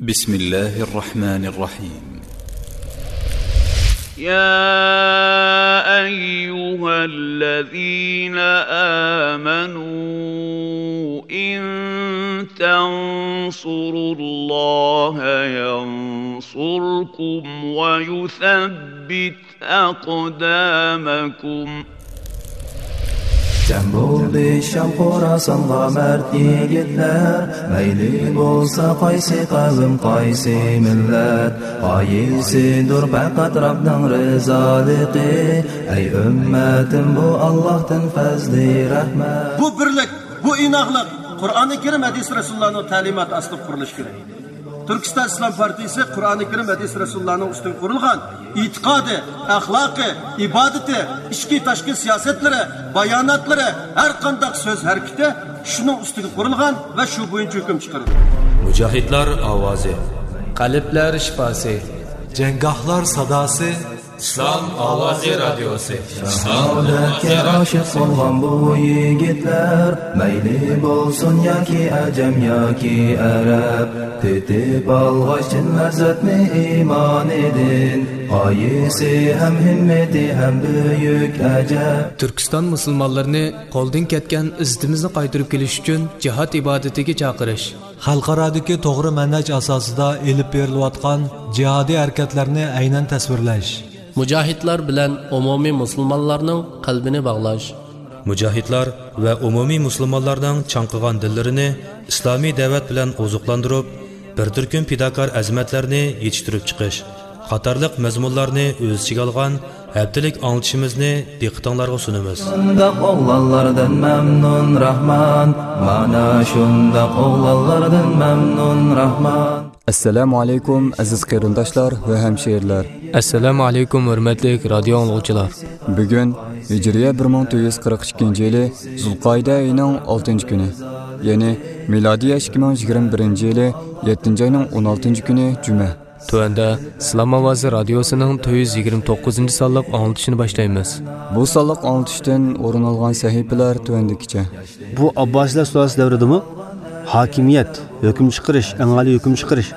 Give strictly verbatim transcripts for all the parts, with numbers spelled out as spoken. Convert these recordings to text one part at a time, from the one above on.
بسم الله الرحمن الرحيم. يا أيها الذين آمنوا إن تنصروا الله ينصركم ويثبت أقدامكم. جەم بولدى شام خوراسانغا مەرد يىگىتلەر، مەيلى بولسا قايسى قەۋم، قايسى مىللەت، غايىسىدۇر پەقەت رەبنىڭ رىزالىقى. ئەي ئۈممەتىم، بۇ ئاللاھتىن پەزلى رەھمەت. بۇ بىرلىك، بۇ ئىناقلىق قۇرئانى كەرىم، ھەدىس رەسۇلۇللانىڭ تەلىماتى ئاستىدا قۇرۇلۇشى كېرەك. تۈركىستان ئىسلام پارتىيىسى قۇرئانى كەرىم، ھەدىس رەسۇلۇللانىڭ ئۈستىگە قۇرۇلغان ئېتىقادى، ئەخلاقى، ئىبادىتى، ئىچكى تاشقى سىياسەتلىرى، باياناتلىرى، ھەر قانداق سۆز ھەرىكىتى شۇنىڭ ئۈستىگە قۇرۇلغان ۋە شۇ بويىچە ھۆكۈم چىقىرىدۇ. مۇجاھىدلار ئاۋازى. قەلبلەر شىپاسى. جەڭگاھلار ساداسى. ئىسلام ئاۋازى رادىيوسى. شاھادەتكە ئاشىق بولغان بۇ يىگىتلەر، مەيلى بولسۇن ياكى ئەجەم ياكى ئەرەب، تېتىپ ئالغاچ چىن لەززەتنى ئىمانىدىن، غايىسى ھەم ھىممىتى ھەم بۈيۈك ئەجەب. تۈركىستان مۇسۇلمانلىرىنى قولدىن كەتكەن ئىززىتىمىزنى قايتۇرۇپ كېلىش ئۈچۈن جىھاد ئىبادىتىگە چاقىرىش. خەلقئارادىكى توغرا مەنھەج ئاساسىدا ئېلىپ بېرىلىۋاتقان جىھادىي ھەرىكەتلەرنى ئەينەن تەسۋىرلەش. مۇجاھىدلار بىلەن ئومۇمىي مۇسۇلمانلارنىڭ قەلبىنى باغلاش. مۇجاھىدلار ۋە ئومۇمىي مۇسۇلمانلارنىڭ چاڭقىغان دىللىرىنى ئىسلامىي دەۋەت بىلەن ئوزۇقلاندۇرۇپ، بىر تۈركۈم پىداكار ئەزىمەتلەرنى يېتىشتۈرۈپ چىقىش قاتارلىق مەزمۇنلارنى ئۆز ئىچىگە ئالغان ھەپتىلىك ئاڭلىتىشىمىزنى دىققىتىڭلارغا سۇنىمىز. شۇنداق ئوغلانلاردىن مەمنۇن راھمان، مانا شۇنداق ئوغلانلاردىن مەمنۇن راھمان. ئەسسالامۇ ئەلەيكۇم، ئەزىز قېرىنداشلار ۋە ھەمشىرىلەر. ئەسسالامۇ ئەلەيكۇم، ھۆرمەتلىك رادىيو ئاڭلىغۇچىلار. بۈگۈن ھىجرىيە بىر مىڭ تۆت يۈز قىرىق ئىككىنچى يىلى زۇلقائىدە ئېيىنىڭ ئالتىنچى كۈنى، يەنى مىلادىيە ئىككى مىڭ يىگىرمە بىرىنچى يىلى يەتتىنچى ئاينىڭ ئون ئالتىنچى كۈنى جۈمە. تۆۋەندە ئىسلام ئاۋازى رادىيوسىنىڭ تۆت يۈز يىگىرمە توققۇزىنچى سانلىق ئاڭلىتىشىنى باشلايمىز. بۇ سانلىق ئاڭلىتىشتىن ئورۇن ئالغان سەھىپىلەر تۆۋەندىكىچە. بۇ ئابباسىيلار سۇلالىسى دەۋرىدىمۇ ھاكىمىيەت، ھۆكۈم چىقىرىش، ئەڭ ئالىي ھۆكۈم چىقىرىش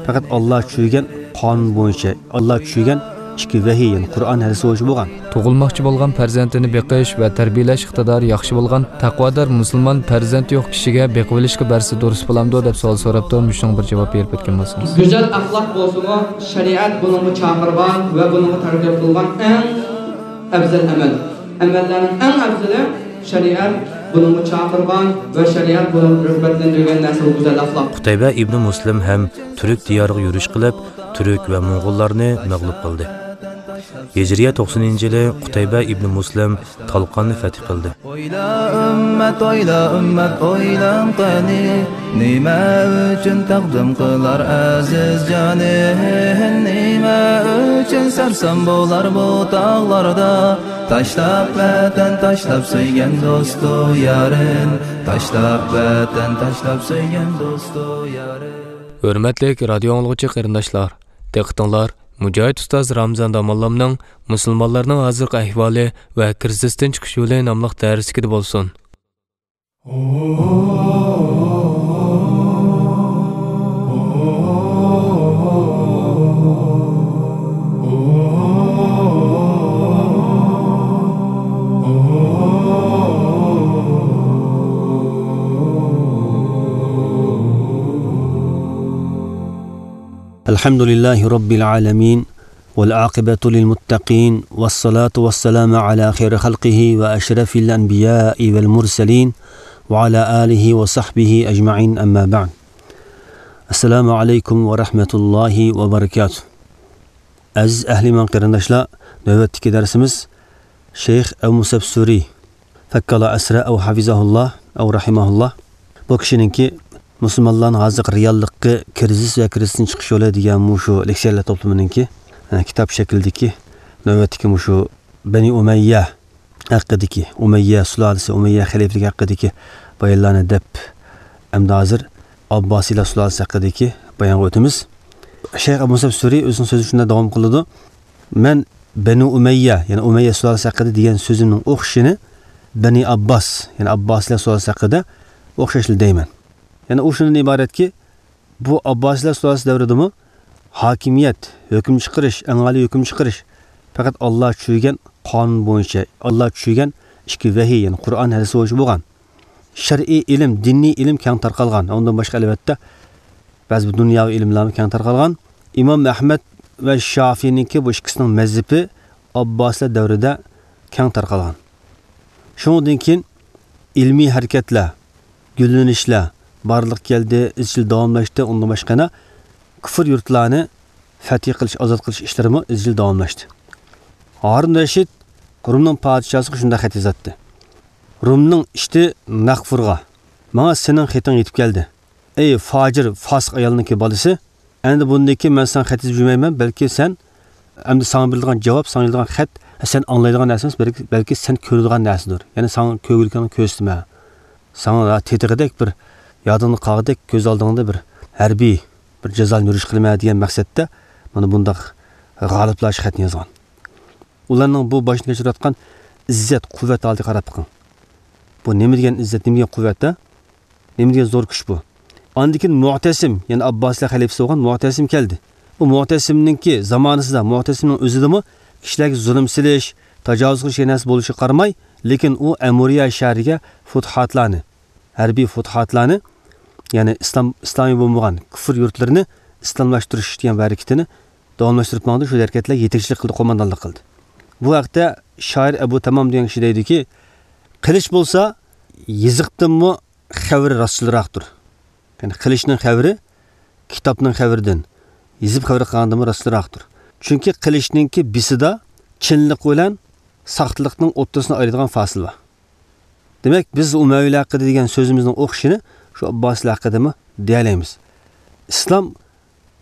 پەقەت ئاللا چۈشۈرگەن قانۇن بويىچە، ئاللا چۈشۈرگەن ئىككى ۋەھىي، يەنى قۇرئان، ھەدىس بويىچە بولغان. تۇغۇلماقچى بولغان پەرزەنتىنى بېقىش ۋە تەربىيەلەش ئىقتىدارى ياخشى بولغان تەقۋادار مۇسۇلمان پەرزەنتى يوق كىشىگە بېقىۋېلىشقا بەرسە دۇرۇس بولامدۇ دەپ سوئال سوراپتۇ، مۇشۇنىڭغا بىر جاۋاب بېرىپ ئۆتكەن بولسىڭىز. گۈزەل ئەخلاق بولسىمۇ، شەرىئەت بۇنىڭغا چاقىرغان ۋە بۇنىڭغا تەرغىب قىلغان ئەڭ ئەۋزەل ئەمەل. ئەمەللەرنىڭ ئەڭ ئەۋزىلى شەرىئەت بۇنىڭغا چاقىرغان ۋە شەرىئەت بۇنىڭغا رىغبەتلەندۈرگەن نەرسە بۇ گۈزەل ئەخلاق. قۇتەيبە ئىبنى مۇسلىم ھەم تۈرك دىيارىغا يۈرۈش قىلىپ، تۈرك ۋە موڭغۇللارنى مەغلۇپ قىلدى. ھىجرىيە توقسىنىنچى يىلى قۇتەيبە ئىبنى مۇسلىم تالقاننى فەتھ قىلدى. ئويلا، ئۈممەت، ئويلا، ئۈممەت، ئويلاڭ قېنى، نېمە ئۈچۈن تەقدىم قىلار ئەزىز جانى؟ نېمە ئۈچۈن سەرسان بولار بۇ تاغلاردا؟ تاشلاپ ۋەتەن، تاشلاپ سۆيگەن دوستۇ يارىن، تاشلاپ ۋەتەن، تاشلاپ سۆيگەن دوستۇ يارىن. ھۆرمەتلىك رادىيو ئاڭلىغۇچى قېرىنداشلار، دىققىتىڭلار مۇجاھىد ئۇستاز رامىزان داموللامنىڭ مۇسۇلمانلارنىڭ ھازىرقى ئەھۋالى ۋە كىرىزىستىن چىقىش يولى ناملىق دەرسلىكىدە بولسۇن. الحمد لله رب العالمين، والعاقبة للمتقين، والصلاة والسلام على خير خلقه وأشرف الأنبياء والمرسلين، وعلى آله وصحبه أجمعين، أما بعد. السلام عليكم ورحمة الله وبركاته. ئەزىز ئەھلى ئىمان قېرىنداشلار، نۆۋەتتىكى دەرسىمىز شەيخ ئەبۇ مۇسەب سۈرى، فەككاللا ئەسرە ئەۋ ھەفىزەھۇللا ئەۋ رەھىمەھۇللا. بۇ كىشىنىڭكى مۇسۇلمانلارنىڭ ھازىرقى رېئاللىققا كىرىزىس ۋە كىرىزىستىن چىقىش يولى دېگەن مۇشۇ لېكسىيەلەر توپلىمىنىڭكى، ئە، كىتاب شەكلىدىكى نۆۋەتتىكى مۇشۇ بەنى ئۇمەييە ھەققىدىكى، ئۇمەييە سۇلالىسى، ئۇمەييە خەلىپىلىكى ھەققىدىكى بايانلارنى دەپ، ئەمدى ھازىر ئابباسىيلار سۇلالىسى ھەققىدىكى بايانغا ئۆتىمىز. شەيخ ئەبۇ مۇسەب سۈرى ئۆزىنىڭ سۆزىدە شۇنداق داۋام قىلىدۇ. مەن بەنۇ ئۇمەييە، يەنى ئۇمەييە سۇلالىسى ھەققىدە دېگەن سۆزۈمنىڭ ئوخشىشىنى بەنى ئابباس، يەنى ئابباسىيلار سۇلالىسى ھەققىدە ئوخشاشلا دەيمەن. يەنى ئۇ شۇندىن ئىبارەتكى، بۇ ئابباسىيلار سۇلالىسى دەۋرىدىمۇ ھاكىمىيەت، ھۆكۈم چىقىرىش، ئەڭ ئالىي ھۆكۈم چىقىرىش پەقەت ئاللا چۈشۈرگەن قانۇن بويىچە، ئاللا چۈشۈرگەن ئىككى ۋەھىي، يەنى قۇرئان، ھەدىس بويىچە بولغان. شەرئىي ئىلىم، دىنىي ئىلىم كەڭ تارقالغان. ئۇندىن باشقا، ئەلۋەتتە، بەزى بىر دۇنياۋى ئىلىملەرمۇ كەڭ تارقالغان. ئىمام ئەھمەد ۋە شافىئىنىڭكى بۇ ئىككىسىنىڭ مەزھىپى ئابباسىيلار دەۋرىدە كەڭ تارقالغان. شۇنىڭدىن كېيىن ئىلمىي ھەرىكەتلەر، گۈللىنىشلەر بارلىققا كەلدى، ئىزچىل داۋاملاشتى. ئۇندىن باشقا يەنە كۇفر يۇرتلارنى فەتھى قىلىش، ئازاد قىلىش ئىشلىرىمۇ ئىزچىل داۋاملاشتى. ھارۇن رەشىد رومنىڭ پادىشاھىغا شۇنداق خەت يازاتتى. رومنىڭ ئىشتى ناغفۇرغا، ماڭا سېنىڭ خېتىڭ يېتىپ كەلدى. ئەي فاجىر، فاسىق ئايالنىڭكى بالىسى، ئەمدى بۇندىن كېيىن مەن ساڭا خەت يېزىپ يۈرمەيمەن، بەلكى سەن، ئەمدى ساڭا بېرىلىدىغان جاۋاب، ساڭا يېزىلىدىغان خەت، سەن ئاڭلايدىغان نەرسە ئەمەس، بەلكى، بەلكى سەن كۆرىدىغان نەرسىدۇر. يەنى ساڭا كۆرگۈلۈكىڭنى كۆرسىتىمەن. ساڭا تېتىغۇدەك بىر، يادىڭدا قالغۇدەك، كۆز ئالدىڭدا بىر ھەربىي بىر جازانى يۈرۈش قىلىمەن دېگەن مەقسەتتە مانا بۇنداق غالىپلارچە خەتنى يازغان. ئۇلارنىڭ بۇ باشتىن كەچۈرۈۋاتقان ئىززەت، قۇۋۋەت ھالىتىگە قاراپ بېقىڭ. بۇ نېمە دېگەن ئىززەت، نېمە دېگەن قۇۋۋەت-ە؟ نېمە دېگەن زور كۈچ بۇ؟ ئاندىن كېيىن مۇئتەسىم، يەنى ئابباسىيلار خەلىپىسى بولغان مۇئتەسىم كەلدى. ئۇ مۇئتەسىمنىڭكى زامانىسىدا، مۇئتەسىمنىڭ ئۆزىدىمۇ كىشىلەرگە زۇلۇم سېلىش، تاجاۋۇز قىلىش دېگەن نەرسە بولۇشىغا قارىماي، لېكىن ئۇ ئەمۇرىيا شەھىرىگە فۇتۇھاتلارنى، ھەربىي فۇتۇھاتلارنى، يەنى ئىسلام، ئىسلامىي بولمىغان كۇفر يۇرتلىرىنى ئىسلاملاشتۇرۇش دېگەن بۇ ھەرىكىتىنى داۋاملاشتۇرۇپ ماڭدى. شۇ ھەرىكەتلەرگە يېتەكچىلىك قىلدى، قوماندانلىق قىلدى. بۇ ھەقتە شائىر ئەبۇ تامام دېگەن كىشى دەيدۇكى، قىلىچ بولسا يېزىقتىنمۇ خەۋىرى راستچىلراقتۇر. يەنى قىلىچنىڭ خەۋىرى كىتابنىڭ خەۋىرىدىن، يېزىپ خەۋەر قىلغاندىنمۇ راستچىلراقتۇر. چۈنكى قىلىچنىڭكى بىسىدا چىنلىق بىلەن ساختىلىقنىڭ ئوتتۇرىسىنى ئايرىيدىغان فاسىلە بار. دېمەك، بىز ئۇمەۋىيلەر ھەققىدە دېگەن سۆزىمىزنىڭ ئوخشىشىنى شۇ ئابباسىيلار ھەققىدىمۇ دېيەلەيمىز. ئىسلام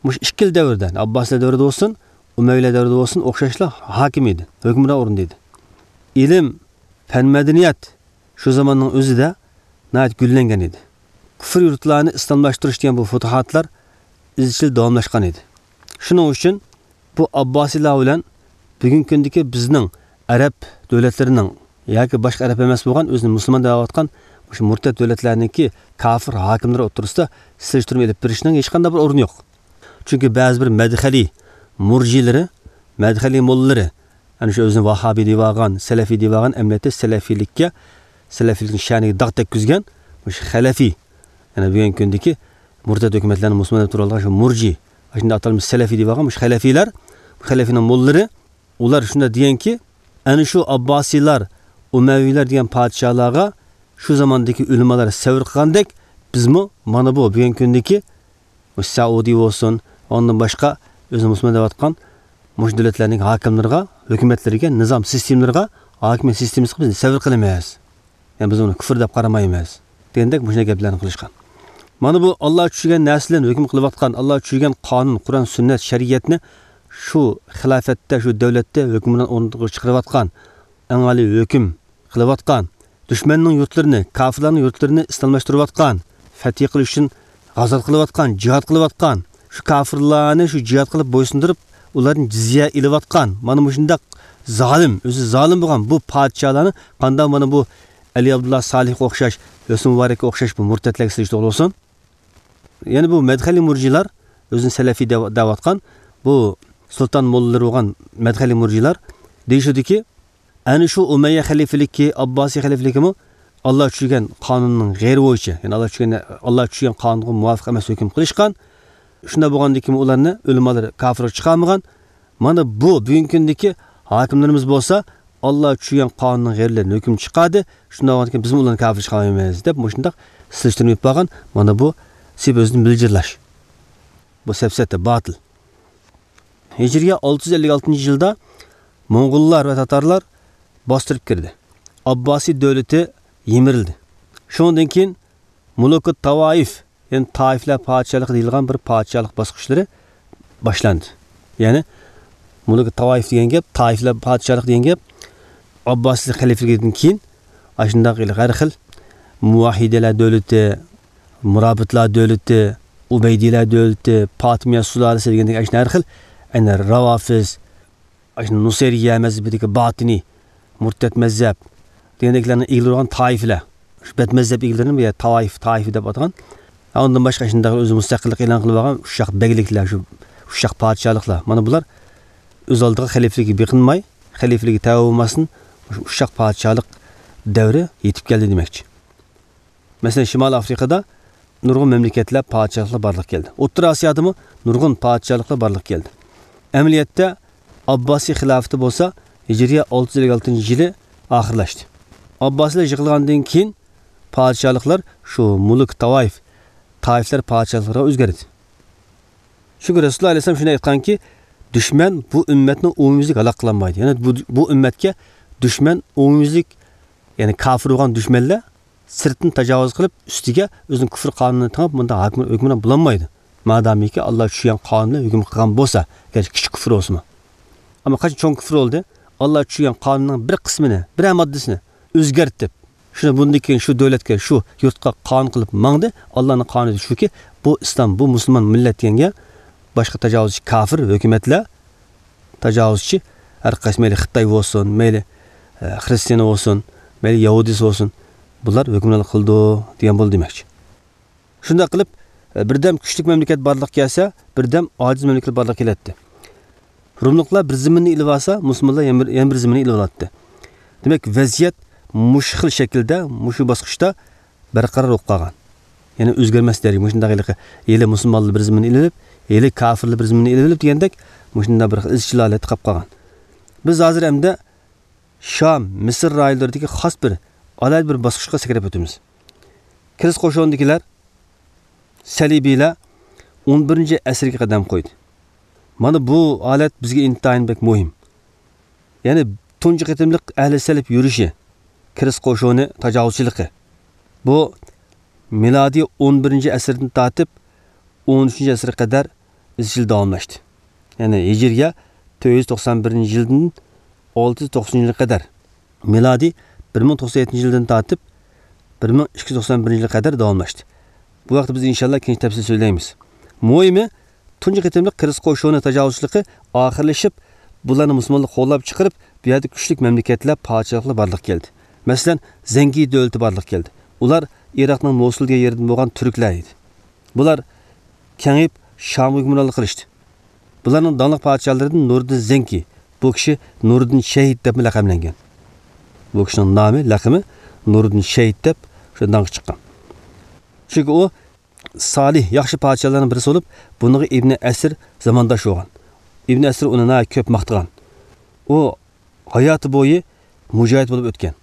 مۇشۇ ئىككىلا دەۋردە، ئابباسىيلار دەۋرىدە بولسۇن، ئۇمەۋىيلەر دەۋرىدە بولسۇن، ئوخشاشلا ھاكىم ئىدى، ھۆكۈمران ئورۇندا ئىدى. ئىلىم، پەن، مەدەنىيەت شۇ زاماننىڭ ئۆزىدە ناھايىتى گۈللەنگەن ئىدى. كۇفر يۇرتلارنى ئىسلاملاشتۇرۇش دېگەن بۇ فۇتۇھاتلار ئىزچىل داۋاملاشقان ئىدى. شۇنىڭ ئۈچۈن بۇ ئابباسىيلار بىلەن بۈگۈنكى كۈندىكى بىزنىڭ ئەرەب دۆلەتلىرىنىڭ ياكى باشقا ئەرەب ئەمەس بولغان، ئۆزىنى مۇسۇلمان دەۋاتقان مۇشۇ مۇرتەت دۆلەتلەرنىڭكى كاپىر ھاكىملىرى ئوتتۇرىسىدا سېلىشتۇرما ئېلىپ بېرىشنىڭ ھېچقانداق بىر ئورنى يوق. چۈنكى بەزى بىر مەدخەلىي مۇرجىلىرى، مەدخەلىي موللىلىرى، ئەنە شۇ ئۆزىنى ۋاھابىي دەۋالغان، سەلەفىي دەۋالغان، ئەمەلىيەتتە سەلەفىيلىككە، سەلەفىيلىكنىڭ شەنىگە داغ تەگكۈزگەن مۇشۇ خەلەفىي، يەنى بۈگۈنكى كۈندىكى مۇرتەت ھۆكۈمەتلەرنى مۇسۇلمان دەپ تۇرۇۋالغان شۇ مۇرجى، ئاشۇنداق ئاتالمىش سەلەفىي دەۋالغان مۇشۇ خەلەفىيلەر، بۇ خەلەفىينىڭ موللىلىرى، ئۇلار شۇنداق دېگەنكى، ئەنە شۇ ئابباسىيلار، ئۇمەۋىيلەر دېگەن پادىشاھلارغا شۇ زاماندىكى ئۆلىمالار سەۋر قىلغاندەك، بىزمۇ مانا بۇ بۈگۈنكى كۈندىكى مۇشۇ سەئۇدى بولسۇن، ئۇندىن باشقا ئۆزىنى مۇسۇلمان دەۋاتقان مۇشۇ دۆلەتلەرنىڭ ھاكىملىرىغا، ھۆكۈمەتلىرىگە، نىزام سىستېمىلىرىغا، ھاكىمىيەت سىستېمىسىغا بىز سەۋر قىلىمىز. يەنى بىز ئۇنى كۇفر دەپ قارىمايمىز دېگەندەك مۇشۇنداق گەپلەرنى قىلىشقان. مانا بۇ ئاللا چۈشۈرگەن نەرسە بىلەن ھۆكۈم قىلىۋاتقان، ئاللا چۈشۈرگەن قانۇن، قۇرئان، سۈننەت، شەرىئەتنى شۇ خىلاپەتتە، شۇ دۆلەتتە ھۆكۈمران ئورنىغا چىقىرىۋاتقان، ئەڭ ئالىي ھۆكۈم قىلىۋاتقان، دۈشمەننىڭ يۇرتلىرىنى، كاپىرلارنىڭ يۇرتلىرىنى ئىسلاملاشتۇرۇۋاتقان، فەتھى قىلىش ئۈچۈن غازات قىلىۋاتقان، جىھاد قىلىۋاتقان، شۇ كاپىرلارنى شۇ جىھاد قىلىپ بويسۇندۇرۇپ، ئۇلاردىن جىزيە ئېلىۋاتقان، مانا مۇشۇنداق زالىم، ئۆزى زالىم بولغان بۇ پادىشاھلارنى قانداق مانا بۇ ئەلى ئابدۇللا سالىھقا ئوخشاش، ھۆسنى مۇبارەككە ئوخشاش بۇ مۇرتەتلەرگە سېلىشتۇرغىلى بولسۇن. يەنە بۇ مەدخەلىي مۇرجىلار، ئۆزىنى سەلەفىي دەۋ-، دەۋاتقان، بۇ سۇلتان موللىلىرى بولغان مەدخەلىي مۇرجىلار دېيىشىدۇكى، ئەنە شۇ ئۇمەييە خەلىپىلىكى، ئابباسىي خەلىپىلىكىمۇ ئاللا چۈشۈرگەن قانۇننىڭ غەيرى بويىچە، يەنى ئاللا چۈشۈرگەن، ئاللا چۈشۈرگەن قانۇنغا مۇۋاپىق ئەمەس ھۆكۈم قىلىشقان. شۇنداق بولغاندىكىن ئۇلارنى ئۆلىمالىرى كاپىرغا چىقارمىغان. مانا بۇ بۈگۈنكى كۈندىكى ھاكىملىرىمىز بولسا ئاللا چۈشۈرگەن قانۇننىڭ غەيرىلىرىدىن ھۆكۈم چىقاردى. شۇنداق بولغاندىكىن بىزمۇ ئۇلارنى كاپىر چىقارمايمىز دەپ مۇشۇنداق سېلىشتۇرما ئېلىپ بارغان. مانا بۇ سېلىشتۇرما ئېلىپ بېرىش. بۇ سەپسەتە، باتىل. ھىجرىيە ئالتە يۈز ئەللىك ئالتىنچى يىلدا موڭغۇللار ۋە تاتارلار باستۇرۇپ كىردى. ئابباسىي دۆلىتى يىمىرىلدى. شۇنىڭدىن كېيىن مۇلۇكۇت تاۋايىف، يەنى تائىفلار پادىشاھلىقى دېيىلغان بىر پادىشاھلىق باسقۇچلىرى باشلاندى. يەنى مۇلۇكۇت تاۋايىف دېگەن گەپ، تائىفلار پادىشاھلىقى دېگەن گەپ ئابباسىي خەلىپىلىكىدىن كېيىن ئاشۇنداق ھەر خىل مۇۋەھھىدلەر دۆلىتى، مۇرابىتلار دۆلىتى، ئۇبەيدىلەر دۆلىتى، پاتىمىيە سۇلالىسى دېگەندەك ئاشۇنداق ھەر خىل، ئەنە، راۋافىز، ئاشۇ نۇسەيرىيە مەزھىپىدىكى باتىنىي، مۇرتەت مەزھەپ دېگەندەكلەرنى ئىگىلىۋالغان تائىفىلەر. شۇ بەت مەزھەپ ئىگىلىرىنى بۇ يەردە تاۋايىف، تائىفە دەپ ئاتىغان. ئاندىن باشقا شۇنداق ئۆزى مۇستەقىللىق ئېلان قىلىپ ئالغان ئۇششاق بەگلىكلەر، شۇ ئۇششاق پادىشاھلىقلار. مانا بۇلار ئۆز ئالدىغا خەلىپىلىككە بېقىنماي، خەلىپىلىككە تەۋە بولماستىن، شۇ ئۇششاق پادىشاھلىق دەۋرى يېتىپ كەلدى دېمەكچى. مەسىلەن، شىمالىي ئافرىقىدا نۇرغۇن مەملىكەتلەر، پادىشاھلىقلار بارلىققا كەلدى. ئوتتۇرا ئاسىيادىمۇ نۇرغۇن پادىشاھلىقلار بارلىققا كەلدى. ئەمەلىيەتتە، ئابباسىي خىلاپىتى بولسا ھىجرىيە ئالتە يۈز ئەللىك ئالتىنچى يىلى ئاخىرلاشتى. ئابباسىيلار يىقىلغاندىن كېيىن پادىشاھلىقلار شۇ مۇلۇك تاۋايىف، تائىفلار پادىشاھلىقلىرىغا ئۆزگەردى. چۈنكى رەسۇلۇللاھ ئەلەيھىسسالام شۇنداق ئېيتقانكى، دۈشمەن بۇ ئۈممەتنى ئومۇميۈزلۈك ھالاك قىلالمايدۇ. يەنى بۇ، بۇ ئۈممەتكە دۈشمەن ئومۇميۈزلۈك، يەنى كاپىر بولغان دۈشمەنلەر سىرتتىن تاجاۋۇز قىلىپ، ئۈستىگە ئۆزىنىڭ كۇفر قانۇنىنى تېڭىپ، مۇنداق ھۆكۈم-، ھۆكۈمران بولالمايدۇ. مادامىكى ئاللا چۈشۈرگەن قانۇن بىلەن ھۆكۈم قىلغان بولسا، گەرچە كىچىك كۇفر بولسىمۇ. ئەمما قاچان چوڭ كۇفر بولدى، ئاللا چۈشۈرگەن قانۇننىڭ بىر قىسمىنى، بىرەر ماددىسىنى ئۆزگەرتىپ، شۇنى بۇندىن كېيىن شۇ دۆلەتكە، شۇ يۇرتقا قانۇن قىلىپ ماڭدى، ئاللانىڭ قانۇنى شۇكى، بۇ ئىسلام، بۇ مۇسۇلمان مىللەت دېگەنگە باشقا تاجاۋۇزچى كافىر ھۆكۈمەتلەر، تاجاۋۇزچى ھەر قايسى، مەيلى خىتاي بولسۇن، مەيلى، ئە، خرىستىيان بولسۇن، مەيلى يەھۇدىيسى بولسۇن، بۇلار ھۆكۈمرانلىق قىلىدۇ دېگەن بولدى دېمەكچى. شۇنداق قىلىپ، ئە، بىردەم كۈچلۈك مەملىكەت بارلىققا كەلسە، بىردەم ئاجىز مەملىكەت بارلىققا كېلەتتى. روملۇقلار بىر زېمىننى ئېلىۋالسا، مۇسۇلمانلار يەنە بىر، يەنە بىر زېمىننى ئېلىۋالاتتى. دېمەك، ۋەزىيەت مۇشۇ خىل شەكىلدە، مۇشۇ باسقۇچتا بەرقارار بولۇپ قالغان. يەنى ئۆزگەرمەس دەرىجە، مۇشۇنداق ھېلىقى، ھېلى مۇسۇلمانلار بىر زېمىننى ئېلىۋېلىپ، ھېلى كافىرلار بىر زېمىننى ئېلىۋېلىپ دېگەندەك، مۇشۇنداق بىر ئىزچىل ھالەتتە قاپقالغان. بىز ھازىر ئەمدى شام، مىسىر رايونلىرىدىكى خاس بىر، ئالاھىدە بىر باسقۇچقا سەكرەپ ئۆتىمىز. كىرىس قوشۇنىدىكىلەر، سەلىبىيلەر ئون بىرىنچى ئەسىرگە قەدەم قويدى. مانا بۇ ھالەت بىزگە ئىنتايىن بەك مۇھىم. يەنى تۇنجى قېتىملىق ئەھلى سەلىب يۈرۈشى، كىرىس قوشۇنى تاجاۋۇزچىلىقى. بۇ مىلادىي ئون بىرىنچى ئەسىردىن تارتىپ ئون ئۈچىنچى ئەسىرگە قەدەر ئىزچىل داۋاملاشتى. يەنى ھىجرىيە تۆت يۈز توقسان بىرىنچى يىلدىن ئالتە يۈز توقسىنىنچى يىلغا قەدەر، مىلادىي بىر مىڭ توقسان يەتتىنچى يىلدىن تارتىپ بىر مىڭ ئىككى يۈز توقسان بىرىنچى يىلغا قەدەر داۋاملاشتى. بۇ ھەقتە بىز ئىنشاللا كېيىن تەپسىلىي سۆزلەيمىز. مۇھىمى، تۇنجى قېتىملىق كىرىس قوشۇنى تاجاۋۇزچىلىقى ئاخىرلىشىپ، بۇلارنى مۇسۇلمانلار قوغلاپ چىقىرىپ، بۇ يەردە كۈچلۈك مەملىكەتلەر، پادىشاھلىقلار بارلىققا كەلدى. مەسىلەن، زەنگى دۆلىتى بارلىققا كەلدى. ئۇلار ئىراقنىڭ موسۇل دېگەن يېرىدىن بولغان تۈركلەر ئىدى. بۇلار كېڭىيىپ، شامغا ھۆكۈمرانلىق قىلىشتى. بۇلارنىڭ داڭلىق پادىشاھلىرىدىن نۇرىدىن زەنكى، بۇ كىشى نۇرىدىن شەھىت دەپمۇ لەقەملەنگەن. بۇ كىشىنىڭ نامى، لەقىمى نۇرىدىن شەھىت دەپ شۇ داڭقى چىققان. چۈنكى ئۇ سالىھ، ياخشى پادىشاھلارنىڭ بىرسى بولۇپ، بۇنىڭغا ئىبنى ئەسىر زامانداش بولغان. ئىبنى ئەسىر ئۇنى ناھايىتى كۆپ ماختىغان. ئۇ ھاياتى بويى مۇجاھىد بولۇپ ئۆتكەن.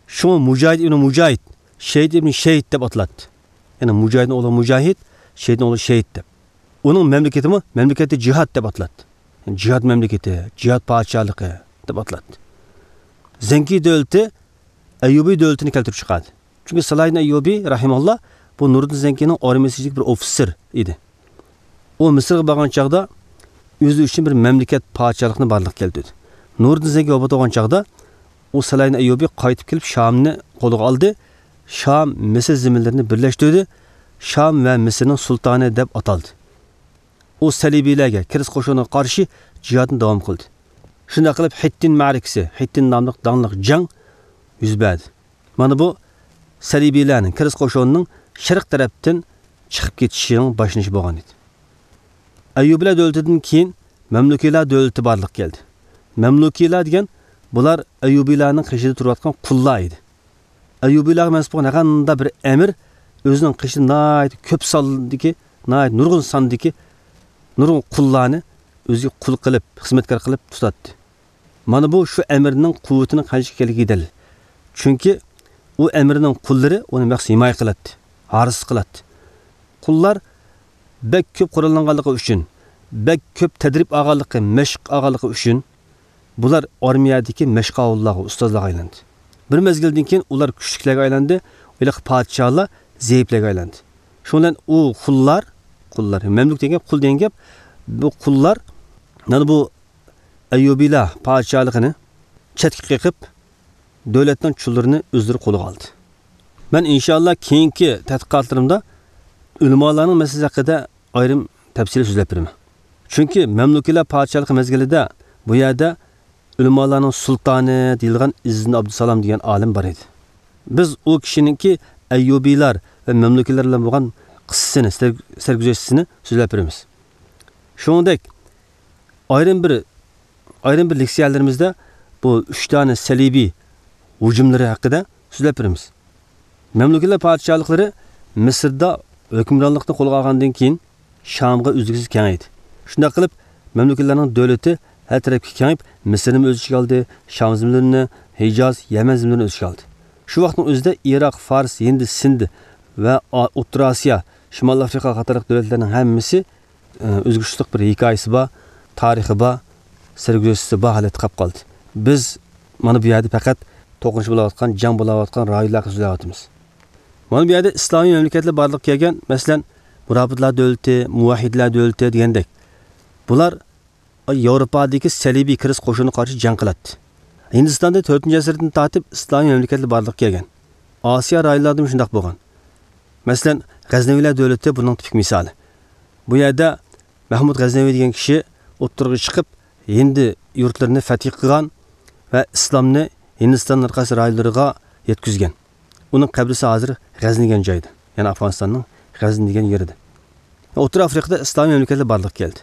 شۇڭا مۇجاھىد ئىبنى مۇجاھىد، شەھىد ئىبنى شەھىد دەپ ئاتىلاتتى. يەنى مۇجاھىدنىڭ ئوغلى مۇجاھىد، شەھىدنىڭ ئوغلى شەھىد دەپ. ئۇنىڭ مەملىكىتىمۇ مەملىكەتى جىھاد دەپ ئاتىلاتتى. يەنى جىھاد مەملىكىتى، جىھاد پادىشاھلىقى دەپ ئاتىلاتتى. زەنكى دۆلىتى ئەييۇبىي دۆلىتىنى كەلتۈرۈپ چىقاردى. چۈنكى سالاھىدىن ئەييۇبى رەھىمەھۇللا بۇ نۇرىدىن زەنكىنىڭ ئارمىيىسىدىكى بىر ئوفىتسېر ئىدى. ئۇ مىسىرغا بارغان چاغدا ئۆزى ئۈچۈن بىر مەملىكەت، پادىشاھلىقنى بارلىققا كەلتۈردى. نۇرىدىن زەنكى ۋاپات بولغان چاغدا ئۇ سالاھىدىن ئەييۇبى قايتىپ كېلىپ شامنى قولىغا ئالدى. شام، مىسىر زېمىنلىرىنى بىرلەشتۈردى. شام ۋە مىسىرنىڭ سۇلتانى دەپ ئاتالدى. ئۇ سەلىبىيلەرگە، كىرىس قوشۇنىغا قارشى جىھادنى داۋام قىلدى. شۇنداق قىلىپ ھىتتىن مەرىكىسى، ھىتتىن ناملىق داڭلىق جەڭ يۈز بەردى. مانا بۇ سەلىبىيلەرنىڭ، كىرىس قوشۇنىنىڭ شەرق تەرەپتىن چىقىپ كېتىشىنىڭ باشلىنىشى بولغان ئىدى. ئەييۇبىلەر دۆلىتىدىن كېيىن مەملۇكىيلار دۆلىتى بارلىققا كەلدى. مەملۇكىيلار دېگەن بۇلار ئەييۇبىلارنىڭ قېشىدا تۇرۇۋاتقان قۇللار ئىدى. ئەييۇبىلارغا مەنسۇپ بولغان ھەر قانداق بىر ئەمىر ئۆزىنىڭ قېشىدا ناھايىتى كۆپ ساندىكى، ناھايىتى نۇرغۇن ساندىكى نۇرغۇن قۇللارنى ئۆزىگە قۇل قىلىپ، خىزمەتكار قىلىپ تۇتاتتى. مانا بۇ شۇ ئەمىرنىڭ قۇۋۋىتىنىڭ قانچىلىكى ئىكەنلىكىگە دەلىل. چۈنكى ئۇ ئەمىرنىڭ قۇللىرى ئۇنى مەخسۇس ھىمايە قىلاتتى، ھارىسلىق قىلاتتى. قۇللار بەك كۆپ قوراللانغانلىقى ئۈچۈن، بەك كۆپ تەدرىب ئالغانلىقى، مەشىق ئالغانلىقى ئۈچۈن بۇلار ئارمىيەدىكى مەشقاۋۇللارغا، ئۇستازلارغا ئايلاندى. بىر مەزگىلدىن كېيىن ئۇلار كۈچلۈكلەرگە ئايلاندى، ھېلىقى پادىشاھلار زەئىپلەرگە ئايلاندى. شۇنىڭ بىلەن ئۇ قۇللار، قۇللار، مەملۇك دېگەن گەپ، قۇل دېگەن گەپ، بۇ قۇللار، مانا بۇ ئەييۇبىيلار پادىشاھلىقىنى چەتكە قېقىپ، دۆلەتنىڭ چۇللىرىنى ئۆزلىرى قولىغا ئالدى. مەن ئىنشائاللا كېيىنكى تەتقىقاتلىرىمدا ئۆلىمالارنىڭ مەسىلىسى ھەققىدە ئايرىم تەپسىلىي سۆزلەپ بېرىمەن. چۈنكى مەملۇكىيلار پادىشاھلىقى مەزگىلىدە بۇ يەردە ئۆلىمالارنىڭ سۇلتانى دېيىلغان ئىززىدىن ئابدۇسالام دېگەن ئالىم بار ئىدى. بىز ئۇ كىشىنىڭكى ئەييۇبىيلار ۋە مەملۇكىيلار بىلەن بولغان قىسسىسىنى، سەر-، سەرگۈزەشتىسىنى سۆزلەپ بېرىمىز. شۇنىڭدەك ئايرىم بىر، ئايرىم بىر لېكسىيەلىرىمىزدە بۇ ئۈچ دانە سەلىبىي ھۇجۇملىرى ھەققىدە سۆزلەپ بېرىمىز. مەملۇكىلەر پادىشاھلىقلىرى مىسىردا ھۆكۈمرانلىقنى قولغا ئالغاندىن كېيىن، شامغا ئۈزلۈكسىز كېڭەيدى. شۇنداق قىلىپ، مەملۇكىلەرنىڭ دۆلىتى ھەر تەرەپكە كېڭىيىپ، مىسىرنىمۇ ئۆز ئىچىگە ئالدى، شام زېمىنلىرىنى، ھىجاز، يەمەن زېمىنلىرىنى ئۆز ئىچىگە ئالدى. شۇ ۋاقىتنىڭ ئۆزىدە ئىراق، فارس، ھىند، سىند ۋە ئا-، ئوتتۇرا ئاسىيا، شىمالىي ئافرىقا قاتارلىق دۆلەتلەرنىڭ ھەممىسى، ئە، ئۆزگىچىلىك بىر ھېكايىسى بار، تارىخى بار، سەرگۈزەشتىسى بار ھالەتتە قاپ قالدى. بىز مانا بۇ يەردە پەقەت توقۇنۇش بولاۋاتقان، جەڭ بولاۋاتقان رايونلار ھەققىدە سۆزلەۋاتىمىز. مانا بۇ يەردە ئىسلامىي مەملىكەتلەر بارلىققا كەلگەن، مەسىلەن، مۇرابىتلار دۆلىتى، مۇۋەھھىدلەر دۆلىتى دېگەندەك. بۇلار ياۋروپادىكى سەلىبىي كىرىس قوشۇنىغا قارشى جەڭ قىلاتتى. ھىندىستاندا تۆتىنچى ئەسىردىن تارتىپ ئىسلامىي مەملىكەتلەر بارلىققا كەلگەن. ئاسىيا رايونلارىدىمۇ شۇنداق بولغان. مەسىلەن، غەزنەۋىلەر دۆلىتى بۇنىڭ تىپىك مىسالى. بۇ يەردە مەھمۇد غەزنەۋى دېگەن كىشى ئوتتۇرىغا چىقىپ، ھىندى يۇرتلىرىنى فەتھى قىلغان ۋە ئىسلامنى ھىندىستاننىڭ ھەر قايسى رايونلىرىغا يەتكۈزگەن. ئۇنىڭ قەبرىسى ھازىر غەزنى دېگەن جايدا، يەنى ئافغانىستاننىڭ غەزنى دېگەن يېرىدە. ئوتتۇرا ئافرىقىدا ئىسلامىي مەملىكەتلەر بارلىققا كەلدى.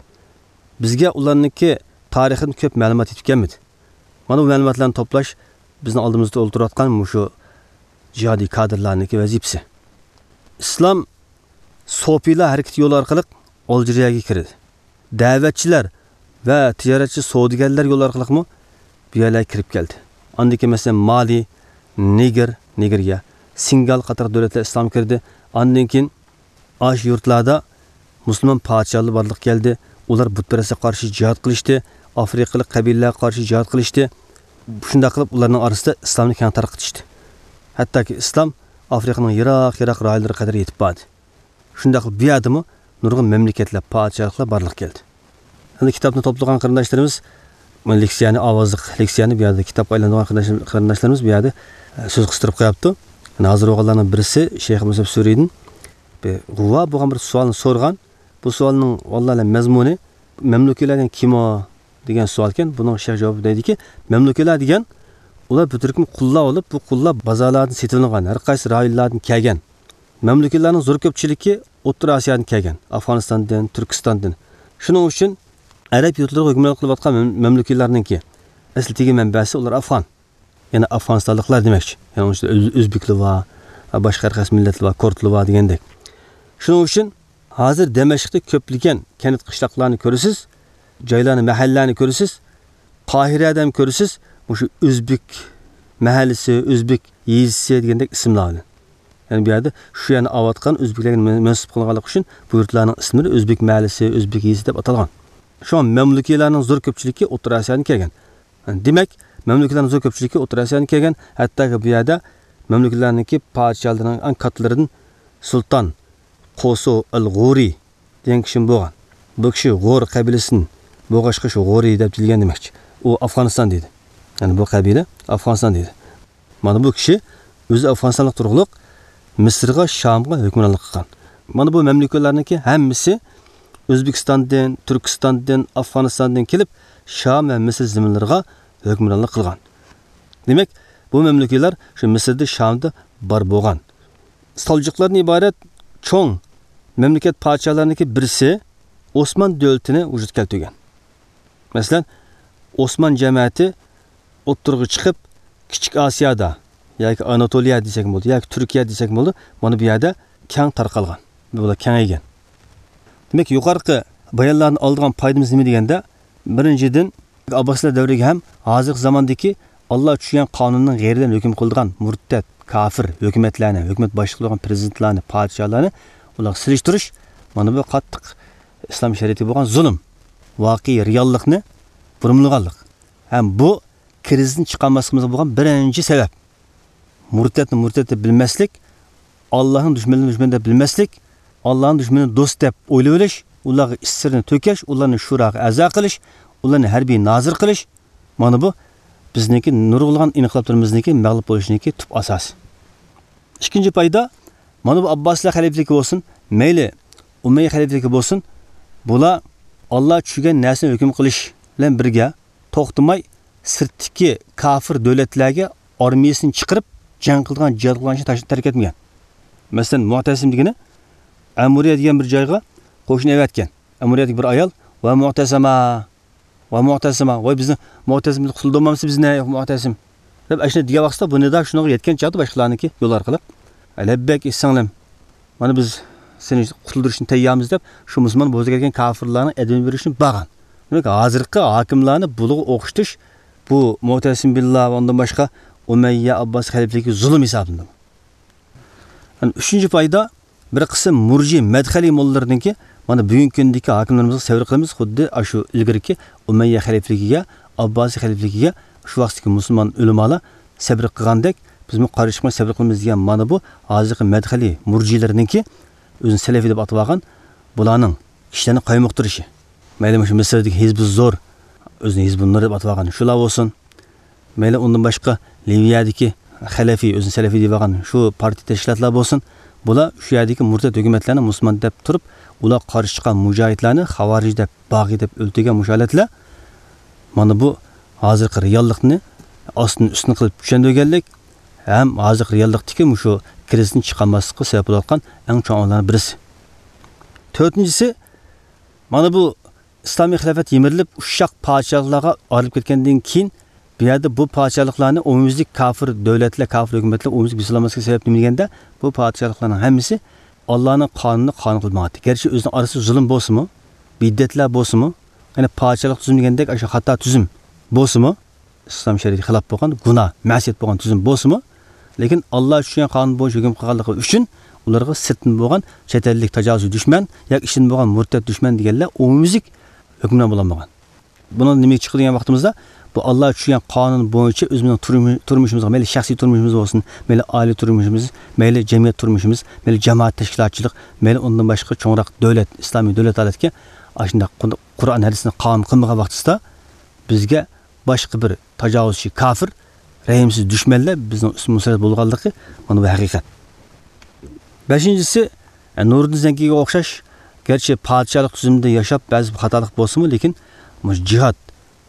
بىزگە ئۇلارنىڭكى تارىخىدىن كۆپ مەلۇمات يېتىپ كەلمىدى. مانا بۇ مەلۇماتلارنى توپلاش بىزنىڭ ئالدىمىزدا ئولتۇرۇۋاتقان مۇشۇ جىھادىي كادىرلارنىڭكى ۋەزىپىسى. ئىسلام سوپىيلار ھەرىكىتى يولى ئارقىلىق ئالجىرىيەگە كىردى. دەۋەتچىلەر ۋە تىجارەتچى سودىگەرلەر يولى ئارقىلىقمۇ بۇ يەرلەرگە كىرىپ كەلدى. ئاندىن كېيىن، مەسىلەن، مالى، نېگىر، نېگىرىيە، سېنېگال قاتارلىق دۆلەتلەر ئىسلامغا كىردى. ئاندىن كېيىن ئاشۇ يۇرتلاردا مۇسۇلمان پادىشاھلار بارلىققا كەلدى. ئۇلار بۇتپەرەسلەرگە قارشى جىھاد قىلىشتى. ئافرىقىلىق قەبىلىلەرگە قارشى جىھاد قىلىشتى. شۇنداق قىلىپ، ئۇلارنىڭ ئارىسىدا ئىسلامنى كەڭ تارقىتىشتى. ھەتتاكى ئىسلام ئافرىقىنىڭ يىراق-يىراق رايونلىرىغا قەدەر يېتىپ باردى. شۇنداقلا بۇ يەردىمۇ نۇرغۇن مەملىكەتلەر، پادىشاھلىقلار بارلىققا كەلدى. ئەمدى كىتابنى توپلىغان قېرىنداشلىرىمىز، مانا لېكسىيەنى، ئاۋازلىق لېكسىيەنى بۇ يەردە كىتابقا ئايلاندۇرغان قېرىنداش-، قېرىنداشلىرىمىز بۇ يەردە، ئە، سۆز قىستۇرۇپ قويۇپتۇ. يەنە ھازىر بولغانلارنىڭ بىرسى شەيخ مۇسەب سۈرىدىن بىر غۇۋا بولغان بىر سوئالنى سورىغان. بۇ سوئالنىڭ ۋاللاھى مەزمۇنى، مەملۇكىيلەر دېگەن كىم ئۇ؟ دېگەن سوئالكەن. بۇنىڭ شەيخ جاۋابى دەيدىكى، مەملۇكىيلەر دېگەن، ئۇلار بىر تۈركۈم قۇللار بولۇپ، بۇ قۇللار بازارلاردىن سېتىۋېلىنغان، ھەر قايسى رايونلاردىن كەلگەن. مەملۇكىيلارنىڭ زور كۆپچىلىكى ئوتتۇرا ئاسىيادىن كەلگەن، ئافغانىستاندىن، تۈركىستاندىن. شۇنىڭ ئۈچۈن ئەرەب يۇرتلىرىغا ھۆكۈمرانلىق قىلىۋاتقان مەم-، مەملۇكىيلارنىڭكى ئەسلىدىكى مەنبەسى ئۇلار ئافغان. يەنى ئافغانىستانلىقلار دېمەكچى. يەنى ئۇنىڭ ئىچىدە ئۆز-، ئۆزبېكلار بار، باشقا ھەر قايسى مىللەتلەر بار، كۇردلار بار دېگەندەك. شۇنىڭ ئۈچۈن ھازىر دىمەشقتا كۆپلىگەن كەنت قىشلاقلارنى كۆرىسىز، جايلارنى، مەھەللىلەرنى كۆرىسىز، قاھىرەدە ھەم كۆرىسىز، مۇشۇ ئۆزبېك مەھەللىسى، ئۆزبېك يېزىسى دېگەندەك ئىسىملار بىلەن. يەنى بۇ يەردە شۇ يەرنى ئاۋاتقان، ئۆزبېكلەرگە مەن-، مەنسۇپ قىلىنغانلىقى ئۈچۈن بۇ يۇرتلارنىڭ ئىسىملىرى ئۆزبېك مەھەللىسى، ئۆزبېك يېزىسى دەپ ئاتالغان. شۇڭا مەملۇكىيلارنىڭ زور كۆپچىلىكى ئوتتۇرا ئاسىيادىن كەلگەن. دېمەك، مەملۇكىيلارنىڭ زور كۆپچىلىكى ئوتتۇرا ئاسىيادىن كەلگەن، ھەتتاكى بۇ يەردە مەملۇكىيلارنىڭكى پادىشاھلىرىنىڭ ئەڭ كاتتىلىرىدىن سۇلتان قوسۇ ئەل غورى دېگەن كىشىمۇ بولغان. بۇ كىشى غور قەبىلىسىدىن بولغاچقا، شۇ غورى دەپ دېيىلگەن دېمەكچى. ئۇ ئافغانىستان دېدى. يەنى بۇ قەبىلە ئافغانىستان دېدى. مانا بۇ كىشى ئۆزى ئافغانىستانلىق تۇرۇقلۇق مىسىرغا، شامغا ھۆكۈمرانلىق قىلغان. مانا بۇ مەملۇكىيلارنىڭكى ھەممىسى ئۆزبېكىستاندىن، تۈركىستاندىن، ئافغانىستاندىن كېلىپ، شام ۋە مىسىر زېمىنلىرىغا ھۆكۈمرانلىق قىلغان. دېمەك، بۇ مەملۇكىيلار شۇ مىسىردا، شامدا بار بولغان. سالجۇقلاردىن ئىبارەت چوڭ مەملىكەت پادىشاھلارنىڭكى بىرسى ئوسمان دۆلىتىنى ۋۇجۇدقا كەلتۈرگەن. مەسىلەن، ئوسمان جەمەتى ئوتتۇرىغا چىقىپ، كىچىك ئاسىيادا ياكى ئاناتولىيە دېسەكمۇ بولىدۇ، ياكى تۈركىيە دېسەكمۇ بولىدۇ، مانا بۇ يەردە كەڭ تارقالغان. بۇلار كېڭەيگەن. دېمەك، يۇقىرىقى بايانلاردىن ئالىدىغان پايدىمىز نېمە دېگەندە، بىرىنچىدىن، ئابباسلار دەۋرىگە ھەم ھازىرقى زاماندىكى ئاللا چۈشۈرگەن قانۇننىڭ غەيرىدىن ھۆكۈم قىلىدىغان مۇرتەت، كاپىر ھۆكۈمەتلەرنى، ھۆكۈمەت باشلىقى بولغان پىرېزىدېنتلارنى، پادىشاھلارنى ئۇلارغا سېلىشتۇرۇش، مانا بۇ قاتتىق ئىسلام شەرىئىتىگە بولغان زۇلۇم. ۋاقىئىي رېئاللىقنى بۇرمىلىغانلىق. ھەم بۇ كىرىزىستىن چىقالماسلىقىمىزغا بولغان بىرىنچى سەۋەب. مۇرتەتنى مۇرتەت دەپ بىلمەسلىك، ئاللانىڭ دۈشمەنلىرىنى دۈشمەن دەپ بىلمەسلىك، ئاللانىڭ دۈشمىنىنى دوست دەپ ئويلىۋېلىش، ئۇلارغا ئىچ سىرىنى تۆكۈش، ئۇلارنى شۇراغا ئەزا قىلىش، ئۇلارنى ھەربىي نازىر قىلىش، مانا بۇ بىزنىڭكى نۇرغۇنلىغان ئىنقىلابلىرىمىزنىڭكى مەغلۇپ بولۇشىنىڭكى تۈپ ئاساسى. ئىككىنچى پايدا، مانا بۇ ئابباسلار خەلىپىلىكى بولسۇن، مەيلى ئۇمەييە خەلىپىلىكى بولسۇن، بۇلار ئاللا چۈشۈرگەن نەرسىنى ھۆكۈم قىلىش بىلەن بىرگە، توختىماي سىرتتىكى كاپىر دۆلەتلەرگە ئارمىيىسىنى چىقىرىپ، جەڭ قىلىدىغان، جىھاد قىلىدىغان ئىشنى تاش-، تەرك ئەتمىگەن. مەسىلەن، مۇئتەسىم دېگىنى ئەمۇرىيە دېگەن بىر جايغا قوشۇن ئەۋەتكەن. ئەمۇرىيەدىكى بىر ئايال، ۋە مۇئتەسىما، ۋە مۇئتەسىما، ۋاي بىزنى مۇئتەسىم قۇتۇلدۇرمامسىز بىزنى، مۇئتەسىم، دەپ ئاشۇنداق دېگەن ۋاقىتتا بۇ نىدا شۇنىڭغا يەتكەن چاغدا باشقىلارنىڭكى يول ئارقىلىق، لەببەك ئېيتساڭلام، مانا بىز سېنى قۇتۇلدۇرۇشنى تەييارمىز دەپ، شۇ مۇسۇلمان بوزەك ئەتكەن كاپىرلارنىڭ ئەدىمىنى بېرىشنى بارغان. دېمەك، ھازىرقى ھاكىملارنى بۇلارغا ئوخشىتىش بۇ مۇئتەسىم بىللا ۋە ئۇندىن باشقا ئۇمەييە ئابباس خەلىپىلىكىگە زۇلۇم ھېسابلىنىدۇ. يەنى ئۈچىنچى پايدا، بىر قىسىم مۇرجى مەدخەلىي موللىلىرىنىڭكى، مانا بۈگۈنكى كۈندىكى ھاكىملىرىمىزغا سەۋر قىلىمىز، خۇددى ئاشۇ ئىلگىرىكى ئۇمەييە خەلىپىلىكىگە، ئابباسىي خەلىپىلىكىگە شۇ ۋاقىتتىكى مۇسۇلمان ئۆلىمالار سەۋر قىلغاندەك، بىزمۇ قارشى چىقماي سەۋر قىلىمىز دېگەن مانا بۇ ھازىرقى مەدخەلىي مۇرجىلىرىنىڭكى ئۆزىنى سەلەفىي دەپ ئاتىۋالغان بۇلارنىڭ كىشىلەرنى قايمۇقتۇرۇشى. مەيلى مۇشۇ مىسىردىكى ھىزبۇ زور، ئۆزىنى ھىزبۇ نۇر دەپ ئاتىۋالغان شۇلار بولسۇن. مەيلى ئۇندىن باشقا لىۋىيەدىكى خەلەفىي، ئۆزىنى سەلەفىي دەيدىغان شۇ پارتىيە تەشكىلاتلار بولسۇن، بۇلار شۇ يەردىكى مۇرتەت ھۆكۈمەتلەرنى مۇسۇلمان دەپ تۇرۇپ، ئۇلارغا قارشى چىققان مۇجاھىدلارنى خاۋارىج دەپ، باغىي دەپ ئۆلتۈرگەن مۇشۇ ھالەتلەر، مانا بۇ ھازىرقى رېئاللىقنى ئاستىن ئۈستۈن قىلىپ چۈشەندۈرگەنلىك ھەم ھازىرقى رېئاللىقتىكى مۇشۇ كىرىزىستىن چىقالماسلىققا سەۋەب بولۇۋاتقان ئەڭ چوڭ ئامىللارنىڭ بىرسى. تۆتىنچىسى، مانا بۇ ئىسلامىي خىلاپەت يىمىرىلىپ، ئۇششاق پادىشاھلىقلارغا ئايرىلىپ كەتكەندىن كېيىن، بۇ يەردە بۇ پادىشاھلىقلارنى ئومۇميۈزلۈك كافىر دۆلەتلەر، كافىر ھۆكۈمەتلەر ئومۇميۈزلۈك بېسىلالماسلىقى سەۋەبى نېمە دېگەندە، بۇ پادىشاھلىقلارنىڭ ھەممىسى ئاللانىڭ قانۇنىنى قانۇن قىلىپ ماڭاتتى. گەرچە ئۆزىنىڭ ئارىسىدا زۇلۇم بولسىمۇ، بىدئەتلەر بولسىمۇ، يەنى پادىشاھلىق تۈزۈم دېگەندەك ئاشۇ خاتا تۈزۈم بولسىمۇ، ئىسلام شەرىئىتىگە خىلاپ بولغان، گۇناھ، مەسىيەت بولغان تۈزۈم بولسىمۇ، لېكىن ئاللا چۈشۈرگەن قانۇن بويىچە ھۆكۈم قىلغانلىقى ئۈچۈن ئۇلارغا سىرتتىن بولغان چەت ئەللىك تاجاۋۇزچى دۈشمەن ياكى ئىچىدىن بولغان مۇرتەت دۈشمەن دېگەنلەر ئومۇميۈزلۈك ھۆكۈمران بولالمىغان. بۇنىڭدىن نېمە چىقىدۇ دېگەن ۋاقتىمىزدا، بۇ ئاللا چۈشۈرگەن قانۇن بويىچە ئۆزىمىزنىڭ تۇرمۇ-، تۇرمۇشىمىزغا، مەيلى شەخسىي تۇرمۇشىمىز بولسۇن، مەيلى ئائىلە تۇرمۇشىمىز، مەيلى جەمئىيەت تۇرمۇشىمىز، مەيلى جامائەت تەشكىلاتچىلىق، مەيلى ئۇندىن باشقا چوڭراق دۆلەت، ئىسلامىي دۆلەت ھالەتكە ئاشۇنداق قۇرئان ھەدىسنى قانۇن قىلمىغان ۋاقتىمىزدا، بىزگە باشقا بىر تاجاۋۇزچى كافىر، رەھىمسىز دۈشمەنلەر بىزنىڭ ئۈستىمىزگە مۇسەللەت بولغانلىقى، مانا بۇ ھەقىقەت. بەشىنچىسى، ئە، نۇرىدىن زەنگىگە ئوخشاش، گەرچە پادىشاھلىق تۈزۈمىدە ياشاپ، بەزى خاتالىق بولسىمۇ، لېكىن مۇشۇ جىھاد،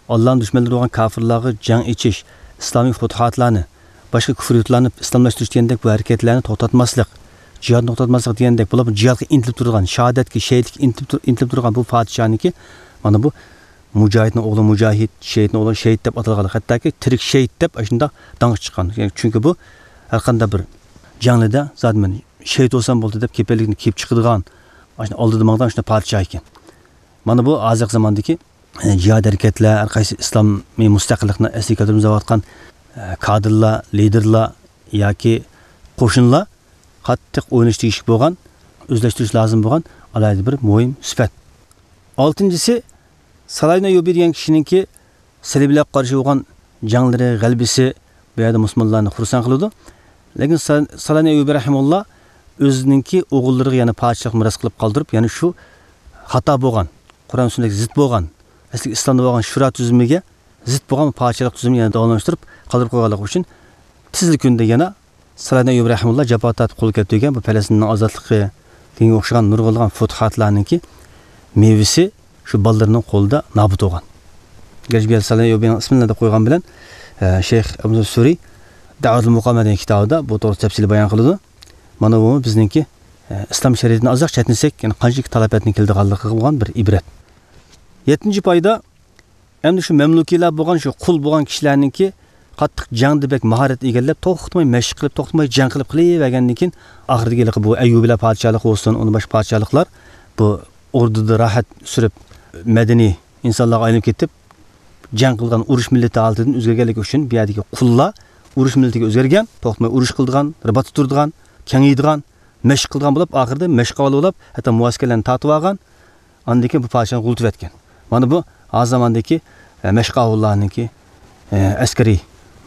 ئاللانىڭ دۈشمەنلىرى بولغان كافىرلارغا جەڭ ئېچىش، ئىسلامىي پۇتۇھاتلارنى، باشقا كۇفر يۇرتلارنى ئىسلاملاشتۇرۇش دېگەندەك بۇ ھەرىكەتلەرنى توختاتماسلىق، جىھادنى توختاتماسلىق دېگەندەك، بۇلار جىھادقا ئىنتىلىپ تۇرىدىغان، شاھادەتكە، شېھىتلىككە ئىنتىلىپ تۇر-، ئىنتىلىپ تۇرغان بۇ پادىشاھنىڭكى، مانا بۇ مۇجاھىدنىڭ ئوغلى مۇجاھىد، شېھىتنىڭ ئوغلى شېھىت دەپ ئاتالغان، ھەتتاكى تىرىك شېھىت دەپ ئاشۇنداق داڭقى چىققان. يەنى چۈنكى بۇ ھەر قانداق بىر جەڭلىدە زادى مەن شېھىت بولسام بولدى دەپ كېپىللىكنى كىيىپ چىقىدىغان، ئاشۇنداق ئالدىدا ماڭىدىغان شۇنداق پادىشاھ ئىكەن. مانا بۇ ھازىرقى زاماندىكى، ئە، جىھاد ھەرىكەتلەر، ھەر قايسى ئىسلامىي مۇستەقىللىقنى ئەسلىگە كەلتۈرۈپ ئىزدەۋاتقان، ئە، كادىرلار، لىدېرلار ياكى قوشۇنلار قاتتىق ئويلىنىشى تېگىشلىك بولغان، ئۆزلەشتۈرۈش لازىم بولغان ئالاھىدە بىر مۇھىم سۈپەت. ئالتىنچىسى، سالاھىدىن ئەييۇبى دېگەن كىشىنىڭكى سەلىبىيلەرگە قارشى بولغان جەڭلىرى، غەلىبىسى بۇ يەردە مۇسۇلمانلارنى خۇرسەن قىلىدۇ. لېكىن سا-، سالاھىدىن ئەييۇبى رەھىمۇللا ئۆزىنىڭكى ئوغۇللىرىغا يەنە پادىشاھلىق مىراس قىلىپ قالدۇرۇپ، يەنە شۇ خاتا بولغان، قۇرئان سۈننەتكە زىت بولغان، ئەسلى ئىسلامدا بولغان شۇرا تۈزۈمىگە زىت بولغان پادىشاھلىق تۈزۈمىنى يەنە داۋاملاشتۇرۇپ قالدۇرۇپ قويغانلىقى ئۈچۈن تېزلا كۈندە يەنە سالاھىدىن ئەييۇبى رەھىمۇللا جاپا تارتىپ قولغا كەلتۈرگەن بۇ پەلەستىننىڭ ئازادلىقى دېگەنگە ئوخشىغان نۇرغۇنلىغان فۇتۇھاتلارنىڭكى مېۋىسى شۇ بالىلىرىنىڭ قولىدا نابۇت بولغان. گەرچە بۇ يەردە سالاھىدىن ئەييۇبىنىڭ ئىسمىنى دەپ قويغان بىلەن، ئە، شەيخ ئەبۇ سۈرى دەۋەتۇل مۇقامە دېگەن كىتابىدا بۇ توغرىسىدا تەپسىلىي بايان قىلىدۇ. مانا بۇ بىزنىڭكى، ئە، ئىسلام شەرىئىتىنى ئازراق چەتنىسەك، يەنى قانچىلىك تالاپەتنىڭ كېلىدىغانلىقىغا بولغان بىر ئىبرەت. يەتتىنچى پايدا، ئەمدى شۇ مەملۇكىيلار بولغان، شۇ قۇل بولغان كىشىلەرنىڭكى قاتتىق جەڭدە بەك ماھارەت ئىگىلەپ، توختىماي مەشىق قىلىپ، توختىماي جەڭ قىلىپ قېلىۋەرگەندىن كېيىن، ئاخىرىدىكى ھېلىقى بۇ ئەييۇبىيلار پادىشاھلىقى بولسۇن، ئۇندىن باشقا پادىشاھلىقلار بۇ ئوردىدا راھەت سۈرۈپ، مەدەنىي ئىنسانلارغا ئايلىنىپ كېتىپ، جەڭ قىلغان ئۇرۇش مىللىتى ھالىتىدىن ئۆزگەرگەنلىكى ئۈچۈن، بۇ يەردىكى قۇللار ئۇرۇش مىللىتىگە ئۆزگەرگەن، توختىماي ئۇرۇش قىلىدىغان، رىباتتا تۇرىدىغان، كېڭىيىدىغان، مەشىق قىلىدىغان بولۇپ، ئاخىرىدا مەشىق ئاۋلى بولۇپ، ھەتتا مۇئەسكەرلەرنى تارتىۋالغان، ئاندىن كېيىن بۇ پادىشاھنى غۇلىتىۋەتكەن. مانا بۇ ھازىر زاماندىكى، ئە، مەشقاۋۇللارنىڭكى، ئە، ئەسكىرىي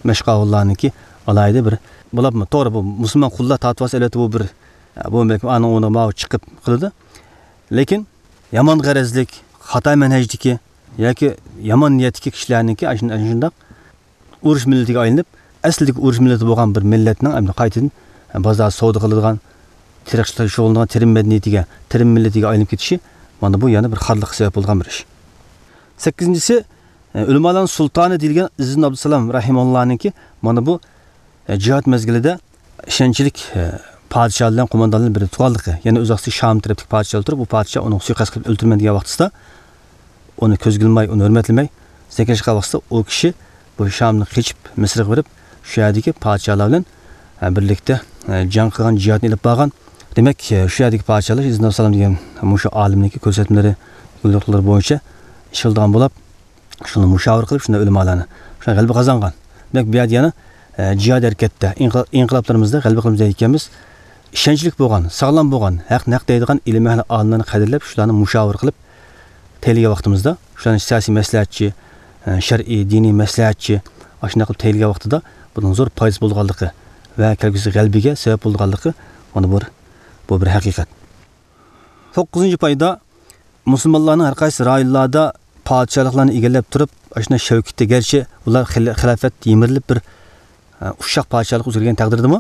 مەشقاۋۇللارنىڭكى ئالاھىدە بىر بولۇپمۇ، توغرا، بۇ مۇسۇلمان قۇللار تارتىۋالسا، ئەلۋەتتە، بۇ بىر، ئە، بۇ بەلكىم ئانىڭ ئورنىغا ماۋۇ چىقىپ قىلىدۇ. لېكىن يامان غەرەزلىك، خاتا مەنھەجدىكى ياكى يامان نىيەتتىكى كىشىلەرنىڭكى ئاشۇ-، ئاشۇنداق ئۇرۇش مىللىتىگە ئايلىنىپ، ئەسلىدىكى ئۇرۇش مىللىتى بولغان بىر مىللەتنىڭ ئەمدى قايتىدىن بازار سودا قىلىدىغان، تېرىقچىلىق شۇغۇللىنىدىغان تېرىم مەدەنىيىتىگە، تېرىم مىللىتىگە ئايلىنىپ كېتىشى، مانا بۇ يەنە بىر خارلىققا سەۋەب بولغان بىر ئىش. سەككىزىنچىسى، ئۆلىمالارنىڭ سۇلتانى دېيىلگەن ئىززىدىن ئابدۇسالام رەھىمەھۇللانىڭكى مانا بۇ، جىھاد مەزگىلىدە ئىشەنچلىك، پادىشاھ بىلەن قوماندانلار بىر تۇغانلىقى، يەنە ئۆز ۋاقتىدا شامدا تەرەپتىكى پادىشاھ ئولتۇرۇپ، بۇ پادىشاھ ئۇنىڭغا سۇيىقەست قىلىپ ئۆلتۈرىمەن دېگەن ۋاقتىسىدا، ئۇنى كۆزگە ئىلماي، ئۇنى ھۆرمەتلىمەي، سەكرەشكەن ۋاقتىسىدا ئۇ كىشى بۇ شامدىن قېچىپ مىسىرغا بېرىپ، شۇ يەردىكى پادىشاھلار بىلەن، ئە، بىرلىكتە، ئە، جەڭ قىلغان، جىھادنى ئېلىپ بارغان. دېمەك، ئە، شۇ يەردىكى پادىشاھلار ئىزنى سالام دېگەن مۇشۇ ئالىمنىڭكى كۆرسەتمىلىرى، يوليورۇقلىرى بويىچە ئىش قىلىدىغان بولۇپ، شۇنى مۇشاۋىرە قىلىپ، شۇنداق ئۆلىمالارنى شۇ غەلىبە قازانغان. دېمەك، بۇ يەردە يەنە، ئە، جىھاد ھەرىكەتتە، ئىنقىلا-، ئىنقىلابلىرىمىزدا غەلىبە قىلىمىز دەيدىكەنمىز. ئىشەنچلىك بولغان، ساغلام بولغان، ھەقنى ھەق دەيدىغان ئىلىم ئەھلى ئالىملارنى قەدىرلەپ، شۇلارنى مۇشاۋىرە قىلىپ، تەيلىگەن ۋاقتىمىزدا، شۇلارنى سىياسىي مەسلىھەتچى، ئە، شەرئىي، دىنىي مەسلىھەتچى، ئاشۇنداق قىلىپ تەيلىگەن ۋاقتىدا بۇنىڭ زور پايدىسى بولىدىغانلىقى ۋە كەلگۈسى غەلىبىگە سەۋەب بولىدىغانلىقى، مانا بۇ، بۇ بىر ھەقىقەت. توققۇزىنچى پايدا، مۇسۇلمانلارنىڭ ھەر قايسى رايونلاردا پادىشاھلىقلارنى ئىگىلەپ تۇرۇپ، ئاشۇنداق شەۋكىتى، گەرچە ئۇلار خىل-، خىلافەت يىمىرىلىپ بىر، ئە، ئۇششاق پادىشاھلىق ئۆزگەرگەن تەقدىردىمۇ،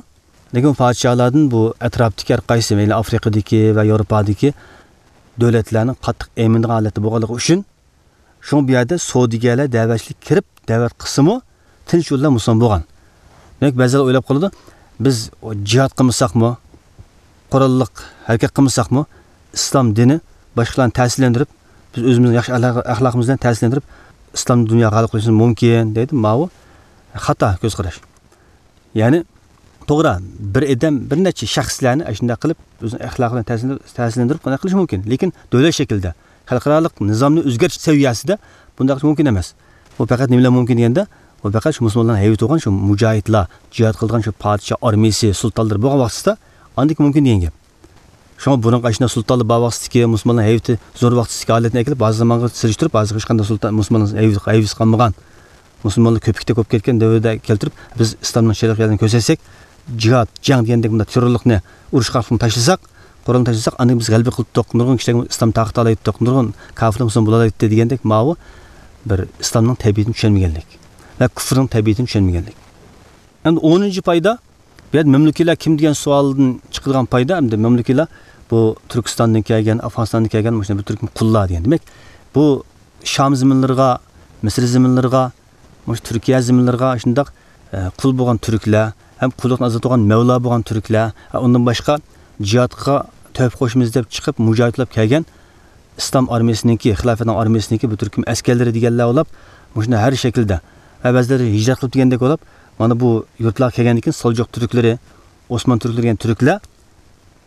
لېكىن بۇ پادىشاھلاردىن بۇ ئەتراپتىكى ھەر قايسى، مەيلى ئافرىقىدىكى ۋە ياۋروپادىكى دۆلەتلەرنىڭ قاتتىق ئەيمىنىدىغان ھالەتتە بولغانلىقى ئۈچۈن، شۇڭا بۇ يەردە سودىگەرلەر دەۋەتچىلىك كىرىپ، دەۋەت قىلسىمۇ، تىنچ يول بىلەن مۇسۇلمان بولغان. دېمەك، بەزىلەر ئويلاپ قالىدۇ، بىز جىھاد قىلمىساقمۇ، قوراللىق ھەرىكەت قىلمىساقمۇ، ئىسلام دىنى باشقىلارنى تەسىرلەندۈرۈپ، بىز ئۆزىمىزنىڭ ياخشى ئەخلاق-، ئەخلاقىمىز بىلەن تەسىرلەندۈرۈپ، ئىسلامنى دۇنياغا غالىب قىلىشىمىز مۇمكىن، دەيدۇ. ماۋۇ خاتا كۆز قاراش. يەنى، توغرا، بىر ئادەم، بىر نەچچە شەخسلەرنى ئاشۇنداق قىلىپ، ئۆزىنىڭ ئەخلاقى بىلەن تەسىرلەندۈرۈپ، تەسىرلەندۈرۈپ قانداق قىلىش مۇمكىن؟ لېكىن دۆلەت شەكلىدە، خەلقئارالىق نىزامنى ئۆزگەرتىش سەۋىيەسىدە بۇنداق قىلىش مۇمكىن ئەمەس. بۇ پەقەت نېمە بىلەن مۇمكىن دېگەندە، بۇ پەقەت شۇ مۇسۇلمانلارنىڭ ھەيۋىتى بولغان، شۇ مۇجاھىدلار، جىھاد قىلىدىغان شۇ پادىشاھ ئارمىيىسى، سۇلتانلىرى بولغان ۋاقتىسىدا، ئاندىكىن مۇمكىن دېگەن گەپ. شۇڭا بۇرۇنقى ئاشۇنداق سۇلتانلار بار ۋاقتىدىكى، مۇسۇلمانلار ھەيۋىتى زور ۋاقتىدىكى ھالەتنى ئەكېلىپ، ھازىرقى زامانغا سېلىشتۇرۇپ، ھازىرقى ھېچقانداق سۇلتان، مۇسۇلمانلار ھەيۋىتى، ھەيۋىتى قالمىغان، مۇسۇلمانلار كۆپۈكتە كۆپ كەتكەن دەۋردە كەلتۈرۈپ، بىز ئىسلامنىڭ شەرقىي يەرلىرىنى كۆرسەتسەك، جىھاد، جەڭ دېگەندەك بۇنداق تېررورلۇقنى، ئۇرۇش قارقىنىنى تاشلىساق، قورالنى تاشلىساق، ئاندىن بىز غەلىبە قىلىپتۇق، نۇرغۇن كىشىلەرگە ئىسلام تارقىتالايتتۇق، نۇرغۇن كاپىرلار مۇسۇلمان بولالايتتى دېگەندەك، ماۋۇ بىر ئىسلامنىڭ تەبىئىتىنى چۈشەنمىگەنلىك ۋە كۇفرنىڭ تەبىئىتىنى چۈشەنمىگەنلىك. ئەمدى ئونىنچى پايدا، بۇ يەردە مەملۇكىيلار كىم دېگەن سوئالدىن چىقىدىغان پايدا، ئەمدى مەملۇكىيلار بۇ تۈركىستاندىن كەلگەن، ئافغانىستاندىن كەلگەن مۇشۇنداق بىر تۈركۈم قۇللار دېگەن. دېمەك، بۇ شام زېمىنلىرىغا، مىسىر زېمىنلىرىغا، مۇشۇ تۈركىيە زېمىنلىرىغا شۇنداق، ئە، قۇل بولغان تۈركلەر، ھەم قۇللۇقتىن ئازاد بولغان مەۋلا بولغان تۈركلەر، ھە، ئۇندىن باشقا جىھادقا تۆھپە قوشىمىز دەپ چىقىپ، مۇجاھىد بولۇپ كەلگەن ئىسلام ئارمىيىسىنىڭكى، خىلاپەتنىڭ ئارمىيىسىنىڭكى بۇ تۈركۈم ئەسكەرلىرى دېگەنلەر بولۇپ، مۇشۇنداق ھەر شەكىلدە ۋە بەزىلىرى ھىجرەت قىلىپ دېگەندەك بولۇپ، مانا بۇ يۇرتلارغا كەلگەندىن كېيىن سالجۇق تۈركلىرى، ئوسمان تۈركلىرى دېگەن تۈركلەر،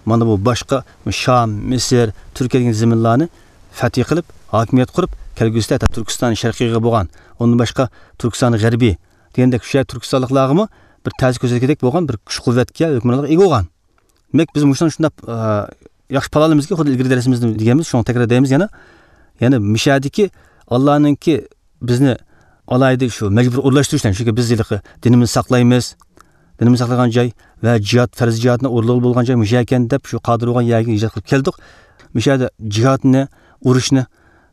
مانا بۇ باشقا شام، مىسىر، تۈركىيە دېگەن زېمىنلارنى فەتھى قىلىپ، ھاكىمىيەت قۇرۇپ، كەلگۈسىدە ھەتتا تۈركىستان شەرقىيغا بولغان، ئۇندىن باشقا تۈركىستان غەربىي دېگەندەك شۇ يەر تۈركىستانلىقلارغىمۇ بىر تەسىر كۆرسەتكۈدەك بولغان بىر كۈچ قۇۋۋەتكە، ھۆكۈمرانلىققا ئىگە بولغان. دېمەك، بىز مۇشۇنى شۇنداق، ئە، ياخشى پالالىمىزكى، خۇددى ئىلگىرى دەرسىمىزدە دېگەنبىز، شۇڭا تەكرار دەيمىز يەنە. يەنى مىشەدىكى ئاللانىڭكى بىزنى ئالاھىدە شۇ مەجبۇر ئورۇنلاشتۇرۇش بىلەن، چۈنكى بىز ھېلىقى دىنىمىزنى ساقلايمىز، دىنىمىزنى ساقلىغان جاي ۋە جىھاد، پەرز جىھادنى ئورۇنلىغىلى بولغان جاي مۇشۇ ئىكەن دەپ، شۇ قادىر بولغان يەرگە ھىجرەت قىلىپ كەلدۇق. مۇشۇ يەردە جىھادنى، ئۇرۇشنى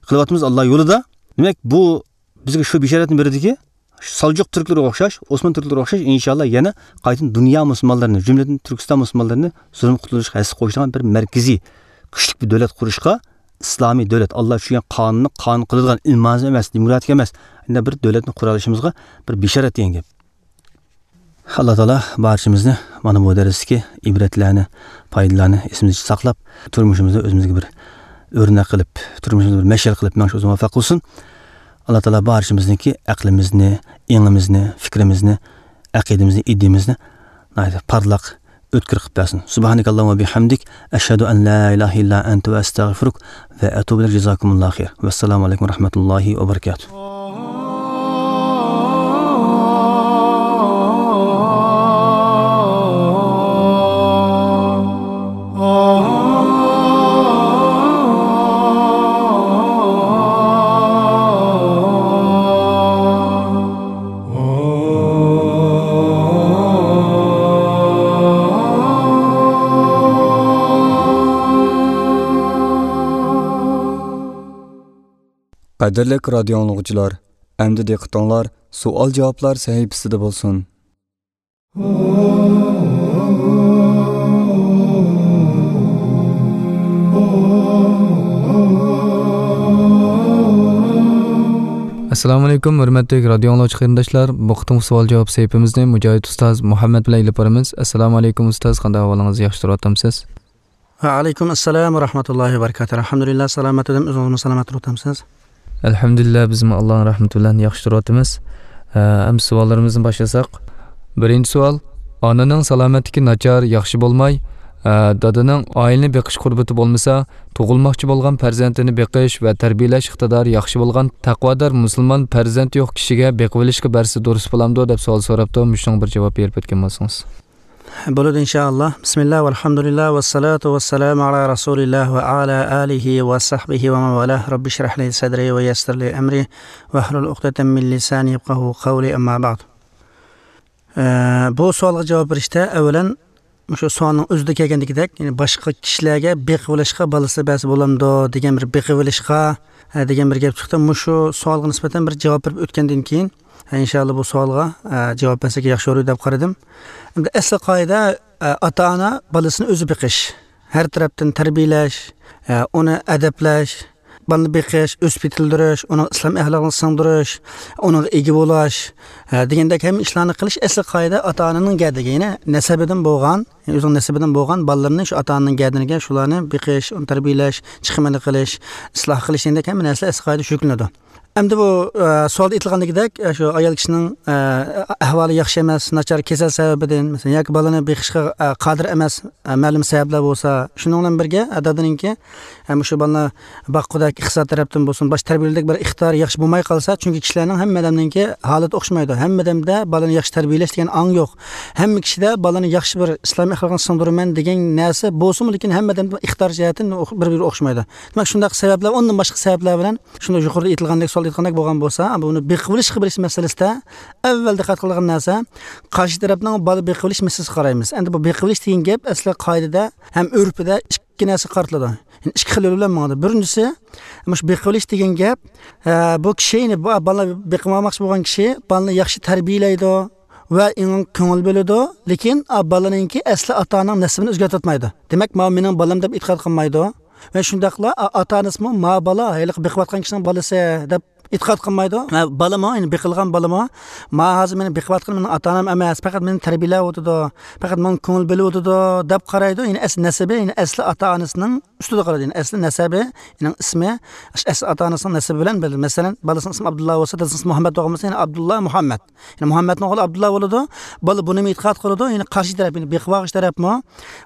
قىلىۋاتىمىز ئاللا يولىدا. دېمەك، بۇ بىزگە شۇ بېشارەتنى بېرىدىكى، سالجۇق تۈركلىرىگە ئوخشاش، ئوسمان تۈركلىرىگە ئوخشاش، ئىنشاللا يەنە قايتىدىن دۇنيا مۇسۇلمانلىرىنى، جۈملىدىن تۈركىستان مۇسۇلمانلىرىنى زۇلۇم قۇتۇلدۇرۇشقا ھەسسە قوشىدىغان بىر مەركىزىي، كۈچلۈك بىر دۆلەت قۇرۇشقا، ئىسلامىي دۆلەت، ئاللا چۈشۈرگەن قانۇننى قانۇن قىلىدىغان، ئىلمانىزم ئەمەس، دېموكراتىك ئەمەس، ئەندى بىر دۆلەتنى قۇرالىشىمىزغا بىر بېشارەت دېگەن گەپ. ئاللا تائالا بارچىمىزنى مانا بۇ دەرستىكى ئىبرەتلەرنى، پايدىلارنى ئېسىمىزدە ساقلاپ، تۇرمۇشىمىزدا ئۆزىمىزگە بىر ئۆرنەك قىلىپ، تۇرمۇشىمىزدا بىر مەشئەل قىلىپ مېڭىشقا ئۆزى مۇۋەپپەق قىلسۇن. ئاللا تائالا بارچىمىزنىڭكى ئەقلىمىزنى، ئېڭىمىزنى، فىكرىمىزنى، ئەقىدىمىزنى، ئىدىيىمىزنى ناھايىتى پارلاق، ئۆتكۈر قىلىپ بەرسۇن. سۇبھانەكاللاھۇممە ۋە بىھەمدىك، ئەشھەدۇ ئەن لا ئىلاھە ئىللا ئەنتە ۋە ئەستەغفىرۇك ۋە ئەتۇبۇ ئىلەيك. جازاكۇمۇللاھۇ خەير. ۋەسسالامۇ ئەلەيكۇم ۋە رەھمەتۇللاھى ۋە بەرەكاتۇھ. قەدىرلىك رادىيو ئاڭلىغۇچىلار، ئەمدى دىققىتىڭلار سوئال-جاۋابلار سەھىپىسىدە بولسۇن. ئەسسالامۇ ئەلەيكۇم، ھۆرمەتلىك رادىيو ئاڭلىغۇچى قېرىنداشلار. بۇ قېتىمقى سوئال جاۋاب سەھىپىمىزنى مۇجاھىد ئۇستاز مۇھەممەد بىلەن ئېلىپ بارىمىز. ئەسسالامۇ ئەلەيكۇم ئۇستاز، قانداق ئەھۋالىڭىز؟ ياخشى تۇرۇۋاتامسىز؟ ۋەئەلەيكۇم ئەسسالام ۋە رەھمەتۇللاھى ۋە بەرىكاتۇھ. ئەلھەمدۇلىللا، سالامەت ئىدىم. ئۆزىڭىزمۇ سالامەت تۇرۇۋاتامسىز؟ ئەلھەمدۇلىللا، بىزمۇ ئاللانىڭ رەھمىتى بىلەن ياخشى تۇرۇۋاتىمىز. ھە، ئەمدى سوئاللىرىمىزنى باشلىساق. بىرىنچى سوئال، ئانىنىڭ سالامەتلىكى ناچار، ياخشى بولماي، ھە، دادىنىڭ ئائىلىنى بېقىش قۇربىتى بولمىسا، تۇغۇلماقچى بولغان پەرزەنتىنى بېقىش ۋە تەربىيەلەش ئىقتىدارى ياخشى بولغان تەقۋادار مۇسۇلمان پەرزەنتى يوق كىشىگە بېقىۋېلىشقا بەرسە دۇرۇس بولامدۇ دەپ سوئال سوراپتۇ. مۇشۇنىڭغا بىر جاۋاب بېرىپ ئۆتكەن بولسىڭىز. بولىدۇ، ئىنشائاللا. بىسمىللا، ۋەلھەمدۇلىللا، ۋەسسالاتۇ ۋەسسالامۇ ئالا رەسۇلىللا ۋە ئالا ئالىھى ۋە سەھبىھى ۋە مەن ۋالا. رەببىشرەھلى سەدرى ۋە يەسسىرلى ئەمرى ۋەھلۇل ئۇقدەتەم مىن لىسانى يەپقەھۇ قەۋلى، ئەمما بەئد. ئە، بۇ سوئالغا جاۋاب بېرىشتە ئەۋۋەلەن مۇشۇ سوئالنىڭ ئۆزىدە كەلگەندىكىدەك، يەنى باشقا كىشىلەرگە بېقىۋېلىشقا بالىسى بەرسە بولامدۇ دېگەن بىر بېقىۋېلىشقا، ئە، دېگەن بىر گەپ چىقتى. مۇشۇ سوئالغا نىسبەتەن بىر جاۋاب بېرىپ ئۆتكەندىن كېيىن، ئە، ئىنشائاللا بۇ سوئالغا، ئە، جاۋاب بەرسەك ياخشى بولۇر دەپ قارىدىم. ئەمدى ئەسلى قائىدە، ئە، ئاتا-ئانا بالىسىنى ئۆزى بېقىش، ھەر تەرەپتىن تەربىيەلەش، ئە، ئۇنى ئەدەپلەش، بالىنى بېقىش، ئۆسۈپ يېتىلدۈرۈش، ئۇنىڭ ئىسلام ئەخلاقىنى سىڭدۈرۈش، ئۇنىڭغا ئىگە بولۇش، ھە، دېگەندەك ھەممە ئىشلارنى قىلىش ئەسلى قائىدە ئاتا-ئانىنىڭ گەدىگى، يەنى نەسەبىدىن بولغان، يەنى ئۆزىنىڭ نەسىبىدىن بولغان بالىلىرىنى شۇ ئاتا-ئانىنىڭ گەدىنىگە شۇلارنى بېقىش، ئۇنى تەربىيەلەش، چىقىمىنى قىلىش، ئىسلاھ قىلىش دېگەندەك ھەممە نەرسىلەر ئەسلى قائىدە شۇ يۈكلىنىدۇ. ئەمدى بۇ، ئە، سوئالدا ئېيتىلغاندىكىدەك، ئە، شۇ ئايال كىشىنىڭ، ئە، ئەھۋالى ياخشى ئەمەس، ناچار كېسەل سەۋەبىدىن، مەسىلەن، ياكى بالىنى بېقىشقا، ئە، قادىر ئەمەس، ئە، مەلۇم سەۋەبلەر بولسا، شۇنىڭ بىلەن بىرگە، ئە، دادىنىڭكى، ئە، مۇشۇ بالىنى باققۇدەك ئىقتىساد تەرەپتىن بولسۇن، باشقا تەربىيەلىدەك بىر ئىقتىدارى ياخشى بولماي قالسا، چۈنكى كىشىلەرنىڭ ھەممە ئادەمنىڭكى ھالىتى ئوخشىمايدۇ. ھەممە ئادەمدە بالىنى ياخشى تەربىيەلەش دېگەن ئاڭ يوق. ھەممە كىشىدە بالىنى ياخشى بىر ئىسلام ئەخلاقىنى سىڭدۈرىمەن دېگەن نەرسە بولسىمۇ، لېكىن ھەممە ئادەمدە ئىقتىدار جەھەتتىن بىر-بىرىگە ئوخشىمايدۇ. دېمەك، شۇنداق سەۋەبلەر، ئۇندىن باشقا سەۋەبلەر بىلەن شۇنداق يۇقىرىدا ئېيتىلغاندەك، سوئال ئېيتقاندەك بولغان بولسا، بۇنى بېقىۋېلىشقا بېرىش مەسىلىسىدە ئەۋۋەل دىققەت قىلىدىغان نەرسە، قارشى تەرەپنىڭ بالا بېقىۋېلىش مەسىلىسىگە قارايمىز. ئەمدى بۇ بېقىۋېلىش دېگەن گەپ ئەسلى قائىدىدە ھەم ئۆرپىدە ئىككى نەرسىگە قارىتىلىدۇ. يەنى ئىككى خىل يول بىلەن ماڭىدۇ. بىرىنچىسى، مۇشۇ بېقىۋېلىش دېگەن گەپ، ئە، بۇ كىشى، يەنى بۇ بالا بېقىۋالماقچى بولغان كىشى بالىنى ياخشى تەربىيەلەيدۇ ۋە ئېنىڭ كۆڭۈل بۆلىدۇ، لېكىن، ئا، بالىنىڭكى ئەسلى ئاتا-ئانىنىڭ نەسىبىنى ئۆزگەرتىۋاتمايدۇ. دېمەك، ماۋۇ مېنىڭ بالام دەپ ئېتىقاد قىلمايدۇ. ۋە شۇنداقلا، ئا-، ئاتا-ئانىسىمۇ ما بالا، ھېلىقى بېقىۋاتقان كىشىنىڭ بالىسى دەپ ئېتىقاد قىلمايدۇ. ۋە بالىمۇ، يەنى بېقىلغان بالىمۇ، ما ھازىر مېنى بېقىۋاتقىنى مېنىڭ ئاتا-ئانام ئەمەس، پەقەت مېنى تەربىيەلەۋاتىدۇ، پەقەت ماڭا كۆڭۈل بۆلۈۋاتىدۇ دەپ قارايدۇ. يەنى ئەسلى نەسىبى، يەنى ئەسلى ئاتا-ئانىسىنىڭ ئۈستىدە قارايدۇ. يەنى ئەسلى نەسەبى، يەنى ئىسمى، ئەسلى ئاتا-ئانىسىنىڭ نەسىبى بىلەن بىلدى. مەسىلەن، بالىسىنىڭ ئىسمى ئابدۇللا بولسا، دادىسىنىڭ ئىسمى مۇھەممەد بولغان بولسا، يەنى ئابدۇللا مۇھەممەد. يەنى مۇھەممەدنىڭ ئوغلى ئابدۇللا بولىدۇ. بالا بۇنىمۇ ئېتىقاد قىلىدۇ، يەنى قارشى تەرەپ، يەنى بېقىۋالغۇچى تەرەپمۇ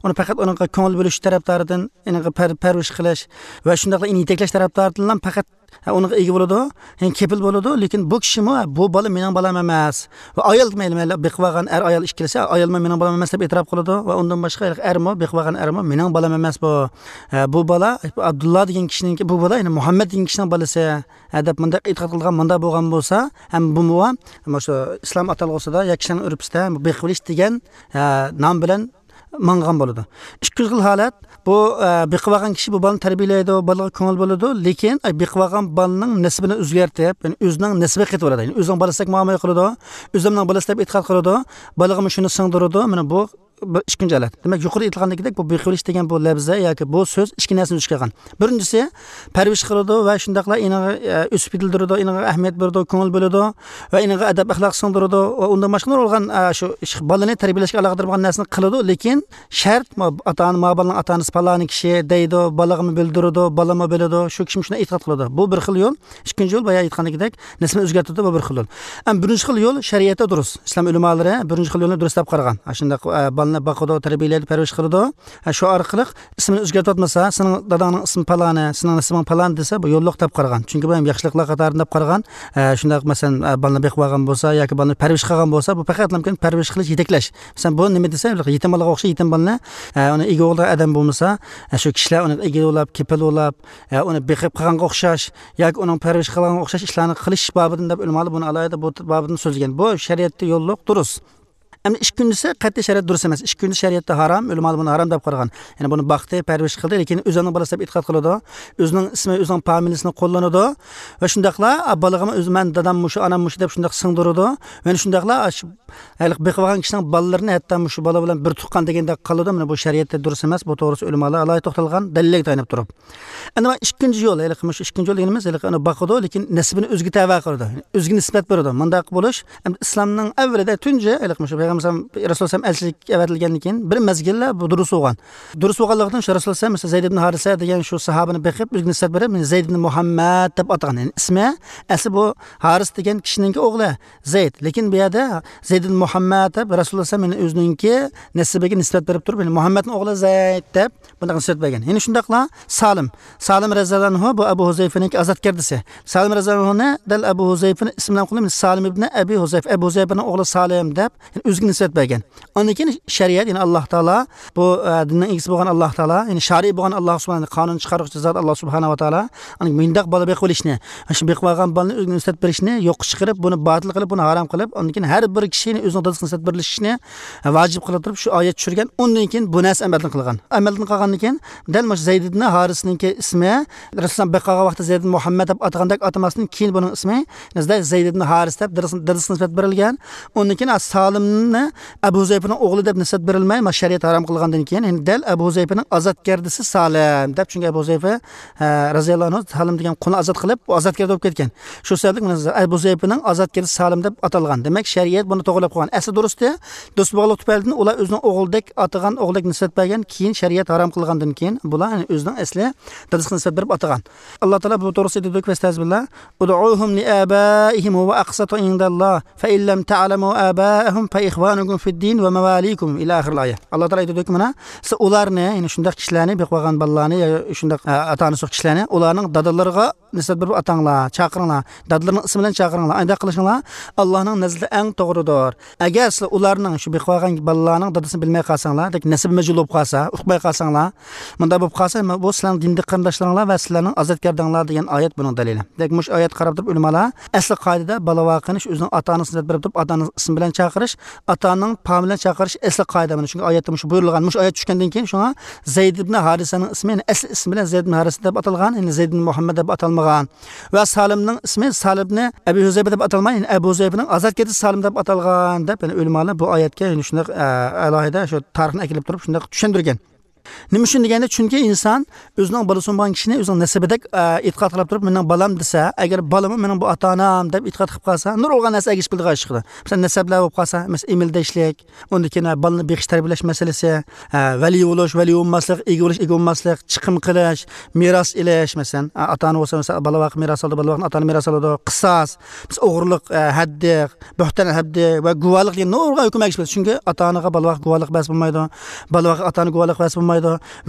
ئۇنى پەقەت ئۇنىڭغا كۆڭۈل بۆلۈش تەرەپدارىدىن، ئۇنىڭغا پەر-، پەرۋىش قىلىش ۋە شۇنداقلا ئۇنى يېتەكلەش تەرەپدارىدىنلا پەقەت ئۇنىڭغا ئىگە بولىدۇ، يەنى كېپىل بولىدۇ. لېكىن بۇ كىشىمۇ، بۇ بالا مېنىڭ بالام ئەمەس. ۋە ئايال، مەيلى، مەيلى، بېقىۋالغان ئەر ئايال ئىككىلىسى، ئايالمۇ مېنىڭ بالام ئەمەس دەپ ئېتىراپ قىلىدۇ. ۋە ئۇندىن باشقا ھېلىقى ئەرمۇ، بېقىۋالغان ئەرمۇ مېنىڭ بالام ئەمەس بۇ. ھە، بۇ بالا ئابدۇللا دېگەن كىشىنىڭكى، بۇ بالا، يەنى مۇھەممەد دېگەن كىشىنىڭ بالىسى. ھە، دەپ مۇنداق ئېتىقاد قىلغان، مۇنداق بولغان بولسا، ھەم بۇمۇ، مۇشۇ ئىسلام ئاتالغۇسىدا ياكى كىشىلەرنىڭ ئۆرپىسىدە بېقىۋېلىش دېگەن، ھە، نام بىلەن ماڭغان بولىدۇ. ئىككىنچى خىل ھالەت، بۇ، ئە، بېقىۋالغان كىشى بۇ بالىنى تەربىيەلەيدۇ، بالىغا كۆڭۈل بۆلىدۇ، لېكىن، ئە، بېقىۋالغان بالىنىڭ نەسىبىنى ئۆزگەرتىپ، يەنى ئۆزىنىڭ نەسىبىگە قېتىۋالىدۇ. يەنى ئۆزىنىڭ بالىسىدەك مۇئامىلە قىلىدۇ، ئۆزۈمنىڭ بالىسى دەپ ئېتىقاد قىلىدۇ، بالىغىمۇ شۇنى سىڭدۈرىدۇ. مانا بۇ بىر ئىككىنچى ھالەت. دېمەك، يۇقىرىدا ئېيتىلغاندىكىدەك، بۇ بېقىۋېلىش دېگەن بۇ لەپزە ياكى بۇ سۆز ئىككى نەرسىنى ئۆز ئىچىگە ئالغان. بىرىنچىسى، پەرۋىش قىلىدۇ ۋە شۇنداقلا ئېنىغا، ئە، ئۆسۈپ يېتىلدۈرىدۇ، ئېنىغا ئەھمىيەت بېرىدۇ، كۆڭۈل بۆلىدۇ ۋە ئېنىغا ئەدەپ-ئەخلاق سىڭدۈرىدۇ ۋە ئۇندىن باشقا نۇرغۇن، ئە، شۇ ئىش، بالىنى تەربىيەلەشكە ئالاقىدار بولغان نەرسىنى قىلىدۇ، لېكىن شەرت، ما-، ئاتا-ئانا، ما بالىنىڭ ئاتا-ئانىسى پالانى كىشى دەيدۇ، بالىغىمۇ بىلدۈرىدۇ، بالىمۇ بىلىدۇ، شۇ كىشىمۇ شۇنداق ئېتىقاد قىلىدۇ. بۇ بىر خىل يول. ئىككىنچى يول، بايا ئېيتقاندىكىدەك، نەسىبىنى ئۆزگەرتىدۇ، بۇ بىر خىل يول. ئەمما بىرىنچى خىل يول شەرىئەتتە دۇرۇس. ئىسلام ئۆلىمالىرى بىرىنچى خىل يولنى دۇرۇس دەپ قارىغان. ئاشۇنداق، ئە، بالىنى باقىدۇ، تەربىيەلەيدۇ، پەرۋىش قىلىدۇ. ئە، شۇ ئارقىلىق ئىسمىنى ئۆزگەرتىۋاتمىسا، سېنىڭ داداڭنىڭ ئىسمى پالانى، سېنىڭ نەسىبىڭ پالان دېسە، بۇ يوللۇق دەپ قارىغان. چۈنكى بۇ ھەم ياخشىلىقلار قاتارىدىن دەپ قارىغان. ئە، شۇنداق، مەسىلەن، ئە، بالىنى بېقىۋالغان بولسا ياكى بالىنى پەرۋىش قىلغان بولسا، بۇ پەقەتلا مۇمكىن پەرۋىش قىلىش، يېتەكلەش. مەسىلەن، بۇ نېمە دېسە، بىر يېتىم بالىغا ئوخشاش، يېتىم بالىنى، ئە، ئۇنى ئىگە بولىدىغان ئادەم بولمىسا، ئە، شۇ كىشىلەر ئۇنى ئىگە بولاپ، كېپىل بولاپ، ئە، ئۇنى بېقىپ قىلغانغا ئوخشاش ياكى ئۇنىڭ پەرۋىش قىلغانغا ئوخشاش ئىشلارنى قىلىش بابىدىن دەپ ئۆلىمالار بۇنى ئالاھىدە بۇ بابىدىن سۆزلىگەن. بۇ شەرىئەتتە يوللۇق، دۇرۇس. ئەمدى ئىككىنچىسى قەتئىي شەرىئەت دۇرۇس ئەمەس. ئىككىنچى شەرىئەتتە ھارام، ئۆلىمالار بۇنى ھارام دەپ قارىغان. يەنى بۇنى باقتى، پەرۋىش قىلدى، لېكىن ئۆزىنىڭ بالىسى دەپ ئېتىقاد قىلىدۇ. ئۆزىنىڭ ئىسمى، ئۆزىنىڭ فامىلىسىنى قوللىنىدۇ. ۋە شۇنداقلا، ئا، بالىغىمۇ ئۆزى، مەن دادام مۇشۇ، ئانام مۇشۇ دەپ شۇنداق سىڭدۈرىدۇ. ۋە شۇنداقلا، ئا، شۇ ھېلىقى بېقىۋالغان كىشىنىڭ بالىلىرىنى ھەتتا مۇشۇ بالا بىلەن بىر تۇغقان دېگەندەك قىلىدۇ. مانا بۇ شەرىئەتتە دۇرۇس ئەمەس. بۇ توغرىسىدا ئۆلىمالار ئالاھىدە توختالغان، دەلىللەرگە تايىنىپ تۇرۇپ. ئەنە مانا ئىككىنچى يول، ھېلىقى مۇشۇ ئىككىنچى يول دېگىنىمىز، ھېلىقى ئۇنى باقىدۇ، لېكىن نەسىبىنى ئۆزىگە تەۋە قىلىدۇ، ئۆزىگە نىسبەت بېرىدۇ. مۇنداق بولۇش ئەمدى ئىسلامنىڭ ئەۋۋىلىدە تۇنجى، ھېلىقى مۇشۇ پەيغەمبەر رەسۇلۇللاھ ئەلچىلىك ئەۋەتىلگەندىن كېيىن بىر مەزگىللەر بۇ دۇرۇس بولغان. دۇرۇس بولغانلىقتىن شۇ رەسۇلۇللاھ مەسىلەن زەيد ئىبن ھارىسە دېگەن شۇ ساھابىنى بېقىپ، ئۆزىگە نىسبەت بېرىپ، مەن زەيد ئىبن مۇھەممەد دەپ ئاتىغان. يەنى ئىسمى، ئەسلى بۇ ھارىس دېگەن كىشىنىڭكى ئوغلى زەيد. لېكىن بۇ يەردە زەيد ئىبن مۇھەممەد دەپ رەسۇلۇللاھ مەسىلەن ئۆزىنىڭكى نەسىبىگە نىسبەت بېرىپ تۇرۇپ، يەنى مۇھەممەدنىڭ ئوغلى زەيد دەپ بۇنداق نىسبەت بەرگەن. يەنە شۇنداقلا سالىم. سالىم رەزىياللاھۇ ئەنھۇ بۇ ئەبۇ ھۇزەيفىنىڭكى ئازادگەردىسى. سالىم رەزىياللاھۇ ئەنھۇنى دەل ئەبۇ ھۇزەيفىنى ئىسمى بىلەن قويۇپ، سالىم ئىبنى ئەبى ھۇزەيفە، ئەبۇ ھۇزەيفىنىڭ ئوغلى سالىم دەپ، يەنى ئۆزىگە نىسبەت بەرگەن. ئاندىن كېيىن شەرىئەت، يەنى ئاللاھ تائالا، بۇ، ئە، دىننىڭ ئىگىسى بولغان ئاللاھ تائالا، يەنى شارىئى بولغان ئاللاھ سۇبھانە، قانۇن چىقارغۇچى زات ئاللاھ سۇبھانە ۋە تائالا، ئاندىن مۇنداق بالا بېقىۋېلىشنى، شۇ بېقىۋالغان بالىنى ئۆزىگە نىسبەت بېرىشنى يوققا چىقىرىپ، بۇنى باتىل قىلىپ، بۇنى ھارام قىلىپ، ئاندىن كېيىن ھەر بىر كىشىنى ئۆزىنىڭ دادىسىغا نىسبەت بېرىلىشىنى ۋاجىپ قىلىپ تۇرۇپ، شۇ ئايەت چۈشۈرگەن. ئۇندىن كېيىن بۇ نەرسە ئەمەلدىن قىلغان. ئەمەلدىن قىلغاندىن كېيىن، دەل مۇشۇ زەيد ئىبنى ھارىسنىڭكى ئىسمى، رەسۇلۇللاھ بېقىۋالغان ۋاقتىدا زەيد ئىبنى مۇھەممەد دەپ ئاتىغاندەك ئاتىماستىن كېيىن بۇنىڭ ئىسمى زەيد ئىبنى ھارىس دەپ دادىسىغا نىسبەت بېرىلگەن. ئۇندىن كېيىن سالىمنى ئەبۇ ھۇزەيپىنىڭ ئوغلى دەپ نىسبەت بېرىلمەي، مانا شەرىئەت ھارام قىلغاندىن كېيىن، يەنى دەل ئەبۇ ھۇزەيپىنىڭ ئازادگەردىسى سالىم دەپ، چۈنكى ئەبۇ ھۇزەيپە، ئە، رەزىياللاھۇ ئەنھۇ سالىم دېگەن قۇلنى ئازاد قىلىپ، ئۇ ئازادگەردە بولۇپ كەتكەن. شۇ سەۋەبلىك مانا ئەبۇ ھۇزەيپىنىڭ ئازادگەردىسى سالىم دەپ ئاتالغان. دېمەك، شەرىئەت بۇنى توغرىلاپ قويغان. ئەسلى دۇرۇستى، دۇرۇس بولغانلىقى تۈپەيلىدىن ئۇلار ئۆزىنىڭ ئوغلىدەك ئاتىغان، ئوغلىدەك نىسبەت بەرگەن، كېيىن شەرىئەت ھارام قىلغاندىن كېيىن بۇلار، يەنى ئۆزىنىڭ ئەسلى دادىسىغا نىسبەت بېرىپ ئاتىغان. ئاللاھ تائالا بۇ توغرىسىدا ئېيتىدۇكى، فەستەئىزبىللاھ، «ئۇدئۇھۇم لىئابائىھىم ھۇۋە ئەقسىتۇ ئىندەللاھ، فەئىن لەم تەئلەمۇ ئابائەھۇم فەئىخۋانۇكۇم فىددىن ۋە مەۋالىكۇم» ئىلە ئاخىرىل ئايە. ئاللاھ تائالا ئېيتىدۇكى، مانا، سىز ئۇلارنى، يەنى شۇنداق كىشىلەرنى، بېقىپ باققان بالىلارنى يا شۇنداق، ئە، ئاتا-ئانىسى يوق كىشىلەرنى، ئۇلارنىڭ دادىلىرىغا نىسبەت بېرىپ ئاتاڭلار، چاقىرىڭلار، دادىلىرىنىڭ ئىسمى بىلەن چاقىرىڭلار. ئانداق قىلىشىڭلار ئاللاھنىڭ نەزىرىدە ئەڭ توغرىدۇر. ئەگەر سىلەر ئۇلارنىڭ، شۇ بېقىپ باققان بالىلارنىڭ دادىسىنى بىلمەي قالساڭلار، دېمەك، نەسەبى مەجھۇل بولۇپ قالسا، ئۇقماي قالساڭلار، مۇنداق بولۇپ قالسا، بۇ سىلەرنىڭ دىندىكى قېرىنداشلىرىڭلار ۋە سىلەرنىڭ ئازادگەردىڭلار دېگەن ئايەت بۇنىڭ دەلىلى. دېمەك، مۇشۇ ئايەتكە قاراپ تۇرۇپ ئۆلىمالار ئەسلى قائىدىدە بالا ۋاقىنى ئۆزىنىڭ ئاتا-ئانىسىغا نىسبەت بېرىپ تۇرۇپ، ئاتا-ئانىسىنىڭ ئىسمى بىلەن چاقىرىش، ئاتا-ئانىنىڭ پامى بىلەن چاقىرىش ئەسلى قائىدە. مانا شۇڭا ئايەتتە مۇشۇ بۇيرۇلغان، مۇشۇ ئايەت چۈشكەندىن كېيىن شۇڭا زەيد ئىبنى ھارىسەنىڭ ئىسمى، يەنى ئەسلى ئىسمى بىلەن زەيد ئىبنى ھارىسە دەپ ئاتالغان، يەنى زەيد ئىبنى مۇھەممەد دەپ ئاتالمىغان. ۋە سالىمنىڭ ئىسمى سالىم ئىبنى ئەبى ھۇزەيفە دەپ ئاتالماي، يەنى ئەبۇ ھۇزەيفىنىڭ ئازادگەردىسى سالىم دەپ ئاتالغان دەپ، يەنى ئۆلىمالار بۇ ئايەتكە، يەنى شۇنداق، ئە، ئالاھىدە شۇ تارىخنى ئەكېلىپ تۇرۇپ شۇنداق چۈشەندۈرگەن. نېمە ئۈچۈن دېگەندە، چۈنكى ئىنسان ئۆزىنىڭ بالىسى بولمىغان كىشىنى ئۆزىنىڭ نەسىبىدەك، ئە، ئېتىقاد قىلىپ تۇرۇپ، «مېنىڭ بالام» دېسە، ئەگەر بالىمۇ «مېنىڭ بۇ ئاتا-ئانام» دەپ ئېتىقاد قىلىپ قالسا، نۇرغۇنلىغان نەرسە ئەگىشىپ كېلىدىغان ئىش چىقىدۇ. مەسىلەن، نەسەبلەر بولۇپ قالسا، مەسىلەن، ئېمىلدەشلىك، ئۇندىن كېيىن بالىنى بېقىش، تەربىيەلەش مەسىلىسى، ھە، ۋەلىي بولۇش، ۋەلىي بولماسلىق، ئىگە بولۇش، ئىگە بولماسلىق، چىقىم قىلىش، مىراس ئېلىش، مەسىلەن، ھە، ئاتا-ئانا بولسا، مەسىلەن، بالا ۋاقىت مىراس ئالىدۇ، بالا ۋاقىتنى ئاتا-ئانا مىراس ئالىدۇ، قىساس، مەسىلەن، ئوغرىلىق، ھە، ھەددى، بۆھتان ھەددى ۋە گۇۋاھلىق دېگەن نۇرغۇن ھۆكۈم ئەگىشىپ كېلىدۇ. چۈنكى ئاتا-ئانىغا بالا ۋاقىت گۇۋاھلىق بەرسە بولمايدۇ، بالا ۋاقىت ئاتا-ئانىغا گۇۋاھلىق بەرسە بولمايدۇ.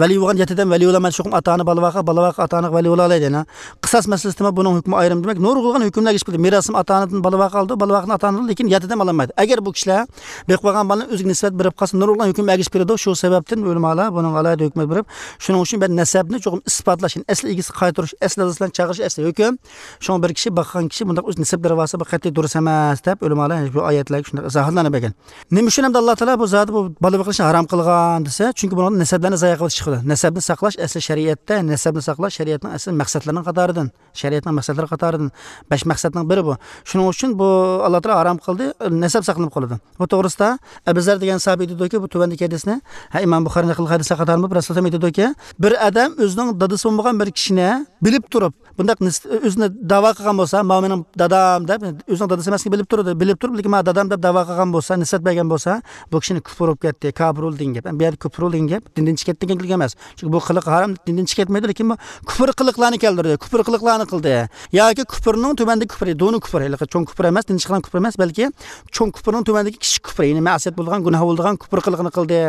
ۋەلىي بولغان يەتتە ئادەم ۋەلىي بولالمايدۇ، چوقۇم ئاتا-ئانا بالا ۋاقىت، بالا ۋاقىت ئاتا-ئانىغا ۋەلىي بولالايدۇ، يەنە. قىساس مەسىلىسىدىمۇ بۇنىڭ ھۆكمى ئايرىم. دېمەك، نۇرغۇنلىغان ھۆكۈملەر ئەگىشىپ كېلىدۇ. مىراسنى ئاتا-ئانىدىن بالا ۋاقىت ئالىدۇ، بالا ۋاقىتنى ئاتا-ئانىدىن، لېكىن يەتتە ئادەم ئالالمايدۇ. ئەگەر بۇ كىشىلەر بېقىپ باققان بالىنى ئۆزىگە نىسبەت بېرىپ قالسا، نۇرغۇنلىغان ھۆكۈم ئەگىشىپ كېلىدۇ. شۇ سەۋەبتىن ئۆلىمالار بۇنىڭغا ئالاھىدە ھۆكۈم بېرىپ، شۇنىڭ ئۈچۈن بىر نەسەبنى چوقۇم ئىسپاتلاش، يەنى ئەسلى ئىگىسىگە قايتۇرۇش، ئەسلى دادىسى بىلەن چاقىرىش، ئەسلى ھۆكۈم. شۇڭا بىر كىشى باققان كىشى بۇنداق ئۆز نەسەبلىرى بارسا، بۇ قەتئىي دۇرۇس ئەمەس دەپ ئۆلىمالار بۇ ئايەتلەرگە شۇنداق ئىزاھاتلارنى بەرگەن. نېمە ئۈچۈن ئەمدى ئاللا تائالا بۇ زادى بۇ بالا بېقىشنى ھارام قىلغان دېسە، چۈنكى بۇنىڭدا نەسەبلەرنى زايە قىلىۋېتىش چىقىدۇ. نەسەبنى ساقلاش ئەسلى شەرىئەتتە، نەسەبنى ساقلاش شەرىئەتنىڭ ئەسلى مەقسەتلىرىنىڭ قاتارىدىن، شەرىئەتنىڭ مەقسەتلىرى قاتارىدىن بەش مەقسەتنىڭ بىرى بۇ. شۇنىڭ ئۈچۈن بۇ ئاللا تائالا ھارام قىلدى، نەسەب ساقلىنىپ قالىدۇ. بۇ توغرىسىدا ئەبۇ زەر دېگەن ساھابى ئېيتىدۇكى، بۇ تۆۋەندىكى ھەدىسنى، ھە، ئىمام بۇخارى نەقىل قىلغان ھەدىسلەر قاتارىدا رەسۇلۇللاھ ئېيتىدۇكى، بىر ئادەم ئۆزىنىڭ دادىسى بولمىغان بىر كىشىنى بىلىپ تۇرۇپ، بۇنداق نىس-، ئۆزىنى داۋا قىلغان بولسا، «ماۋۇ مېنىڭ دادام» دەپ، ئۆزىنىڭ دادىسى ئەمەسلىكىنى بىلىپ تۇرىدۇ، بىلىپ تۇرۇپ، لېكىن «ماۋۇ دادام» دەپ داۋا قىلغان بولسا، نىسبەت بەرگەن بولسا، بۇ كىشىنى كۇپۇر بولۇپ كەتتى، كاپىر بولدى دېگەن گەپ. بۇ يەردە كۇپۇر بولدى دېگەن گەپ دىندىن چىقىپ كەتتى دېگەنلىك ئەمەس. چۈنكى بۇ قىلىق ھارام، دىندىن چىقىپ كەتمەيدۇ، لېكىن بۇ كۇپۇر قىلىقلارنى كەلتۈردى، كۇپۇر قىلىقلارنى قىلدى. ياكى كۇپۇرنىڭ تۆۋەندىكى كۇپۇرى، دۇنۇ كۇپۇر، ھېلىقى چوڭ كۇپۇر ئەمەس، دىندىن چىقىرغان كۇپۇر ئەمەس، بەلكى چوڭ كۇپۇرنىڭ تۆۋەندىكى كىچىك كۇپۇر، يەنى مەسىيەت بولىدىغان، گۇناھ بولىدىغان كۇپۇر قىلىقىنى قىلدى.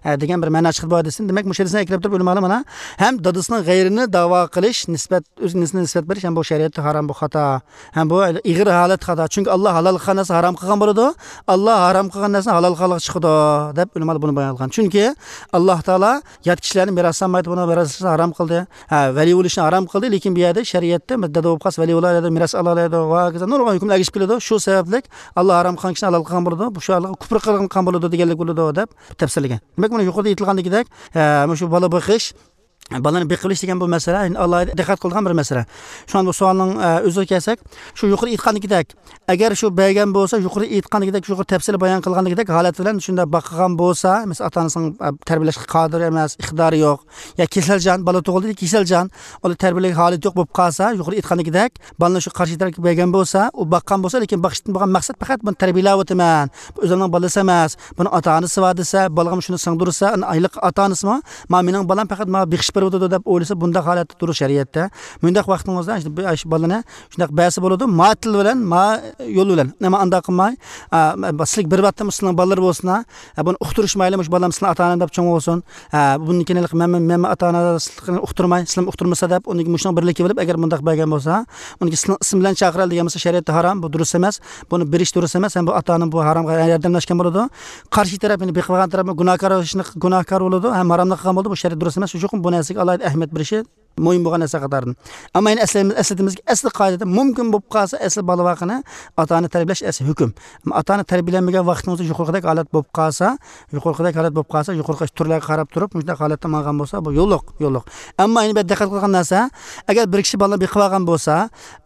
ھە، دېگەن بىر مەنا چىقىدۇ بۇ ھەدىستىن. دېمەك، مۇشۇ ھەدىسنى ئەكىرىپ تۇرۇپ ئۆلىمالار مانا ھەم دادىسىنىڭ غەيرىنى داۋا قىلىش، نىسبەت، ئۆز ئىنىسىنى نىسبەت بېرىش، ھەم بۇ شەرىئەتتە ھارام، بۇ خاتا. ھەم بۇ ئېغىر ھالەت خاتا. چۈنكى ئاللا ھالال قىلغان نەرسىنى ھارام قىلغان بولىدۇ. ئاللا ھارام قىلغان نەرسىنى ھالال قىلغانلىققا چىقىدۇ، دەپ ئۆلىمالار بۇنى بايان قىلغان. چۈنكى ئاللا تائالا يات كىشىلەرنى مىراس ئالمايدۇ، بۇنى مىراس ھارام قىلدى. ھە، ۋەلىي بولۇشنى ھارام قىلدى، لېكىن بۇ يەردە شەرىئەتتە دادا بولۇپ قالسا ۋەلىي بولالايدۇ، مىراس ئالالايدۇ، ۋە ھاكازا نۇرغۇن ھۆكۈملەر ئەگىشىپ كېلىدۇ. شۇ سەۋەبلىك ئاللا ھارام قىلغان كىشىنى ھالال قىلغان بولىدۇ، بۇ شۇ ھالغا كۇپر قىلغان بولىدۇ دېگەنلىك بولىدۇ، دەپ تەپسىرلىگەن. دېمەك، مانا يۇقىرىدا ئېيتىلغاندىكىدەك، ھە، مۇشۇ بالا بېقىش، بالىنى بېقىۋېلىش دېگەن بۇ مەسىلە ئالاھىدە دىققەت قىلىدىغان بىر مەسىلە. شۇڭا بۇ سوئالنىڭ ئە، ئۆزىگە كەلسەك، شۇ يۇقىرى ئېيتقاندىكىدەك، ئەگەر شۇ بەرگەن بولسا، يۇقىرى ئېيتقاندىكىدەك، يۇقىرى تەپسىلىي بايان قىلغاندىكىدەك ھالەت بىلەن شۇنداق باققان بولسا، مەسىلەن، ئاتا ئانىسىنىڭ ئە، تەربىيەلەشكە قادىرى ئەمەس، ئىقتىدارى يوق، يا كېسەلچان، بالا تۇغۇلدى، كېسەلچان، ئۇنى تەربىيەلەش ھالىتى يوق بولۇپ قالسا، يۇقىرى ئېيتقاندىكىدەك، بالىنى شۇ قارشى تەرەپكە بەرگەن بولسا، ئۇ باققان بولسا، لېكىن باقىشتىن بولغان مەقسەت پەقەت بۇنى تەربىيەلەۋاتىمەن، بۇ ئۆزۈمنىڭ بالىسى ئەمەس، بۇنىڭ ئاتا ئانىسى بار دېسە، بالىغىمۇ شۇنى سىڭدۈرسە، ئايلىق ئاتا ئانىسىمۇ، ما مېنىڭ بالام پەقەت ماڭا بېقىش بېرىۋاتىدۇ دەپ ئويلىسا، بۇنداق ھالەتتە تۇرۇش شەرىئەتتە. مۇنداق ۋاقتىڭىزدا شۇ بالىنى شۇنداق بەرسە بولىدۇ، ما تىل بىلەن، ما يول بىلەن. ئەمما ئانداق قىلماي، ئا، سىلىگە بېرىۋاتتىم، سىلىنىڭ بالىلىرى بولسۇن، ھە، بۇنى ئۇقتۇرۇشمايلى، مۇشۇ بالام سىلىنىڭ ئاتا ئانام دەپ چوڭ بولسۇن. ھە، بۇندىن كېيىن ھېلىقى مەن، مەن، مەن ئاتا ئانىنى ئۇقتۇرماي، سىلىمۇ ئۇقتۇرمىسا دەپ، ئۇنىڭ مۇشۇنىڭ بىرلىكى بولۇپ، ئەگەر مۇنداق بەرگەن بولسا، ئۇنىڭ سىلىنىڭ ئىسمى بىلەن چاقىرىلى دېگەن بولسا، شەرىئەتتە ھارام، بۇ دۇرۇس ئەمەس. بۇنى بېرىش دۇرۇس ئەمەس، ھەم بۇ ئاتا ئانا بۇ ھارامغا ياردەملەشكەن بولىدۇ. قارشى تەرەپ، يەنى بېقىۋالغان تەرەپمۇ گۇناھكار، گۇناھكار بولىدۇ، ھەم ھاراملىق قىلغان بولىدۇ. بۇ شەرىئەت دۇرۇس ئەمەس، شۇ چوقۇم بۇ نەرسىگە ئالاھىدە ئەھمىيەت بېرىشى مۇھىم بولغان نەرسە قاتارىدىن. ئەمما يەنە ئەسلىمىز-، ئەسلىتىمىزكى، ئەسلى قائىدىدە مۇمكىن بولۇپ قالسا، ئەسلى بالا بارغىنى ئاتا ئانا تەربىيەلەش ئەسلى ھۆكۈم. ئەمما ئاتا ئانا تەربىيەلەنمىگەن ۋاقتىڭىزدا يۇقىرىقىدەك ھالەت بولۇپ قالسا، يۇقىرىقىدەك ھالەت بولۇپ قالسا، يۇقىرىقى تۈرلەرگە قاراپ تۇرۇپ، مۇشۇنداق ھالەتتە ماڭغان بولسا، بۇ يوللۇق، يوللۇق. ئەمما يەنە بىر دىققەت قىلغان نەرسە، ئەگەر بىر كىشى بالىنى بېقىۋالغان بولسا،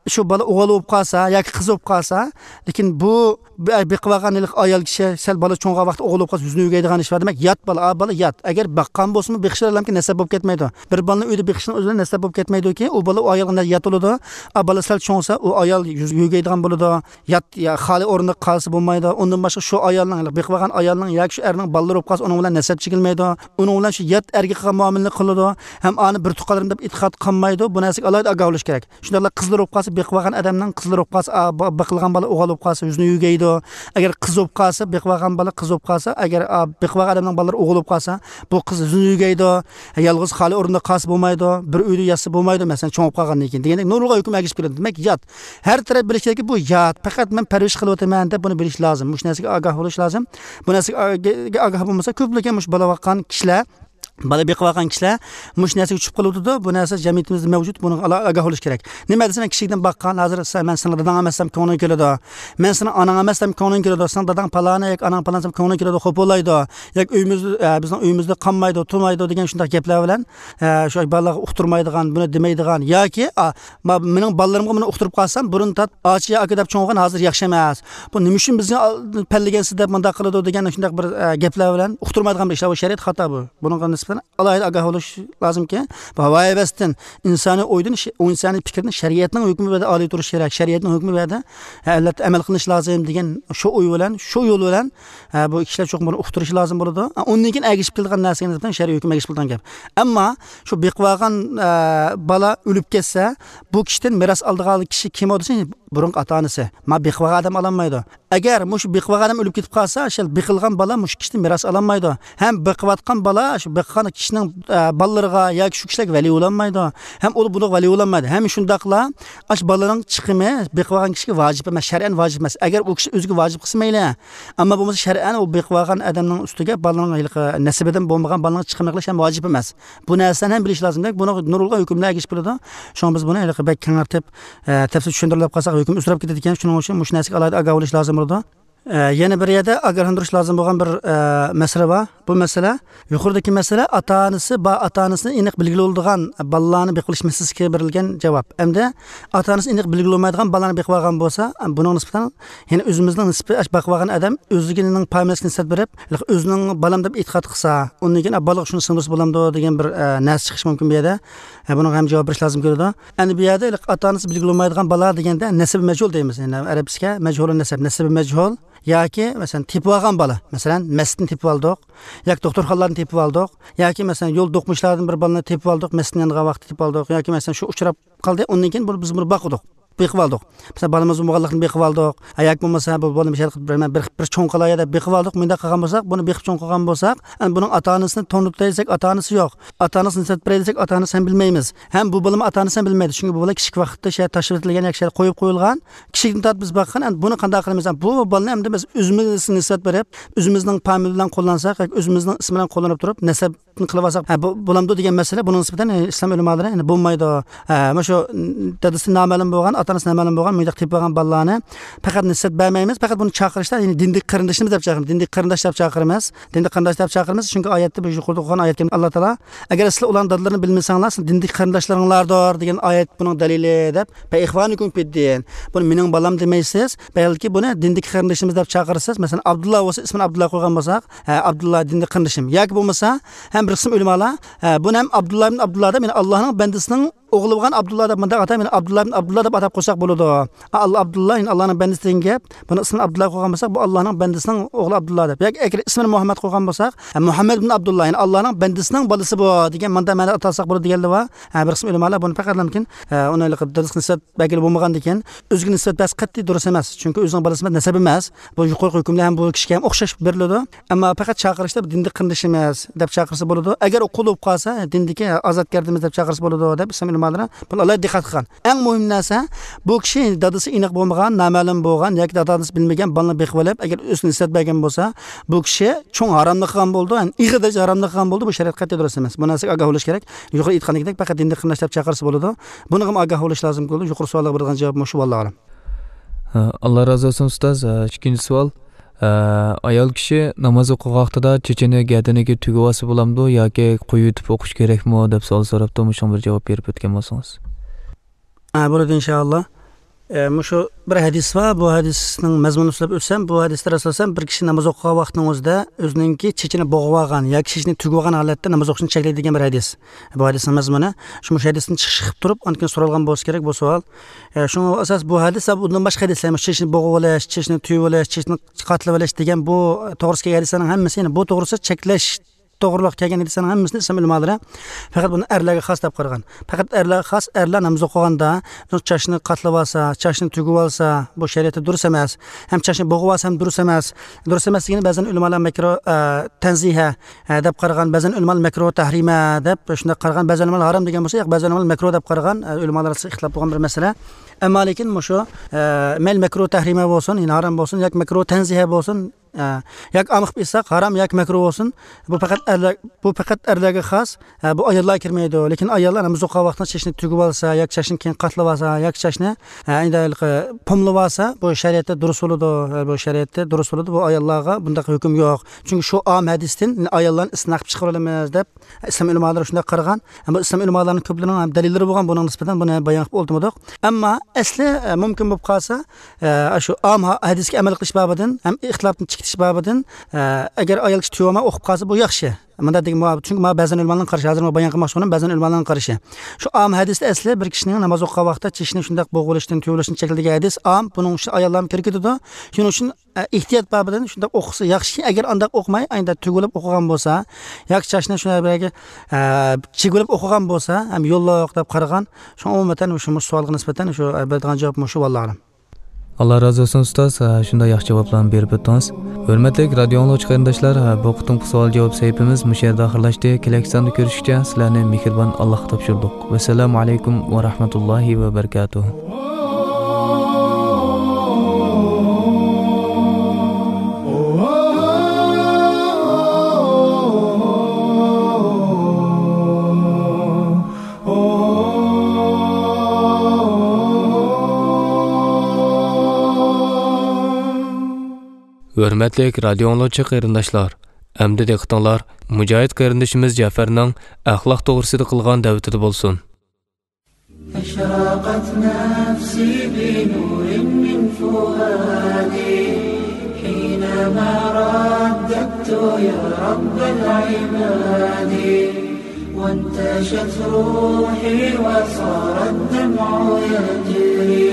شۇ بالا ئوغۇل بولۇپ قالسا ياكى قىز بولۇپ قالسا، لېكىن بۇ بېقىۋالغان ھېلىقى ئايال كىشى سەل بالا چوڭغان ۋاقىتتا ئوغۇل بولۇپ قالسا، يۈزىنى يۆگەيدىغان ئىش بار. دېمەك، يات بالا، ئا بالا يات. ئەگەر باققان بولسىمۇ، بېقىش بىلەنكى نەسەب بولۇپ كەتمەيدۇ. بىر بالىنى ئۆيدە بېقىشنىڭ ئۆزى بىلەن نەسەب بولۇپ كەتمەيدۇكى، ئۇ بالا ئۇ ئايالغا يات بولىدۇ. ئا بالا سەل چوڭسا، ئۇ ئايال يۈز-، يۆگەيدىغان بولىدۇ. يات، يا، خالىي ئورنىدا قالسا بولمايدۇ. ئۇندىن باشقا شۇ ئايالنىڭ، بېقىۋالغان ئايالنىڭ ياكى شۇ ئەرنىڭ بالىلىرى بولۇپ قالسا، ئۇنىڭ بىلەن نەسەب چېكىنمەيدۇ. ئۇنىڭ بىلەن شۇ يات ئەرگە قىلغان مۇئامىلىنى قىلىدۇ. ھەم ئانى بىر تۇغقانلىرىم دەپ ئېتىقاد قىلمايدۇ. بۇ نەرسىگە ئالاھىدە ئاگاھ بولۇش كېرەك. شۇنداقلا قىزلىرى بولۇپ قالسا، بېقىۋالغان ئادەمنىڭ قىزلىرى بولۇپ قالسا، ئا، با-، بېقىلغان بالا ئوغۇل بولۇپ قالسا، يۈزىنى يۆگەيدۇ. ئەگەر قىز بولۇپ قالسا، بېقىۋالغان بالا قىز بولۇپ قالسا، ئەگەر، ئا، بېقىۋالغان ئادەمنىڭ بالىلىرى ئوغۇل بولۇپ قالسا، بۇ قىز يۈزىنى يۆگەيدۇ. يالغۇز خالىي ئورنىدا قالسا بولمايدۇ. بىر ئۆيدە ياتسا بولمايدۇ، مەسىلەن، چوڭ بولۇپ قالغاندىن كېيىن دېگەندەك نۇرغۇنلىغان ھۆكۈم ئەگىشىپ كېلىدۇ. دېمەك، يات. ھەر تەرەپ بىلىش كېرەككى، بۇ يات. پەقەت مەن پەرۋىش قىلىۋاتىمەن دەپ بۇنى بىلىش لازىم. مۇشۇ نەرسىگە ئاگاھ بولۇش لازىم. بۇ نەرسىگە ئاگاھ بولمىسا، كۆپلىكى مۇشۇ بالا باققان كىشىلەر بالا بېقىۋالغان كىشىلەر مۇشۇ نەرسىگە چۈشۈپ قالىۋاتىدۇ. بۇ نەرسە جەمئىيىتىمىزدە مەۋجۇت، بۇنىڭغا ئالا-، ئاگاھ بولۇش كېرەك. نېمە دېسە، مەن كىچىكىدىن باققان، ھازىر سەن، مەن سېنىڭ داداڭ ئەمەس دېسەم كۆڭلۈڭ كېلىدۇ. مەن سېنىڭ ئاناڭ ئەمەس دېسەم كۆڭلۈڭ كېلىدۇ. سېنىڭ داداڭ پالانى ياكى ئاناڭ پالانى دېسەم كۆڭلۈڭ كېلىدۇ، خوپۇلايدۇ. ياكى ئۆيىمىزدە، ئە، بىزنىڭ ئۆيىمىزدە قالمايدۇ، تۇرمايدۇ دېگەن شۇنداق گەپلەر بىلەن، ئە، شۇ بالىلارغا ئۇقتۇرمايدىغان، بۇنى دېمەيدىغان ياكى، ئا، ما-، مېنىڭ بالىلىرىمغا بۇنى ئۇقتۇرۇپ قالسام، بۇرۇن تارت ئاچا يا ئاكا دەپ چوڭ بولغان، ھازىر ياخشى ئەمەس. بۇ نېمە ئۈچۈن بىزنى ئال-، پەللىگەنسىز دەپ مۇنداق قىلىدۇ دېگەن شۇنداق بىر، ئە، گەپلەر بىلەن ئۇقتۇرمايدىغان بىر ئىشلار، بۇ شەرىئەت خاتا بۇ. بۇنىڭغا نىسبەتەن ئالاھىدە ئاگاھ بولۇش لازىمكى، بۇ ھاۋايىۋەستىن ئىنسانىي ئويدىن، ئىنسانىي پىكىردىن شەرىئەتنىڭ ھۆكمى بىلەن ئالىي تۇرۇش كېرەك، شەرىئەتنىڭ ھۆكمى بۇ يەردە، ھە، ئەلۋەتتە ئەمەل قىلىنىش لازىم دېگەن شۇ ئوي بىلەن، شۇ يول بىلەن، ھە، بۇ كىشىلەر چوقۇم بۇنى ئۇقتۇرۇشى لازىم بولىدۇ. ھە، ئۇندىن كېيىن ئەگىشىپ كېلىدىغان نەرسىگە نىسبەتەن شەرئىي ھۆكۈم ئەگىشىپ كېلىدىغان گەپ. ئەمما شۇ بېقىۋالغان، ئە، بالا ئۆلۈپ كەتسە، بۇ كىشىدىن مىراس ئالىدىغان كىشى كىم ئۇ دېسە، بۇرۇنقى ئاتا ئانىسى. ما بېقىۋالغان ئادەم ئالالمايدۇ. ئەگەر مۇشۇ بېقىۋالغان ئادەم ئۆلۈپ كېتىپ قالسا، شەل بېقىلغان بالا مۇشۇ كىشىدىن مىراس ئالالمايدۇ. ھەم بېقىۋاتقان بالا شۇ بېقىغان كىشىنىڭ، ئە، بالىلىرىغا ياكى شۇ كىشىلەرگە ۋەلىي بولالمايدۇ. ھەم ئۇ بۇنىڭغا ۋەلىي بولالمايدۇ. ھەم شۇنداقلا ئاشۇ بالىنىڭ چىقىمى بېقىۋالغان كىشىگە ۋاجىپ ئەمەس، شەرئەن ۋاجىپ ئەمەس. ئەگەر ئۇ كىشى ئۆزىگە ۋاجىپ قىلسا مەيلى. ئەمما بولمىسا شەرئەن ئۇ بېقىۋالغان ئادەمنىڭ ئۈستىگە بالىنىڭ ھېلىقى نەسىبىدىن بولمىغان بالىنىڭ چىقىمى قىلىش ھەم ۋاجىپ ئەمەس. بۇ نەرسىلەرنى ھەم بىلىش لازىم. دېمەك، بۇنىڭ نۇرغۇنلىغان ھۆكۈملەر ئەگىشىپ كېلىدۇ. شۇڭا بىز بۇنى ھېلىقى بەك كېڭەيتىپ، ئە، تەپسىلىي چۈشەندۈرۈپ قالساق، ھۆكۈم ئۇزىراپ كېتىدىكەن. شۇنىڭ ئۈچۈن مۇشۇ نەرسىگە ئالاھىدە ئاگاھ بولۇش لازىم بولىدۇ. ئە، يەنە بىر يەردە ئاگاھلاندۇرۇش لازىم بولغان بىر، ئە، مەسىلە بار. بۇ مەسىلە، يۇقىرىدىكى مەسىلە ئاتا-ئانىسى بار، ئاتا-ئانىسىنى ئېنىق بىلگىلى بولىدىغان بالىلارنى بېقىۋېلىش مەسىلىسىگە بېرىلگەن جاۋاب. ئەمدى ئاتا-ئانىسى ئېنىق بىلگىلى بولمايدىغان بالىلارنى بېقىۋالغان بولسا، بۇنىڭ نىسبەتەن يەنە ئۆزىمىزنىڭ نىسبىتى، ئاشۇ باقىۋالغان ئادەم ئۆزىنىڭ پامىلىسىگە نىسبەت بېرىپ، ئۆزىنىڭ بالام دەپ ئېتىقاد قىلسا، ئۇندىن كېيىن، «ئا، بالىغا شۇنى سىڭدۈرسە بولامدۇ؟» دېگەن بىر، ئە، نەرسە چىقىشى مۇمكىن بۇ يەردە. ئە، بۇنىڭغا ھەم جاۋاب بېرىش لازىم كېلىدۇ. ئەمدى بۇ يەردە ھېلىقى ئاتا-ئانىسى بىلگىلى بولمايدىغان بالا دېگەندە نەسىبى مەجھۇل دەيمىز. يەنى ئەرەبچىسىگە مەجھۇلۇن نەسەب، نەسىبى مەجھۇل ياكى، مەسىلەن، تېپىۋالغان بالا. مەسىلەن، مەسچىتتىن تېپىۋالدۇق ياكى دوختۇرخانىلاردىن تېپىۋالدۇق ياكى، مەسىلەن، يول دوقمۇشلاردىن بىر بالىنى تېپىۋالدۇق، مەسچىتتىن يانغان ۋاقىتتا تېپىۋالدۇق ياكى، مەسىلەن، شۇ ئۇچراپ قالدى، ئۇندىن كېيىن بۇ-، بىز بۇنى باقتۇق، بېقىۋالدۇق. مەسىلەن، بالىمىز بولمىغانلىقىنى بېقىۋالدۇق. ھە، ياكى بولمىسا، بۇ بالىنى بىر، بىر، بىر، بىر چوڭ قىلاي دەپ بېقىۋالدۇق. مۇنداق قىلغان بولساق، بۇنى بېقىپ چوڭ قىلغان بولساق، ئەنە بۇنىڭ ئاتا-ئانىسىنى تونۇتاي دېسەك، ئاتا-ئانىسى يوق. ئاتا-ئانىسىنى نىسبەت بېرەي دېسەك، ئاتا-ئانىسى ھەم بىلمەيمىز. ھەم بۇ بالىمۇ ئاتا-ئانىسى ھەم بىلمەيدۇ. چۈنكى بۇ بالا كىچىك ۋاقىتتا شۇ يەردە تاشلىۋېتىلگەن ياكى شۇ يەردە قويۇپ قويۇلغان. كىچىكتىن تارتىپ بىز باققان، ئەنە بۇنى قانداق قىلىمىز؟ بۇ بالىنى ئەمدى بىز ئۆزىمىزگە نىسبەت بېرىپ، ئۆزىمىزنىڭ پامىلى بىلەن قوللانساق ياكى ئۆزىمىزنىڭ ئىسمى بىلەن قوللىنىپ تۇرۇپ، نەسەب قىلىۋالساق، ھە، بۇ، بولامدۇ دېگەن مەسىلە، بۇنىڭ نىسبەتەن، ئە، ئىسلام ئۆلىمالىرى، يەنى بولمايدۇ. ھە، مانا شۇ دادىسى نامەلۇم بولغان، دانىسى نامەلۇم بولغان، مۇنداق تېپىپ ئالغان بالىلارنى پەقەت نىسبەت بەرمەيمىز، پەقەت بۇنى چاقىرىشتا، يەنى دىندىكى قېرىندىشىمىز دەپ چاقىرىمىز، دىندىكى قېرىنداش دەپ چاقىرىمىز، دىندىكى قېرىنداش دەپ چاقىرىمىز، چۈنكى ئايەتتە، بۇ يۇقىرىدا ئوقۇغان ئايەتتە ئاللا تائالا، ئەگەر سىلەر ئۇلارنىڭ دادىلىرىنى بىلمىسەڭلار، سىلەر دىندىكى قېرىنداشلىرىڭلاردۇر دېگەن ئايەت بۇنىڭ دەلىلى دەپ، فە ئىخۋانۇكۇم فىددىن، بۇنى مېنىڭ بالام دېمەيسىز، بەلكى بۇنى دىندىكى قېرىندىشىمىز دەپ چاقىرىسىز، مەسىلەن، ئابدۇللا بولسا، ئىسمىنى ئابدۇللا قويغان بولساق، ھە، ئابدۇللا دىندىكى قېرىندىشىم، ياكى بولمىسا، ھەم بىر قىسىم ئۆلىمالار، ھە، بۇنى ھەم ئابدۇللا ئىبن ئابدۇللا دەپ، يەنى ئاللانىڭ بەندىسىنىڭ ئوغلى بولغان ئابدۇللا دەپ مۇنداق ئاتاپ، يەنى ئابدۇللا ئىبن ئابدۇللا دەپ ئاتاپ قويساق بولىدۇ. ئا، ئاللا ئابدۇللا، يەنى ئاللانىڭ بەندىسى دېگەن گەپ. بۇنىڭ ئىسمىنى ئابدۇللا قويغان بولساق، بۇ ئاللانىڭ بەندىسىنىڭ ئوغلى ئابدۇللا دەپ. ياكى ئەگەر ئىسمىنى مۇھەممەد قويغان بولساق، ھە، مۇھەممەد ئىبن ئابدۇللا، يەنى ئاللانىڭ بەندىسىنىڭ بالىسى بۇ دېگەن مۇنداق مەنىدە ئاتالساق بولىدۇ دېگەنلەر بار. ھە، بىر قىسىم ئۆلىمالار بۇنى پەقەت مۇمكىن، ھە، ئۇنى دادىسىغا نىسبەت بەرگىلى بولمىغاندىكىن، ئۆزىگە نىسبەت بەرسە قەتئىي دۇرۇس ئەمەس. چۈنكى ئۆزىنىڭ بالىسى ئەمەس، نەسەب ئەمەس. بۇ يۇقىرىقى ھۆكۈمدە ھەم بۇ كىشىگە ھەم ئوخشاش بېرىلىدۇ. ئەمما پەقەت چاقىرىشتا بۇ دىندىكى قېرىندىشىمىز دەپ چاقىرسا بولىدۇ. ئەگەر ئۇ قۇل بولۇپ قالسا، دىندىكى ئازادگەردىمىز دەپ چاقىرسا بولىدۇ دەپ ئىسلام ئۆلىمالىرى بۇنى ئالاھىدە دىققەت قىلغان. ئەڭ مۇھىم نەرسە، بۇ كىشى دادىسى ئېنىق بولمىغان، نامەلۇم بولغان ياكى دادا-دادىسى بىلمىگەن بالىنى بېقىۋېلىپ، ئەگەر ئۆزىنى نىسبەت بەرگەن بولسا، بۇ كىشى چوڭ ھاراملىق قىلغان بولىدۇ، يەنى ئېغىر دەرىجىدە ھاراملىق قىلغان بولىدۇ. بۇ شەرىئەت قەتئىي دۇرۇس ئەمەس. بۇ نەرسىگە ئاگاھ بولۇش كېرەك. يۇقىرى ئېيتقاندەك، پەقەت دىندىكى قېرىنداش دەپ چاقىرسا بولىدۇ. بۇنىڭغىمۇ ئاگاھ بولۇش لازىم بولىدۇ. يۇقىرى سوئالغا بېرىدىغان جاۋاب مۇشۇ، ۋاللاھۇ ئەلەم. ھە، ئاللا رازى بولسۇن، ئۇستاز. ھە، ئىككىنچى سوئال. ھە، ئايال كىشى ناماز ئوقۇغان ۋاقتىدا چېچىنى گەدىنىگە تۈگۈۋالسا بولامدۇ ياكى قويۇۋېتىپ ئوقۇش كېرەكمۇ دەپ سوئال سوراپتۇ. مۇشۇڭا بىر جاۋاب بېرىپ ئۆتكەن بولسىڭىز. ھە، بولىدۇ، ئىنشائاللا. ئە، مۇشۇ بىر ھەدىس بار. بۇ ھەدىسنىڭ مەزمۇنىنى سۆزلەپ ئۆتسەم، بۇ ھەدىستە رەسۇلۇللا بىر كىشى ناماز ئوقۇغان ۋاقتىنىڭ ئۆزىدە ئۆزىنىڭكى چېچىنى بوغۇۋالغان ياكى چېچىنى تۈگۈۋالغان ھالەتتە ناماز ئوقۇشنى چەكلەيدۇ دېگەن بىر ھەدىس. بۇ ھەدىسنىڭ مەزمۇنى شۇ، مۇشۇ ھەدىستىن چىقىش قىلىپ تۇرۇپ، ئاندىن كېيىن سورالغان بولسا كېرەك بۇ سوئال. ئە، شۇڭا ئاساس بۇ ھەدىس، بۇندىن باشقا ھەدىسلەر، مۇشۇ چېچىنى بوغۇۋېلىش، چېچىنى تۈگۈۋېلىش، چېچىنى قاتلىۋېلىش دېگەن بۇ توغرىسىدا كەلگەن ھەدىسلەرنىڭ ھەممىسى، يەنى بۇ توغرىسىدا چەكلەش توغرىلىق كەلگەن ھەدىسلەرنىڭ ھەممىسىنى ئىسلام ئۆلىمالىرى پەقەت بۇنى ئەرلەرگە خاس دەپ قارىغان. پەقەت ئەرلەرگە خاس، ئەرلەر ناماز ئوقۇغاندا چاچنى قاتلىۋالسا، چاچنى تۈگۈۋالسا، بۇ شەرىئەتتە دۇرۇس ئەمەس. ھەم چاچنى بوغۇۋالسا ھەم دۇرۇس ئەمەس. دۇرۇس ئەمەس دېگىنى بەزەن ئۆلىمالار مەكرۇھ، ئە، تەنزىھە، ئە، دەپ قارىغان، بەزەن ئۆلىمالار مەكرۇھ تەھرىمە دەپ شۇنداق قارىغان، بەزەن ئۆلىمالار ھارام دېگەن بولسا، ياق، بەزەن ئۆلىمالار مەكرۇھ دەپ قارىغان، ئە، ئۆلىمالار ئارىسىدا ئىختىلاپ بولغان بىر مەسىلە. ئەمما لېكىن مۇشۇ، ئە، مەيلى مەكرۇھ تەھرىمە بولسۇن، يەنى ھارام بولسۇن، ياكى مەكرۇھ تەنزىھە بولسۇن، ئە، ياكى ئام قىلىپ ئېيتساق، ھارام ياكى مەكرۇھ بولسۇن، بۇ پەقەت ئەرلەر، بۇ پەقەت ئەرلەرگە خاس. ئە، بۇ ئاياللار كىرمەيدۇ. لېكىن ئاياللار ناماز ئوقۇغان ۋاقتىدا چېچىنى تۈگۈۋالسا ياكى چاچنى كېيىن قاتلىۋالسا ياكى چاچنى، ئە، ئەندى ھېلىقى پوملىۋالسا، بۇ شەرىئەتتە دۇرۇس بولىدۇ. ئە، بۇ شەرىئەتتە دۇرۇس بولىدۇ. بۇ ئاياللارغا بۇنداق ھۆكۈم يوق. چۈنكى شۇ ئام ھەدىستىن ئاياللارنى ئىستىسنا قىلىپ چىقىرىۋالىمىز دەپ ئىسلام ئۆلىمالىرى شۇنداق قارىغان. ئەمما ئىسلام ئۆلىمالارنىڭ كۆپلىرىنىڭ ھەم دەلىللىرى بولغان بۇنىڭ نىسبەتەن، بۇنى بايان قىلىپ ئولتۇرمىدۇق. ئەمما ئەسلى، ئە، مۇمكىن بولۇپ قالسا، ئە، شۇ ئام ھە-، ھەدىسكە ئەمەل قىلىش بابىدىن ھەم ئىختىلاپنى چىقىتىش بابىدىن، ئە، ئەگەر ئايال كىشى تۈگۈۋالماي ئوقۇپ قالسا، بۇ ياخشى. مۇنداق دېگەن، چۈنكى مانا بەزەن ئۆلىمالارنىڭ قارىشى، ھازىر مانا بايان قىلماقچى بولغىنىم بەزەن ئۆلىمالارنىڭ قارىشى. شۇ ئام ھەدىستە ئەسلى بىر كىشىنىڭ ناماز ئوقۇغان ۋاقتىدا چېچىنى شۇنداق بوغۇۋېلىشتىن، تۈگۈۋېلىشتىن چەكلىگەن ھەدىس ئام، بۇنىڭ ئىچىدە ئاياللارمۇ كىرىپ كېتىدۇ. شۇنىڭ ئۈچۈن ئە، ئېھتىيات بابىدىن شۇنداق ئوقۇسا ياخشى. ئەگەر ئانداق ئوقۇماي، ئانداق تۈگۈلۈپ ئوقۇغان بولسا، ياكى چاچنى شۇنداق بىرەرگە، ئە، چىگىۋېلىپ ئوقۇغان بولسا، ھەم يوللۇق دەپ قارىغان. شۇڭا ئومۇمەن شۇ، مۇشۇ سوئالغا نىسبەتەن شۇ، ئە، بېرىدىغان جاۋاب مۇشۇ، ۋاللاھۇ ئەلەم. ئاللا رازى بولسۇن، ئۇستاز. ئە، شۇنداق ياخشى جاۋابلارنى بېرىپ ئۆتتىڭىز. ھۆرمەتلىك رادىيو ئاڭلىغۇچى قېرىنداشلار، ئە، بۇ قېتىمقى سوئال جاۋاب سەھىپىمىز مۇشۇ يەردە ئاخىرلاشتى. كېلەكساندا كۆرۈشكىچە سىلەرنى مېھرىبان ئاللاھقا تاپشۇردۇق. ۋەسسالامۇ ئەلەيكۇم ۋە رەھمەتۇللاھى ۋە بەرىكاتۇھ. ھۆرمەتلىك رادىيو ئاڭلىغۇچى قېرىنداشلار، ئەمدى دىققىتىڭلار مۇجاھىد قېرىندىشىمىز جەفەرنىڭ ئەخلاق توغرىسىدا قىلغان دەۋىتىدە بولسۇن. أشرقت نفسي بنور من فؤادي حينما رددت يا رب العباد، وانتشت روحي وصار الدمع يجري،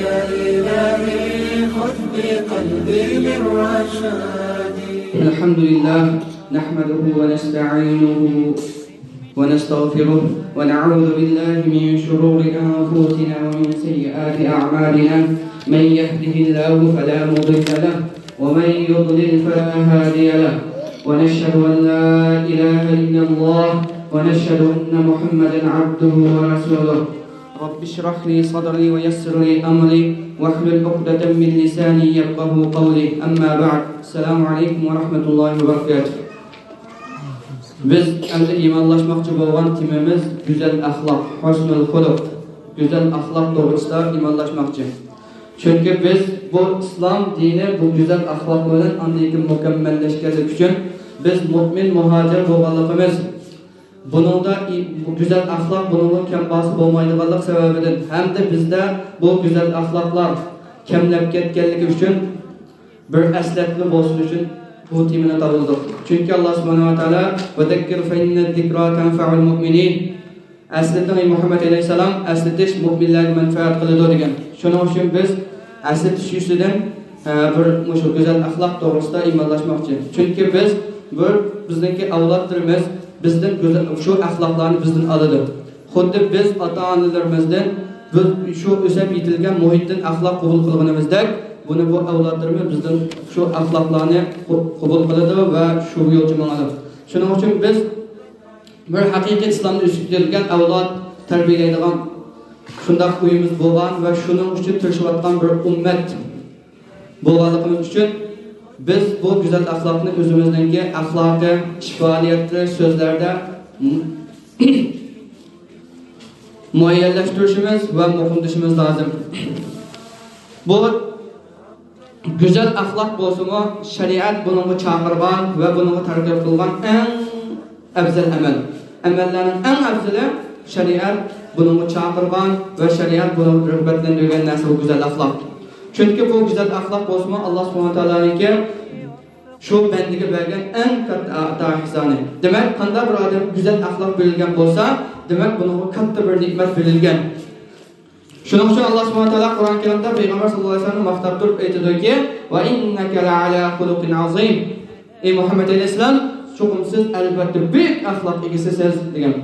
يا إلهي خذ بقلبي للرشاد. الحمد لله، نحمده ونستعينه ونستغفره، ونعوذ بالله من شرور أنفسنا ومن سيئات أعمالنا. من يهده الله فلا مضل له، ومن يضلل فلا هادي له، ونشهد أن لا إله إلا الله، ونشهد أن محمدا عبده ورسوله. رب اشرح لي صدري ويسر لي أمري واحلل عقدة من لساني يفقهوا قولي. أما بعد، السلام عليكم ورحمة الله وبركاته. بىز ئەمدى ئىمانلاشماقچى بولغان تېمىمىز گۈزەل ئەخلاق، ھۇسنۇل خۇلۇق. گۈزەل ئەخلاق توغرىسىدا ئىمانلاشماقچى. چۈنكى بىز بۇ ئىسلام دىنى بۇ گۈزەل ئەخلاق بىلەن ئاندىن كېيىن مۇكەممەللەشكەنلىكى ئۈچۈن بىز مۆمىن مۇھاجىر بولغانلىقىمىز، بۇنىڭدا ئى-، بۇ گۈزەل ئەخلاق بۇنىڭغا كەم باسا بولمايدىغانلىق سەۋەبىدىن ھەمدە بىزدە بۇ گۈزەل ئەخلاقلار كەملەپ كەتكەنلىكى ئۈچۈن بىر ئەسلەتمە بولسۇن ئۈچۈن بۇ تېمىنى تاللىدۇق. چۈنكى ئاللا سۇبھانەھۇ ۋە تائالا، «ۋەزەككىر فەئىننەز زىكرا تەنفەئۇل مۇئمىنىن.» ئەسلىتىڭ، ئەي مۇھەممەد ئەلەيھىسسالام، ئەسلىتىش مۆمىنلەرگە مەنپەئەت قىلىدۇ دېگەن. شۇنىڭ ئۈچۈن بىز ئەسلىتىش يۈزىسىدىن، ئە، بىر مۇشۇ گۈزەل ئەخلاق توغرىسىدا ئىمانلاشماقچى. چۈنكى بىز بىر، بىزنىڭكى ئەۋلادلىرىمىز بىزدىن گۈزەل، شۇ ئەخلاقلارنى بىزدىن ئالىدۇ. خۇددى بىز ئاتا-ئانىلىرىمىزدىن، بىز شۇ ئۆسۈپ يېتىلگەن مۇھىتتىن ئەخلاق قوبۇل قىلغىنىمىزدەك، بۇنى بۇ ئەۋلادلىرىمىز بىزدىن شۇ ئەخلاقلارنى قو-، قوبۇل قىلىدۇ ۋە شۇ يولچە ماڭىدۇ. شۇنىڭ ئۈچۈن بىز بىر ھەقىقىي ئىسلامدا ئۆسۈپ يېتىلگەن ئەۋلاد تەربىيەلەيدىغان شۇنداق ئۆيىمىز بولغان ۋە شۇنىڭ ئۈچۈن تىرىشىۋاتقان بىر ئۈممەت بولغانلىقىمىز ئۈچۈن، بىز بۇ گۈزەل ئەخلاقنى ئۆزىمىزنىڭكى ئەخلاقى، ئىش پائالىيەتلىرى، سۆزلەردە مۇئەييەنلەشتۈرۈشىمىز ۋە مۇقىملىشىمىز لازىم. بۇ گۈزەل ئەخلاق بولسىمۇ، شەرىئەت بۇنىڭغا چاقىرغان ۋە بۇنىڭغا تەرغىب قىلغان ئەڭ ئەۋزەل ئەمەل. ئەمەللەرنىڭ ئەڭ ئەۋزىلى، شەرىئەت بۇنىڭغا چاقىرغان ۋە شەرىئەت بۇنىڭغا رىغبەتلەندۈرگەن نەرسە بۇ گۈزەل ئەخلاق. چۈنكى بۇ گۈزەل ئەخلاق بولسىمۇ، ئاللا سۇبھانەھۇ ۋە تائالانىڭكى شۇ بەندىگە بەرگەن ئەڭ كاتتا ئاتا ئېھسانى. دېمەك، قانداق بىر ئادەم گۈزەل ئەخلاق بېرىلگەن بولسا، دېمەك، بۇنىڭغا كاتتا بىر نېمەت بېرىلگەن. شۇنىڭ ئۈچۈن ئاللا سۇبھانەھۇ ۋە تائالا قۇرئان كەرىمدە پەيغەمبەر ساللاللاھۇ ئەلەيھى ۋەسەللەمنى ماختاپ تۇرۇپ ئېيتىدۇكى، «ۋە ئىننەكە لەئەلا خۇلۇقىن ئەزىم.» ئەي مۇھەممەد ئەلەيھىسسالام، چوقۇم سىز ئەلۋەتتە بۈيۈك ئەخلاق ئىگىسىسىز، دېگەن.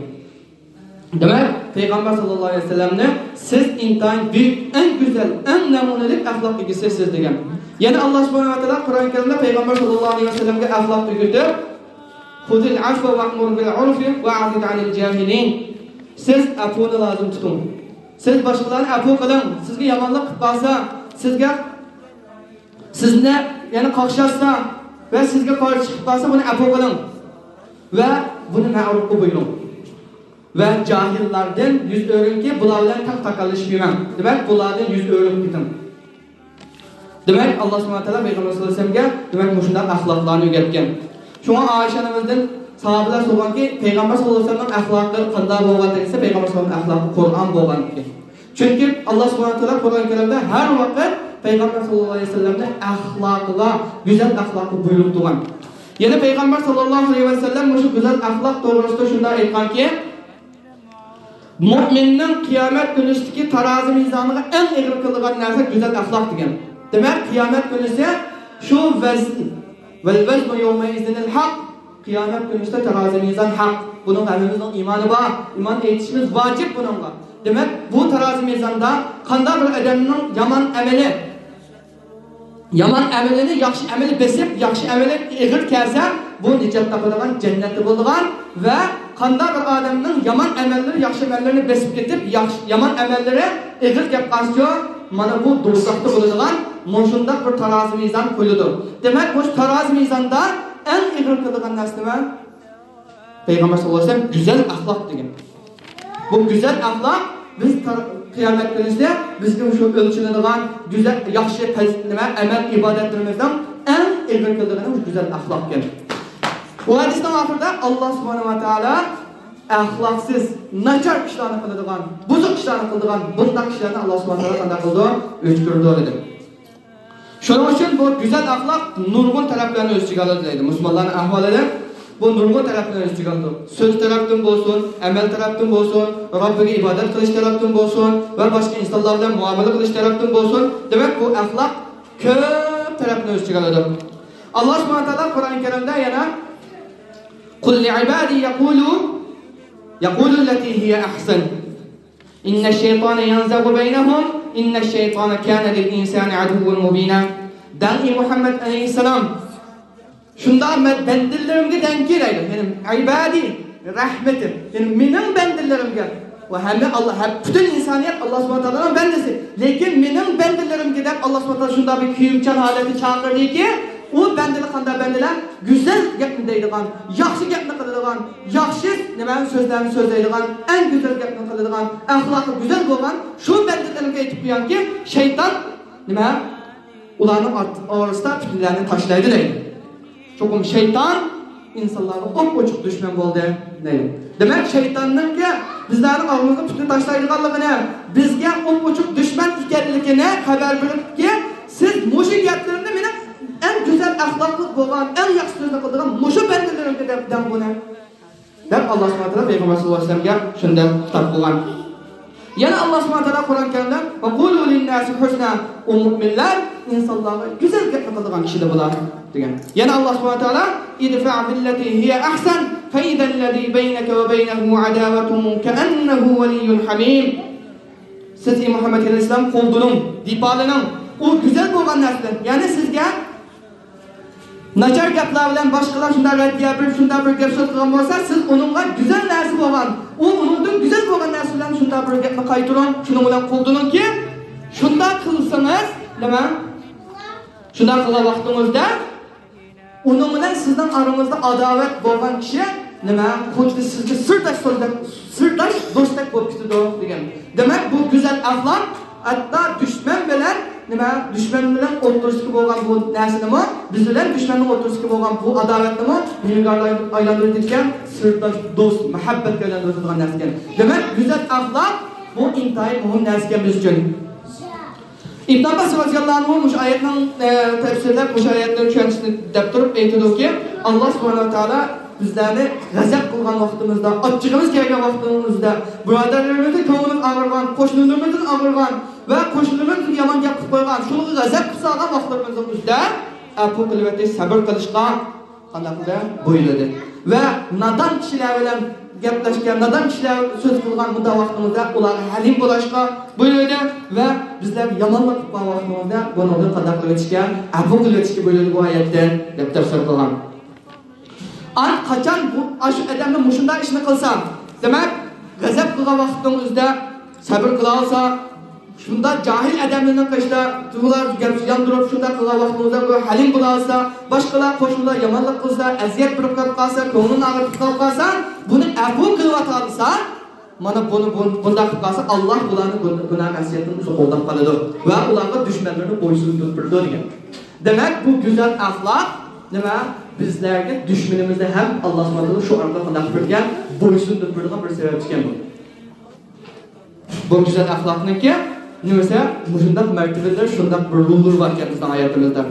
دېمەك، پەيغەمبەر ساللاللاھۇ ئەلەيھى ۋەسەللەمنى سىز ئىنتايىن بۈيۈك، ئەڭ گۈزەل، ئەڭ نەمۇنىلىك ئەخلاق ئىگىسىسىز، دېگەن. يەنە ئاللا سۇبھانەھۇ ۋە تائالا قۇرئان كەرىمدە پەيغەمبەر ساللاللاھۇ ئەلەيھى ۋەسەللەمگە ئەخلاق ئۆگىتىپ، «خۇزىل ئەفۋە ۋەئمۇر بىل ئۇرفى ۋەئەرىز ئەنىل جاھىلىن.» سىز ئەپۇنى لازىم تۇتۇڭ. سىز باشقىلارنى ئەپۇ قىلىڭ. سىزگە يامانلىق قىلىپ قالسا، سىزگە، سىزنى، يەنى قاقشاتسا ۋە سىزگە قارشى چىقىپ قالسا، بۇنى ئەپۇ قىلىڭ ۋە بۇنى مەرۇپقا بۇيرۇڭ. ۋە جاھىللاردىن يۈز ئۆرۈڭكى، بۇلار بىلەن تەڭ تاكاللىشىپ يۈرمەڭ. دېمەك، بۇلاردىن يۈز ئۆرۈپ كېتىڭ. دېمەك، ئاللا سۇبھانەھۇ ۋە تائالا پەيغەمبەر ساللاللاھۇ ئەلەيھى ۋەسەللەمگە، دېمەك، مۇشۇنداق ئەخلاقلارنى ئۆگەتكەن. شۇڭا ئائىشە ئانىمىزدىن ساھابىلەر سورىغانكى، پەيغەمبەر ساللاللاھۇ ئەلەيھى ۋەسەللەمنىڭ ئەخلاقى قانداق بولغان دېسە، پەيغەمبەر ساللاللاھۇ ئەلەيھى ۋەسەللەمنىڭ ئەخلاقى قۇرئان بولغان ئىكەن. چۈنكى ئاللا سۇبھانەھۇ ۋە تائالا قۇرئان كەرىمدە ھەر ۋاقىت پەيغەمبەر ساللاللاھۇ ئەلەيھى ۋەسەللەمنىڭ ئەخلاقىغا، گۈزەل ئەخلاققا بۇيرۇق تۇرغان. يەنە پەيغەمبەر ساللاللاھۇ ئەلەيھى ۋەسەللەم مۇشۇ گۈزەل ئەخلاق توغرىسىدا شۇنداق ئېيتقانكى، مۆمىننىڭ قىيامەت كۈنىسىدىكى تارازى مىزانىغا ئەڭ ئېغىر كېلىدىغان نەرسە گۈزەل ئەخلاق دېگەن. دېمەك، قىيامەت كۈنىسى شۇ ۋەزن، ۋەل ۋەزنۇ يەۋمەئىزىنىل ھەق، قىيامەت كۈنىسىدە تارازى مىزان ھەق. بۇنىڭغا ھەممىمىزنىڭ ئىمانى بار، ئىمان ئېيتىشىمىز ۋاجىپ بۇنىڭغا. دېمەك، بۇ تارازى مىزاندا قانداق بىر ئادەمنىڭ يامان ئەمىلى، يامان ئەمىلىنى ياخشى ئەمىلى بېسىپ، ياخشى ئەمىلى ئېغىر كەلسە، بۇ نىجات تاپىدىغان، جەننەتتە بولىدىغان ۋە قانداق بىر ئادەمنىڭ يامان ئەمەللىرى ياخشى ئەمەللىرىنى بېسىپ كېتىپ، ياخشى، يامان ئەمەللىرى ئېغىر كەپ قالسىچۇ، مانا بۇ دوزاختا بولىدىغان مۇشۇنداق بىر تارازى مىزان قويۇلىدۇ. دېمەك، مۇشۇ تارازى مىزاندا ئەڭ ئېغىر قىلىدىغان نەرسە نېمە؟ پەيغەمبەر ساللاللاھۇ ئەلەيھى ۋەسەللەم گۈزەل ئەخلاق دېگەن. بۇ گۈزەل ئەخلاق بىز تار-، قىيامەت كۈنىسىدە بىزگە شۇ ئۆلچىنىدىغان گۈزەل، ياخشى پەز-، نېمە، ئەمەل، ئىبادەتلىرىمىزنىڭ ئەڭ ئېغىر كېلىدىغىنى مۇشۇ گۈزەل ئەخلاق ئىكەن. بۇ ھەدىسنىڭ ئاخىرىدا ئاللا سۇبھانەھۇ ۋە تائالا ئەخلاقسىز، ناچار ئىشلارنى قىلىدىغان، بۇزۇق ئىشلارنى قىلىدىغان بۇنداق كىشىلەرنى ئاللا سۇبھانەھۇ ۋە تائالا قانداق قىلىدۇ؟ ئۆچ كۆرىدۇ دېدى. شۇنىڭ ئۈچۈن بۇ گۈزەل ئەخلاق نۇرغۇن تەرەپلەرنى ئۆز ئىچىگە ئالىدۇ دەيدۇ. مۇسۇلمانلارنىڭ ئەھۋالىدا بۇ نۇرغۇن تەرەپلەرنى ئۆز ئىچىگە ئالىدۇ. سۆز تەرەپتىن بولسۇن، ئەمەل تەرەپتىن بولسۇن، رەببىگە ئىبادەت قىلىش تەرەپتىن بولسۇن ۋە باشقا ئىنسانلار بىلەن مۇئامىلە قىلىش تەرەپتىن بولسۇن. دېمەك، بۇ ئەخلاق كۆپ تەرەپنى ئۆز ئىچىگە ئالىدۇ. ئاللا سۇبھانەھۇ ۋە تائالا قۇرئان كەرىمدە يەنە، قۇل لىئىبادى يەقۇلۇ، يەقۇلۇللەتى ھىيە ئەھسەن. ئىننەششەيتانە يەنزەغۇ بەينەھۇم، ئىننەششەيتانە كانە لىلئىنسانى ئەدۇۋۋەن مۇبىنا. دەڭ، ئەي مۇھەممەد ئەلەيھىسسالام، شۇنداق مەن بەندىلىرىمگە دەڭكى دەيدۇ. يەنى ئىبادى رەھمىتىم، يەنى مېنىڭ بەندىلىرىمگە. ۋە ھەممە ئاللا، ھەم پۈتۈن ئىنسانىيەت ئاللا سۇبھانەھۇ ۋە تائالانىڭ بەندىسى. لېكىن مېنىڭ بەندىلىرىمگە دەپ ئاللا سۇبھانەھۇ ۋە تائالا شۇنداق بىر كۆيۈمچان ھالەتتە چاقىردىكى، ئۇ بەندىلەر قانداق بەندىلەر؟ گۈزەل گەپنى دەيدىغان، ياخشى گەپنى قىلىدىغان، ياخشى نېمە سۆزلەرنى سۆزلەيدىغان، ئەڭ گۈزەل گەپنى قىلىدىغان، ئەخلاقى گۈزەل بولغان شۇ بەندىلەرگە ئېيتىپ قويۇڭكى، شەيتان نېمە ئۇلارنىڭ ئارت-، ئارىسىدا پىتنىلەرنى تاشلايدۇ دەيدۇ. چوقۇم شەيتان ئىنسانلارغا ئوپئوچۇق دۈشمەن بولدى دەيدۇ. دېمەك، شەيتاننىڭكى بىزلەرنىڭ ئالدىمىزغا پىتنە تاشلايدىغانلىقىنى، بىزگە ئوپئوچۇق دۈشمەن ئىكەنلىكىنى خەۋەر بېرىپكى، سىز مۇشۇ گەپلىرىمنى مېنىڭ ئەڭ گۈزەل ئەخلاقلىق بولغان، ئەڭ ياخشى سۆزنى قىلىدىغان مۇشۇ بەندىلىرىمگە دەپ دەڭ بۇنى. دەپ، ئاللا سۇبھانەھۇ ۋە تائالا پەيغەمبەر سەللەللاھۇ ئەلەيھى ۋەسەللەمگە شۇنداق خىتاب قىلغان. يەنە ئاللا سۇبھانەھۇ ۋە تائالا قۇرئان كەرىمدە، «ۋەقۇلۇ لىنناسى ھۇسنا»، ئۇ مۇئمىنلار ئىنسانلارغا گۈزەل گەپنى قىلىدىغان كىشىلەر بۇلار، دېگەن. يەنە ئاللا سۇبھانەھۇ ۋە تائالا، «ئىدفەئ بىللەتى ھىيە ئەھسەن، فەئىزەللەزى بەينەكە ۋە بەينەھۇ ئەداۋەتۇن كەئەننەھۇ ۋەلىييۇن ھەمىم.» سىز، ئەي مۇھەممەد ئەلەيھىسسالام، قولدىنىڭ، دىپالىنىڭ ئۇ گۈزەل بولغان نەرسىدىن، يەنى سىزگە ناچار گەپلەر بىلەن باشقىلار شۇنداق رەددىيە بېرىپ، شۇنداق بىر گەپ سۆز قىلغان بولسا، سىز ئۇنىڭغا گۈزەل نەرسە بولغان، ئۇ ئۇنىڭدىن گۈزەل بولغان نەرسە بىلەن شۇنداق بىر گەپنى قايتۇرۇڭ، شۇنىڭ بىلەن قولدىنىڭكى، شۇنداق قىلسىڭىز، نېمە؟ شۇنداق قىلغان ۋاقتىڭىزدا ئۇنىڭ بىلەن سىزنىڭ ئارىڭىزدا ئاداۋەت بولغان كىشى، نېمە، خۇددى سىزگە سىرداش سۆزدەك، سىرداش دوستتەك بولۇپ كېتىدۇ، دېگەن. دېمەك، بۇ گۈزەل ئەخلاق ھەتتا دۈشمەن بىلەن، نېمە، دۈشمەن بىلەن ئوتتۇرىسىدىكى بولغان بۇ نەرسىنىمۇ، بىز بىلەن دۈشمەننىڭ ئوتتۇرىسىدىكى بولغان بۇ ئاداۋەتنىمۇ نېمىگە ئايلاندۇرۇپ كەتكەن؟ سىرداش، دوست، مۇھەببەتكە ئايلاندۇرىدىغان نەرسە ئىكەن. دېمەك، گۈزەل ئەخلاق بۇ ئىنتايىن مۇھىم نەرسە ئىكەن بىز ئۈچۈن. ئىبن ئابباس رازىياللاھۇ ئەنھۇ مۇشۇ ئايەتنىڭ، ئە، تەپسىرلەپ، مۇشۇ ئايەتنىڭ چۈشەنچىسىنى دەپ تۇرۇپ ئېيتىدۇكى، ئاللا سۇبھانەھۇ ۋە تائالا بىزلەرنى غەزەپ قىلغان ۋاقتىمىزدا، ئاچچىقىمىز كەلگەن ۋاقتىمىزدا، بۇرادەرلىرىمىزدىن كۆڭلىمىز ئاغرىغان، قوشنىلىرىمىزدىن ئاغرىغان ۋە قوشنىلىرىمىز بىزگە يامان گەپ قىلىپ قويغان، شۇنىڭغا غەزەپ قىلىپ سالغان ۋاقىتلىرىمىزنىڭ ئۆزىدە ئەپۇ قىلىۋېتىش، سەبىر قىلىشقا قانداق قىلدى؟ بۇيرۇدى. ۋە نادان كىشىلەر بىلەن گەپلەشكەن، نادان كىشىلەر سۆز قىلغان مۇنداق ۋاقتىمىزدا ئۇلارغا ھەلىم بولۇشقا بۇيرۇدى. ۋە بىزلەر يامانلىق قىلغان ۋاقتىمىزدا بۇنىڭدىن قانداق قىلىۋېتىشكە، ئەپۇ قىلىۋېتىشكە بۇيرۇدى بۇ ئايەتتە، دەپ تەپسىر قىلغان. ئاندىن قاچان بۇ، ئاشۇ ئادەمنىڭ مۇشۇنداق ئىشنى قىلسا، دېمەك، غەزەپ قىلغان ۋاقتىنىڭ ئۆزىدە سەبىر قىلالىسا، شۇنداق جاھىل ئادەملەرنىڭ قېشىدا تۇغۇلار گەپ ياندۇرۇپ، شۇنداق قىلغان ۋاقتىمىزدا بۇ ھەلىم بولالىسا، باشقىلار، قوشنىلار يامانلىق قىلسا، ئەزىيەت بېرىپ قېلىپ قالسا، كۆڭلىنى ئاغرىتىپ قېلىپ قالسا، بۇنى ئەپۇ قىلىۋاتالىسا، مانا بۇنى، بۇ-، بۇنداق قىلىپ قالسا، ئاللا بۇلارنى گۇ-، گۇناھ مەسىيەتتىن ئۇزۇن قوغداپ قالىدۇ ۋە ئۇلارغا دۈشمەنلىرىنى بويسۇندۇرۇپ بېرىدۇ دېگەن. دېمەك، بۇ گۈزەل ئەخلاق نېمە؟ بىزلەرگە دۈشمىنىمىزنى ھەم ئاللا سۇبھانەھۇ ۋە تائالا شۇ ئارقىلىق قانداق قىلىپ بېرىدىكەن؟ بويسۇندۇرۇپ بېرىدىغان بىر سەۋەب ئىكەن بۇ. بۇ گۈزەل ئەخلاقنىڭكى نېمىسى، مۇشۇنداق مەرتىۋىلىرى، شۇنداق بىر روللىرى بار ئىكەن بىزنىڭ ھاياتىمىزدا.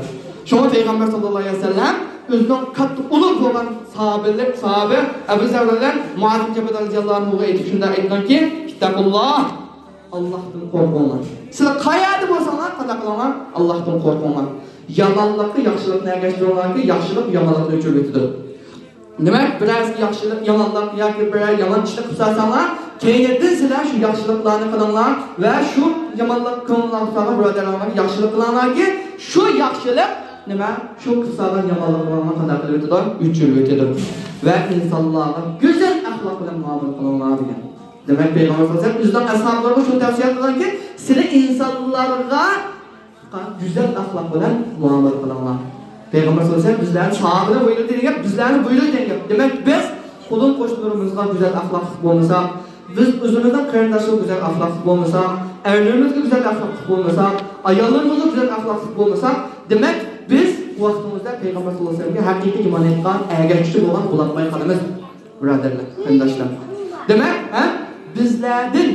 شۇڭا پەيغەمبەر ساللاللاھۇ ئەلەيھى ۋەسەللەم ئۆزىنىڭ كاتتا ئۇلۇغ بولغان ساھابىلىك، ساھابە ئەبۇ زەر بىلەن مۇئاز ئىبن جەبەل رازىياللاھۇ ئەنھۇغا ئېيتىپ شۇنداق ئېيتقانكى، «ئىتتەقۇللاھ، ئاللاھتىن قورقۇڭلار. سىلەر قەيەردە بولساڭلار، قانداق قىلىڭلار؟ ئاللاھتىن قورقۇڭلار. يامانلىققا ياخشىلىقنى ئەگەشتۈرۈڭلاركى، ياخشىلىق يامانلىقنى ئۆچۈرۈۋېتىدۇ.» دېمەك، بىرەرسىگە ياخشىلىق، يامانلىق ياكى بىرەر يامان ئىشنى قىلىپ سالساڭلار، كەينىدىن سىلەر شۇ ياخشىلىقلارنى قىلىڭلار ۋە شۇ يامانلىق كۆڭلىڭلارغا قىلساڭلار بۇرادەرلەرگە ياخشىلىق قىلىڭلاركى، شۇ ياخشىلىق نېمە؟ شۇ قىلىپ سالغان يامانلىقلارنى قانداق قىلىۋېتىدۇ؟ ئۆچۈرۈۋېتىدۇ. ۋە ئىنسانلارغا گۈزەل ئەخلاق بىلەن مۇئامىلە قىلىڭلار دېگەن. دېمەك، پەيغەمبەر سەللەللاھۇ ئەلەيھى ۋەسەللەم ئۆزىنىڭ ئەسھابلىرىغا شۇنى تەۋسىيە قىلغانكى، سىلەر ئىنسانلارغا گۈزەل ئەخلاق بىلەن مۇئامىلە قىلىڭلار. پەيغەمبەر سەللەللاھۇ ئەلەيھى ۋەسەللەم بىزلەرنى، ساھابىنى بۇيرۇدى دېگەن گەپ، بىزلەرنى بۇيرۇدى دېگەن گەپ. دېمەك، بىز قولۇم قوشنىلىرىمىزغا گۈزەل ئەخلاقلىق بولمىساق، بىز ئۆزىمىزنىڭ قېرىنداشلىرىغا گۈزەل ئەخلاقلىق بولمىساق، ئەرلىرىمىزگە گۈزەل ئەخلاقلىق بولمىساق، ئاياللىرىمىزغا گۈزەل ئەخلاقلىق بولمىساق، دېمەك، بىز ۋاقتىمىزدا پەيغەمبەر سەللەللاھۇ ئەلەيھى ۋەسەللەمگە ھەقىقىي ئىمان ئېيتقان ئەگەشكۈچى بولغان بولالماي قالىمىز. بۇرادەرلەر، قېرىنداشلار. دېمەك، ھە، بىزلەردىن،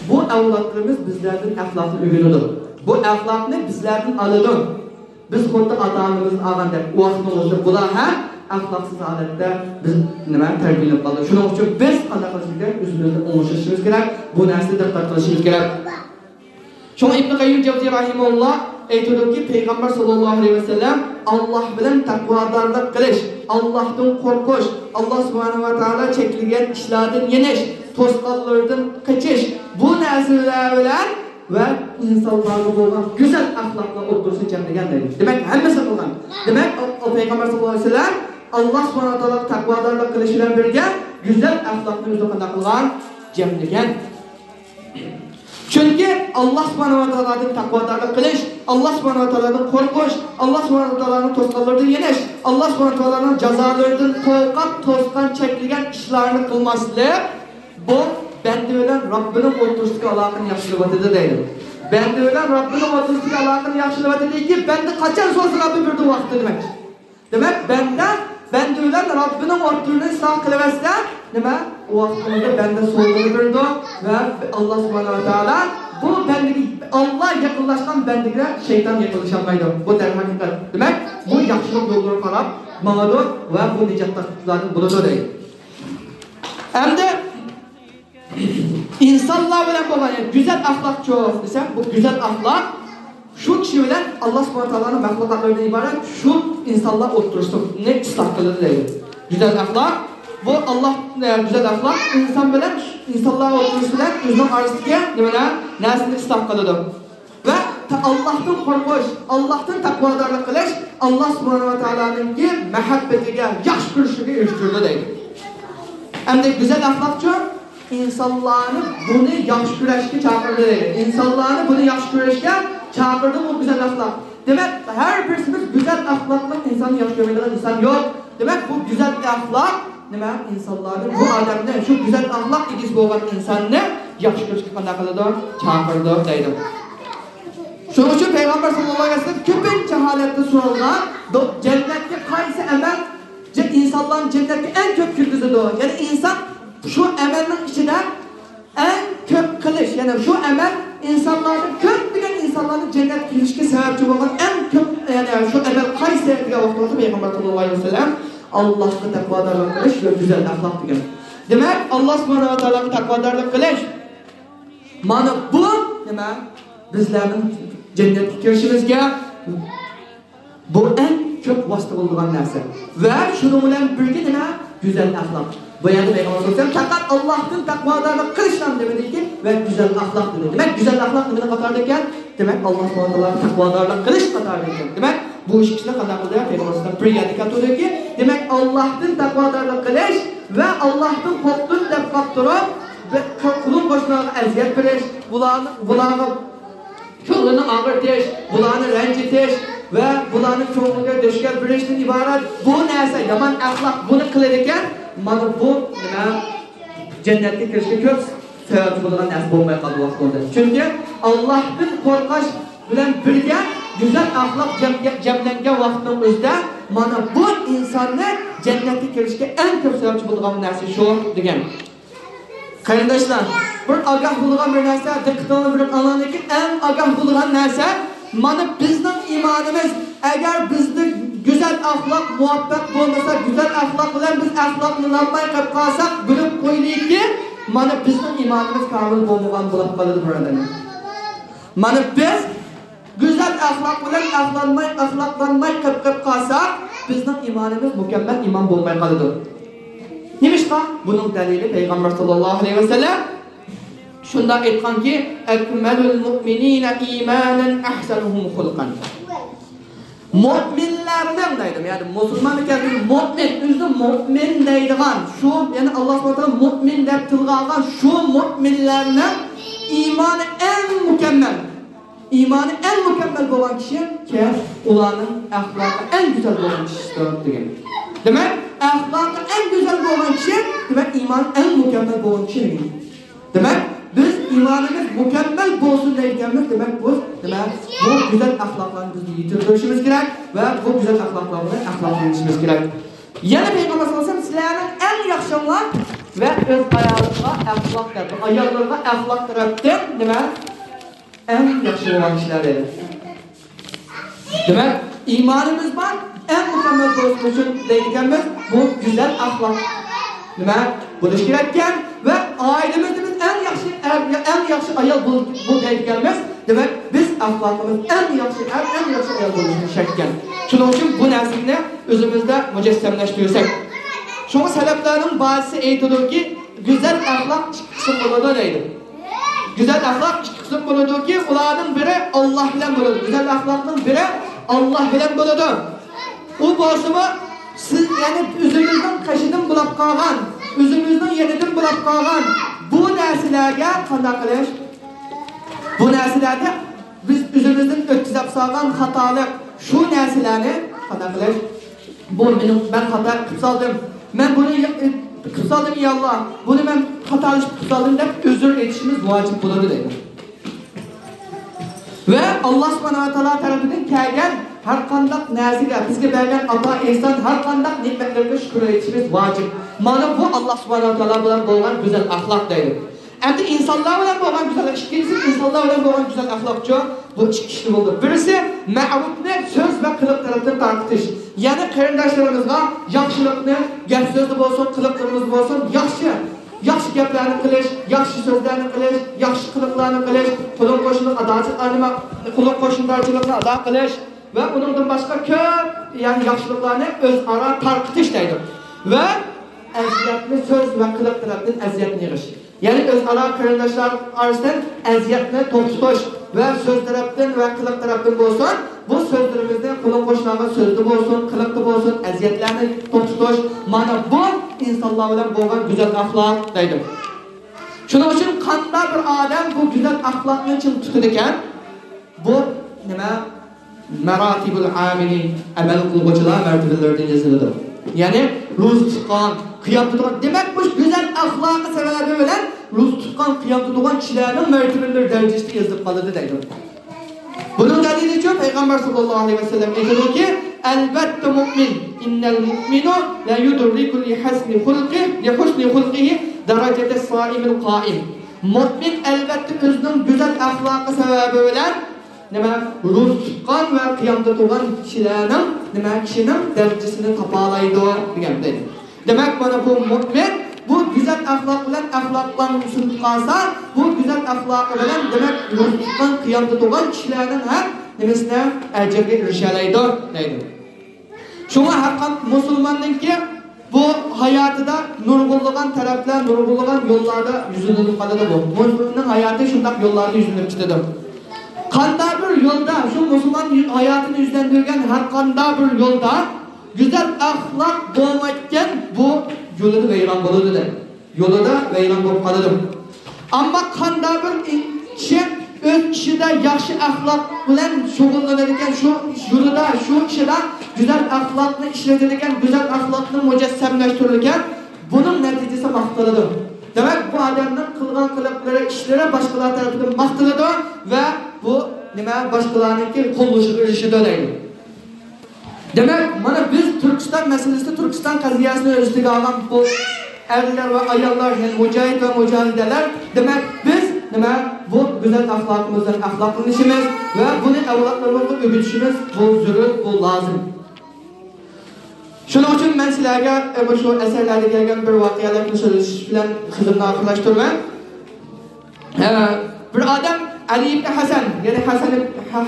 بۇ ئەۋلادلىرىمىز بىزلەردىن ئەخلاقنى ئۆگىنىدۇ. بۇ ئەخلاقنى بىزلەردىن ئالىدۇ. بىز خۇددى ئاتا-ئانىمىزدىن ئالغاندەك، ۋاقتىمىزدا بۇلار ھەم ئەخلاقسىز ھالەتتە بىز نېمە، تەربىيەلىنىپ قالدۇق. شۇنىڭ ئۈچۈن بىز قانداق قىلىشىمىز كېرەك؟ ئۆزىمىزنى ئوڭشىشىمىز كېرەك. بۇ نەرسىگە دىققەت قىلىشىمىز كېرەك. شۇڭا ئىبن قەييىم جەۋزىي رەھىمەھۇللا ئېيتىدۇكى، پەيغەمبەر ساللاللاھۇ ئەلەيھى ۋەسەللەم ئاللاھ بىلەن تەقۋادارلىق قىلىش، ئاللاھتىن قورقۇش، ئاللاھ سۇبھانەھۇ ۋە تائالا چەكلىگەن ئىشلاردىن يېنىش، توسقانلىرىدىن قېچىش، بۇ نەرسىلەر بىلەن ۋە ئىنسانلارغا بولغان گۈزەل ئەخلاقلار ئوتتۇرىسىنى جەملىگەن دەيدۇ. دېمەك، ھەممىسىنى قىلغان. دېمەك، ئۇ، ئۇ پەيغەمبەر ساللاللاھۇ ئەلەيھى ۋەسەللەم ئاللاھ سۇبھانەھۇ ۋە تائالاغا تەقۋادارلىق قىلىش بىلەن بىرگە گۈزەل ئەخلاقنى ئۆزىدە قانداق قىلغان؟ جەملىگەن. چۈنكى ئاللا سۇبھانەھۇ ۋە تائالادىن تەقۋادارلىق قىلىش، ئاللا سۇبھانەھۇ ۋە تائالادىن قورقۇش، ئاللا سۇبھانەھۇ ۋە تائالانىڭ توسقانلىرىدىن يېنىش، ئاللا سۇبھانەھۇ ۋە تائالانىڭ جازالىرىدىن قورقۇپ توسقان چەكلىگەن ئىشلارنى قىلماسلىق، بۇ بەندە بىلەن رەببىنىڭ ئوتتۇرىسىدىكى ئالاقىنى ياخشىلىۋاتىدۇ دەيدۇ. بەندە بىلەن رەببىنىڭ ئوتتۇرىسىدىكى ئالاقىنى ياخشىلىۋاتىدۇكى، بەندە قاچان سورىسا رەببى بېرىدۇ ۋاقتىدا دېمەكچى. دېمەك، بەندە، بەندە بىلەن رەببىنىڭ ئوتتۇرىنى ئىسلاھ قىلىۋەتسە، نېمە؟ ئۇ ۋاقىتتا بەندە سوۋغىنى بېرىدۇ ۋە ئاللا سۇبھانەھۇ ۋە تائالا بۇ بەندىگە، ئاللا يېقىنلاشقان بەندىگە شەيتان يېقىنلىشالمايدۇ. بۇ دەرھەقىقەت. دېمەك، بۇ ياخشىلىق يوللىرىغا قاراپ ماڭىدۇ ۋە بۇ نىجاتلىقلاردىن بولىدۇ دەيدۇ. ئەمدى ئىنسانلار بىلەن بولغان، يەنى گۈزەل ئەخلاقچۇ دېسەم، بۇ گۈزەل ئەخلاق شۇ كىشى بىلەن، ئاللا سۇبھانەھۇ ۋە تائالانىڭ مەخلۇقاتلىرىدىن ئىبارەت شۇ ئىنسانلار ئوتتۇرىسىنى ئىسلاھ قىلىدۇ دەيدۇ. گۈزەل ئەخلاق، بۇ ئاللا، ئە، گۈزەل ئەخلاق ئىنسان بىلەن، ئىنسانلار ئوتتۇرىسى بىلەن ئۆزىنىڭ ئارىسىدىكى نېمىنى، نەرسىنى ئىسلاھ قىلىدۇ. ۋە تا-، ئاللاھتىن قورقۇش، ئاللاھتىن تەقۋادارلىق قىلىش، ئاللا سۇبھانەھۇ ۋە تائالانىڭكى مەھەببىتىگە، ياخشى كۆرۈشىگە ئېرىشتۈرىدۇ دەيدۇ. ئەمدى گۈزەل ئەخلاقچۇ؟ ئىنسانلارنى بۇنى ياخشى كۆرۈشكە چاقىرىدۇ دەيدۇ. ئىنسانلارنى بۇنى ياخشى كۆرۈشكە چاقىرىدۇ، بۇ گۈزەل ئەخلاق. دېمەك، ھەر بىرسىمىز گۈزەل ئەخلاقلىق ئىنساننى ياخشى كۆرمەيدىغان ئىنسان يوق. دېمەك، بۇ گۈزەل ئەخلاق نېمە؟ ئىنسانلارنى، بۇ ئادەمنى، شۇ گۈزەل ئەخلاق ئىگىسى بولغان ئىنساننى ياخشى كۆرۈشكە قانداق قىلىدۇ؟ چاقىرىدۇ دەيدۇ. شۇنىڭ ئۈچۈن پەيغەمبەر ساللاللاھۇ ئەلەيھى ۋەسەللەم كۆپىنچە ھالەتتە سورالغان، دو-، جەننەتكە قايسى ئەمەل جە-، ئىنسانلارنى جەننەتكە ئەڭ كۆپ كىرگۈزىدۇ؟ يەنى ئىنسان شۇ ئەمەلنىڭ ئىچىدە ئەڭ كۆپ قىلىش، يەنى شۇ ئەمەل ئىنسانلارنى، كۆپلىگەن ئىنسانلارنى جەننەتكە كىرىشكە سەۋەبچى بولغان ئەڭ كۆپ، يەنى شۇ ئەمەل قايسى دېگەن ۋاقتىمىزدا پەيغەمبەر ساللاللاھۇ ئەلەيھى ۋەسەللەم ئاللاھقا تەقۋادارلىق قىلىش ۋە گۈزەل ئەخلاق دېگەن. دېمەك، ئاللا سۇبھانەھۇ ۋە تائالاغا تەقۋادارلىق قىلىش، مانا بۇ نېمە؟ بىزلەرنىڭ جەننەتكە كىرىشىمىزگە بۇ ئەڭ كۆپ ۋاسىتە بولىدىغان نەرسە. ۋە شۇنىڭ بىلەن بىرگە نېمە؟ گۈزەل ئەخلاق. بۇ يەردە پەيغەمبەر سەللەللاھۇ ئەلەيھى ۋەسەللەم پەقەت ئاللاھتىن تەقۋادارلىق قىلىشلا دېمىدىكى، ۋە گۈزەل ئەخلاق دېدى. دېمەك، گۈزەل ئەخلاق نېمىنىڭ قاتارىدا ئىكەن؟ دېمەك، ئاللا سۇبھانەھۇ ۋە تائالاغا تەقۋادارلىق قىلىش قاتارىدا ئىكەن. دېمەك، بۇ ئىككىسىنى قانداق قىلدى؟ پەيغەمبەر سەللەللاھۇ ئەلەيھى ۋەسەللەم بىر يەردە كەلتۈردىكى، دېمەك، ئاللاھتىن تەقۋادارلىق قىلىش ۋە ئاللاھتىن قورقتۇم دەپ باقتۇرۇپ، بە-، قۇلۇم قوشنىلارغا ئەزىيەت بېرىش، بۇلارنى، بۇلارغا كۆڭلىنى ئاغرىتىش، بۇلارنى رەنجىتىش ۋە بۇلارنى كۆڭلىگە دۈشكەل بېرىشتىن ئىبارەت بۇ نەرسە، يامان ئەخلاق بۇنى قىلىدىكەن، مانا بۇ نېمە؟ جەننەتكە كىرىشكە كۆپ سەۋەبچى بولىدىغان نەرسە بولماي قالدى ۋاقتىدا. چۈنكى ئاللاھتىن قورقۇش بىلەن بىرگە گۈزەل ئەخلاق جەم-، جەملەنگەن ۋاقىتنىڭ ئۆزىدە مانا بۇ ئىنساننى جەننەتكە كىرىشكە ئەڭ كۆپ سەۋەبچى بولىدىغان نەرسە شۇ دېگەن. قېرىنداشلار، بىر ئاگاھ بولىدىغان بىر نەرسە، دىققىتىڭلارنى بېرىپ ئاڭلاڭلار، ئەڭ ئاگاھ بولىدىغان نەرسە، مانا بىزنىڭ ئىمانىمىز، ئەگەر بىزدە گۈزەل ئەخلاق مۇۋەپپەق بولمىسا، گۈزەل ئەخلاق بىلەن بىز ئەخلاقلىنالماي قېلىپ قالساق، بىلىپ قويۇلۇكى، مانا بىزنىڭ ئىمانىمىز كامىل بولمىغان بولۇپ قالىدۇ، بۇرادەرلەر. مانا بىز گۈزەل ئەخلاق بىلەن ئەخلانماي، ئەخلاقلانماي قېلىپ، قېلىپ قالساق، بىزنىڭ ئىمانىمىز مۇكەممەل ئىمان بولماي قالىدۇ. نېمىشقا؟ بۇنىڭ دەلىلى پەيغەمبەر ساللاللاھۇ ئەلەيھى ۋەسەللەم شۇنداق ئېيتقانكى، «أكمل المؤمنين إيمانا أحسنهم خلقا.» مۆمىنلەرنىڭ دەيدۇ، يەنى مۇسۇلمان ئىكەن، مۆمىن، ئۆزىنى مۆمىن دەيدىغان، شۇ، يەنى ئاللا سۇبھانەھۇ ۋە تائالا مۆمىن دەپ تىلغا ئالغان شۇ مۆمىنلەرنىڭ ئىمانى ئەڭ مۇكەممەل. ئىمانى ئەڭ مۇكەممەل بولغان كىشى كىم؟ ئۇلارنىڭ ئەخلاقى ئەڭ گۈزەل بولغان كىشىسىدۇر دېگەن. دېمەك، ئەخلاقى ئەڭ گۈزەل بولغان كىشى، دېمەك، ئىمانى ئەڭ مۇكەممەل بولغان كىشى دېگەن. دېمەك، بىز ئىمانىمىز مۇكەممەل بولسۇن دەيدىكەنمىز، دېمەك، بۇ، دېمەك، بۇ گۈزەل ئەخلاقلارنى بىز يېتىلدۈرۈشىمىز كېرەك ۋە بۇ گۈزەل ئەخلاقلار بىلەن ئەخلاقلىنىشىمىز كېرەك. يەنە پەيغەمبەر ساللاللاھۇ ئەلەيھى ۋەسەللەم، سىلەرنىڭ ئەڭ ياخشىڭلار ۋە ئۆز ئايالىغا ئەخلاق تەرەپ، ئاياللىرىغا ئەخلاق تەرەپتىن نېمە؟ ئەڭ ياخشى بولغان كىشىلەر دېدى. دېمەك، ئىمانىمىز بار، ئەڭ مۇكەممەل بولۇشى ئۈچۈن دەيدىكەنمىز، بۇ گۈزەل ئەخلاق نېمە بولۇشى كېرەككەن ۋە ئائىلىمىزدە بىز ئەڭ ياخشى ئەر، ئەڭ ياخشى ئايال بول-، بول دەيدىكەنمىز. دېمەك، بىز ئەخلاقىمىز ئەڭ ياخشى ئەر، ئەڭ ياخشى ئايال بولۇشىمىز شەرتكەن. شۇنىڭ ئۈچۈن بۇ نەرسىنى ئۆزىمىزدە مۇجەسسەملەشتۈرسەك. شۇڭا سەلەفلەرنىڭ بارچىسى ئېيتىدۇكى، گۈزەل ئەخلاق ئىككى قىسىم بولىدۇ دەيدۇ. گۈزەل ئەخلاق ئىككى قىسىم بولىدۇكى، ئۇلارنىڭ بىرى ئاللا بىلەن بولىدۇ. گۈزەل ئەخلاقنىڭ بىرى ئاللا بىلەن بولىدۇ. ئۇ بولسىمۇ سىز، يەنى ئۆزىمىزنىڭ قېشىدىن بولاپ قالغان، ئۆزىمىزنىڭ يېنىدىن بولاپ قالغان بۇ نەرسىلەرگە قانداق قىلىش؟ بۇ نەرسىلەردە بىز ئۆزىمىزدىن ئۆتكۈزۈپ سالغان خاتالىق، شۇ نەرسىلەرنى قانداق قىلىش؟ بۇ مېنىڭ، مەن خاتا قىلىپ سالدىم. مەن بۇنى قىلىپ سالدىم، يا ئاللا، بۇنى مەن خاتالىشىپ قىلىپ سالدىم دەپ ئۆزۈر ئېيتىشىمىز ۋاجىپ بولىدۇ دەيدۇ. ۋە ئاللا سۇبھانەھۇ ۋە تائالا تەرىپىدىن كەلگەن ھەر قانداق نەرسىگە، بىزگە بەرگەن ئاتا ئېھسان، ھەر قانداق نېمەتلەرگە شۈكۈر ئېيتىشىمىز ۋاجىپ. مانا بۇ ئاللا سۇبھانەھۇ ۋە تائالا بىلەن بولغان گۈزەل ئەخلاق دەيدۇ. ئەمدى ئىنسانلار بىلەن بولغان گۈزەل، ئىككىنچىسى ئىنسانلار بىلەن بولغان گۈزەل ئەخلاقچۇ؟ بۇ ئىككى ئىشنى بولدى. بىرسى، مەرۇپنى سۆز ۋە قىلىق تەرەپتىن تارقىتىش. يەنى قېرىنداشلىرىمىزغا ياخشىلىقنى گەپ سۆزدە بولسۇن، قىلىقلىرىمىزدا بولسۇن، ياخشى، ياخشى گەپلەرنى قىلىش، ياخشى سۆزلەرنى قىلىش، ياخشى قىلىقلارنى قىلىش، قۇلۇق قوشنىلىق ئاداچىلىقلارنى، قۇلۇق قوشنىدارچىلىقنى ئادا قىلىش ۋە ئۇنىڭدىن باشقا كۆپ، يەنى ياخشىلىقلارنى ئۆزئارا تارقىتىش دەيدۇ. ۋە ئەزىيەتنى سۆز ۋە قىلىق تەرەپتىن ئەزىيەتنى يىغىش. يەنى ئۆزئارا قېرىنداشلار ئارىسىدىن ئەزىيەتنى توختىتىش ۋە سۆز تەرەپتىن ۋە قىلىق تەرەپتىن بولسۇن، بۇ سۆزلىرىمىزنى قۇلۇق قوشنىغا سۆزدە بولسۇن، قىلىقتا بولسۇن، ئەزىيەتلەرنى توختىتىش، مانا بۇ ئىنسانلار بىلەن بولغان گۈزەل ئەخلاق دەيدۇ. شۇنىڭ ئۈچۈن قانداق بىر ئادەم بۇ گۈزەل ئەخلاقنى چىڭ تۇتىدىكەن، بۇ نېمە؟ مەراتىبۇل ئامىلى، ئەمەل قىلغۇچىلار مەرتىۋىلىرىدىن يېزىلىدۇ. يەنى روزا تۇتقان، قىيام تۇتقان، دېمەك، مۇشۇ گۈزەل ئەخلاقى سەۋەبى بىلەن روزا تۇتقان، قىيام تۇتىدىغان كىشىلەرنىڭ مەرتىۋىلىرى دەرىجىسىدە يېزىلىپ قالىدۇ دەيدۇ. بۇنىڭ دەلىلىچۇ پەيغەمبەر ساللاللاھۇ ئەلەيھى ۋەسەللەم ئېيتىدۇكى، ئەلۋەتتە مۇئمىن، ئىننەل مۇئمىنۇ لا يۇدرىكۇ لىھەسنى خۇلقى، لىھۇسنى خۇلقىھى دەرەجەتەس سائىمىل قائىم. مۇئمىن ئەلۋەتتە ئۆزىنىڭ گۈزەل ئەخلاقى سەۋەبى بىلەن نېمە، روزا تۇتقان ۋە قىيامدا تۇرغان كىشىلەرنىڭ، نېمە، كىشىنىڭ دەرىجىسىنى تاپالايدۇ دېگەن دەيدۇ. دېمەك، مانا بۇ مۇئمىن بۇ گۈزەل ئەخلاق بىلەن ئەخلاقلارنى ئۈستۈن تۇتقانسا، بۇ گۈزەل ئەخلاقى بىلەن، دېمەك، روزا تۇتقان، قىيامدا تۇرغان كىشىلەرنىڭ ھەم نېمىسىنى، ئەجرىگە ئېرىشەلەيدۇ دەيدۇ. شۇڭا ھەرقانداق مۇسۇلماننىڭكى بۇ ھاياتىدا نۇرغۇنلىغان تەرەپلەر، نۇرغۇنلىغان يوللاردا يۈزلىنىپ قالىدۇ بۇ. مۇسۇلماننىڭ ھاياتى شۇنداق يوللاردا يۈزلىنىپ كېتىدۇ. قانداق بىر يولدا شۇ مۇسۇلمان ھاياتىنى يۈزلەندۈرگەن ھەر قانداق بىر يولدا گۈزەل ئەخلاق بولمايدىكەن، بۇ يولىدا ۋەيران بولىدۇ دەيدۇ. يولىدا ۋەيران بولۇپ قالىدۇ. ئەمما قانداق بىر كىشى ئۆز ئىشىدا ياخشى ئەخلاق بىلەن شۇغۇللىنىدىكەن، شۇ يولىدا، شۇ ئىشىدا گۈزەل ئەخلاقنى ئىشلىتىدىكەن، گۈزەل ئەخلاقنى مۇجەسسەملەشتۈرىدىكەن، بۇنىڭ نەتىجىسى ماختىلىدۇ. دېمەك، بۇ ئادەمنىڭ قىلغان قىلىقلىرى، ئىشلىرى باشقىلار تەرىپىدىن ماختىلىدۇ ۋە بۇ نېمە، باشقىلارنىڭكى قوللىشىغا ئېرىشىدۇ دەيدۇ. دېمەك، مانا بىز تۈركىستان مەسىلىسىدە، تۈركىستان قەزىيەسىنى ئۆز ئۈستىگە ئالغان بۇ ئەرلەر ۋە ئاياللار، يەنى مۇجاھىد ۋە مۇجاھىدەلەر، دېمەك، بىز نېمە، بۇ گۈزەل ئەخلاقىمىز بىلەن ئەخلاقلىنىشىمىز ۋە بۇنى ئەۋلادلىرىمىزغا ئۆگىتىشىمىز بۇ زۆرۈر، بۇ لازىم. شۇنىڭ ئۈچۈن مەن سىلەرگە، ئە، مۇشۇ ئەسەرلەردە كەلگەن بىر ۋەقەلەرنى سۆزلىشىش بىلەن سۆزۈمنى ئاخىرلاشتۇرىمەن. ھە، بىر ئادەم ئەلى ئىبنى ھەسەن، يەنى ھەسەن،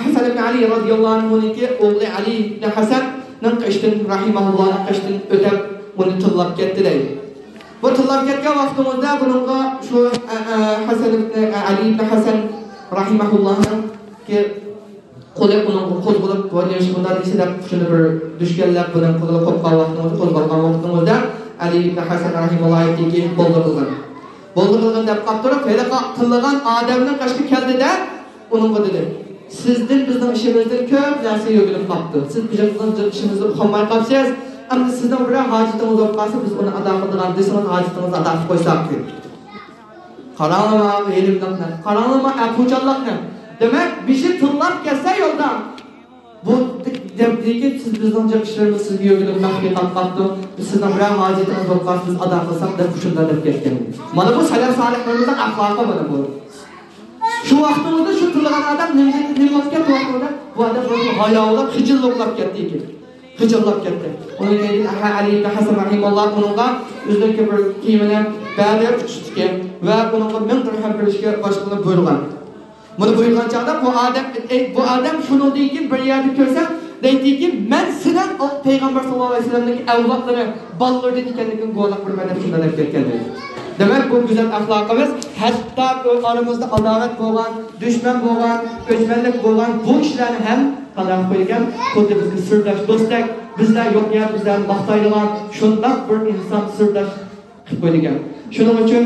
ھەسەن ئىبنى ئەلى رازىياللاھۇ ئەنھۇنىڭكى ئوغلى ئەلى ئىبنى ھەسەننىڭ قېشىدىن، رەھىمەھۇللاھنىڭ قېشىدىن ئۆتۈپ، ئۇنى تىللاپ كەتتى دەيدۇ. بۇ تىللاپ كەتكەن ۋاقتىمىزدا بۇنىڭغا شۇ، ئە، ئە، ھەسەن ئىبنى، ئە، ئەلى ئىبنى ھەسەن رەھىمەھۇللاھنىڭكى قولى ئۇنىڭغا قوزغىلىپ، ۋاي، نېمىشقا بۇنداق دېسە دەپ، شۇنى بىر دۈشكەنلەپ، بۇنىڭ قولىغا قوپقان ۋاقتىڭىزدا، قوزغالغان ۋاقتىڭىزدا، ئەلى ئىبنى ھەسەن رەھىمەھۇللاھ ئېيتتىكى، بولدى قىلغىن. بولدى قىلغىن دەپ قاپتۇرۇپ، ھېلىقى تىللىغان ئادەمنىڭ قېشىغا كەلدى-دە، ئۇنىڭغا دېدى، سىزدىن بىزنىڭ ئىشىمىزدىن كۆپ نەرسە ئۆگىنىپ قاپتۇ. سىز بىزنىڭ ئىشىمىزنى ئۇقالماي قاپسىز. ئەمدى سىزنىڭ بىرەر ھاجىتىڭىز بولۇپ قالسا، بىز ئۇنى ئادا قىلىدىغان دېسىڭىز، ھاجىتىڭىزنى ئادا قىلىپ قويساق، دېدى. قاراڭلىما ئىلىملىقنى، قاراڭلىما ئەپۇچانلىقنى. دېمەك، بېشى تىللاپ كەتسە يولدا، بۇ دەپ، دېدىكى، سىز بىزنىڭ جىق ئىشلىرىمىز سىزگە يۆگىنىپ مەخپىي قاپتۇ. بىز سىزنىڭ بىرەر ھاجىتىڭىز بولۇپ قالسا، بىز ئادا قىلساق، دەپ شۇنداق دەپ كەتكەن. مانا بۇ سەلەف سالىھلىرىمىزنىڭ ئەخلاقى مانا بۇ. شۇ ۋاقتىڭىزدا شۇ تىللىغان ئادەم نېمە، نېمە بولۇپ كەتتى ۋاقتىدا؟ بۇ ئادەم ھاياۋۇرلاپ، خىجىللىقلاپ كەتتى ئىكەن. خىجىللاپ كەتتى. ئۇنىڭ كەينىدىن ئەھە ئەلى ئىبنى ھەسەن رەھىمەھۇللاھ ئۇنىڭغا ئۆزىنىڭكى بىر كىيىمىنى بەردى، ئۇچۇشتىكى ۋە ئۇنىڭغا مىڭ دىرھەم بېرىشكە باشقىلارنى بۇيرۇغان. بۇنى بۇيرۇغان چاغدا بۇ ئادەم، ئەي، بۇ ئادەم شۇنىڭدىن كېيىن بىر يەردە كۆرسە، دەيدىكى، مەن سېنىڭ پەيغەمبەر ساللاللاھۇ ئەلەيھى ۋەسەللەمنىڭ ئەۋلادلىرى بالىلىرىدىن ئىكەنلىكىڭگە گۇۋاھلىق بېرىمەن دەپ شۇنداق دەپ كەتكەن دەيدۇ. دېمەك، بۇ گۈزەل ئەخلاقىمىز ھەتتا ئارىمىزدا ئاداۋەت بولغان، دۈشمەن بولغان، ئۆچمەنلىك بولغان بۇ كىشىلەرنى ھەم قانداق قىلىپ قويىدىكەن؟ خۇددى بىزگە سىرداش دوستتەك، بىزلەر يوق يەردە بىزلەرنى ماختايدىغان شۇنداق بىر ئىنسان سىرداش قىلىپ قويىدىكەن. شۇنىڭ ئۈچۈن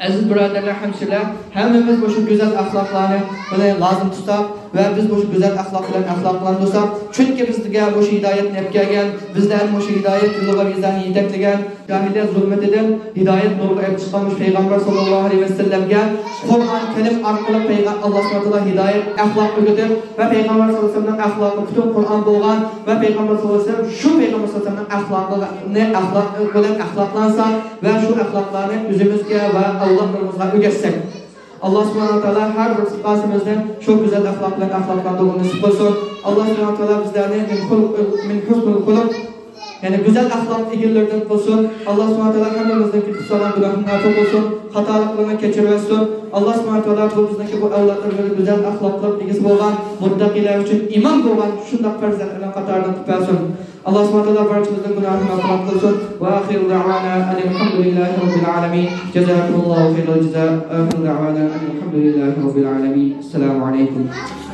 ئەزىز بۇرادەرلەر، ھەمشىرىلەر، ھەممىمىز مۇشۇ گۈزەل ئەخلاقلارنى بىلەن لازىم تۇتساق ۋە بىز مۇشۇ گۈزەل ئەخلاق بىلەن ئەخلاقلاندۇرساق، چۈنكى بىزگە مۇشۇ ھىدايەتنى ئەپ كەلگەن، بىزلەرنى مۇشۇ ھىدايەت يولىغا بىزلەرنى يېتەكلىگەن، جاھىلىيەت زۇلمىتىدىن ھىدايەت نۇرىغا ئېلىپ چىققان مۇشۇ پەيغەمبەر ساللاللاھۇ ئەلەيھى ۋەسەللەمگە قۇرئان كەرىم ئارقىلىق پەيغە-، ئاللا سۇبھانەھۇ ۋە تائالا ھىدايەت، ئەخلاق ئۆگىتىپ ۋە پەيغەمبەر ساللاللاھۇ ئەلەيھى ۋەسەللەمنىڭ ئەخلاقى پۈتۈن قۇرئان بولغان ۋە پەيغەمبەر ساللاللاھۇ ئەلەيھى ۋەسەللەم شۇ پەيغەمبەر ساللاللاھۇ ئەلەيھى ۋەسەللەمنىڭ ئەخلاقىنى، ئەخلاقى بىلەن ئەخلاقلانسا ۋە شۇ ئەخلاقلارنى ئۆزىمىزگە ۋە ئەۋلادلىرىمىزغا ئۆگەتسەك. ئاللا سۇبھانەھۇ ۋە تائالا ھەر بىر ئىخلاسىمىزنى شۇ گۈزەل ئەخلاق بىلەن ئەخلاقلاندۇرغىنى نېسىپ قىلسۇن. ئاللا سۇبھانەھۇ ۋە تائالا بىزلەرنى مىن خۇلق، مىن ھۇسنىل خۇلق، يەنى گۈزەل ئەخلاق ئىگىلىرىدىن قىلسۇن. ئاللا سۇبھانەھۇ ۋە تائالا ھەممىمىزنىڭكى قىلغان گۇناھىنى ئەپۇ قىلسۇن، خاتالىقلىرىنى كەچۈرۈۋەتسۇن. ئاللا سۇبھانەھۇ ۋە تائالا بۇ بىزنىڭكى بۇ ئەۋلادلىرىمىزنى گۈزەل ئەخلاقلىق ئىگىسى بولغان، مۇتتەقىيلەر ئۈچۈن ئىمام بولغان شۇنداق پەرزەنتلەرنىڭ قاتارىدىن قىلىپ بەرسۇن. ئاللا سۇبھانەھۇ ۋە تائالا بارچىمىزنىڭ گۇناھىنى مەغپىرەت قىلسۇن. ۋە ئاخىرۇ دەئۋانا ئەنىل ھەمدۇلىللاھى رەببىل ئالەمىن. جازاكۇمۇللاھۇ خەيرەل جازا. ئاخىرۇ دەئۋانا ئەنىل ھەمدۇلىللاھى رەببىل ئالەمىن. ئەسسالامۇ ئەلەيكۇم.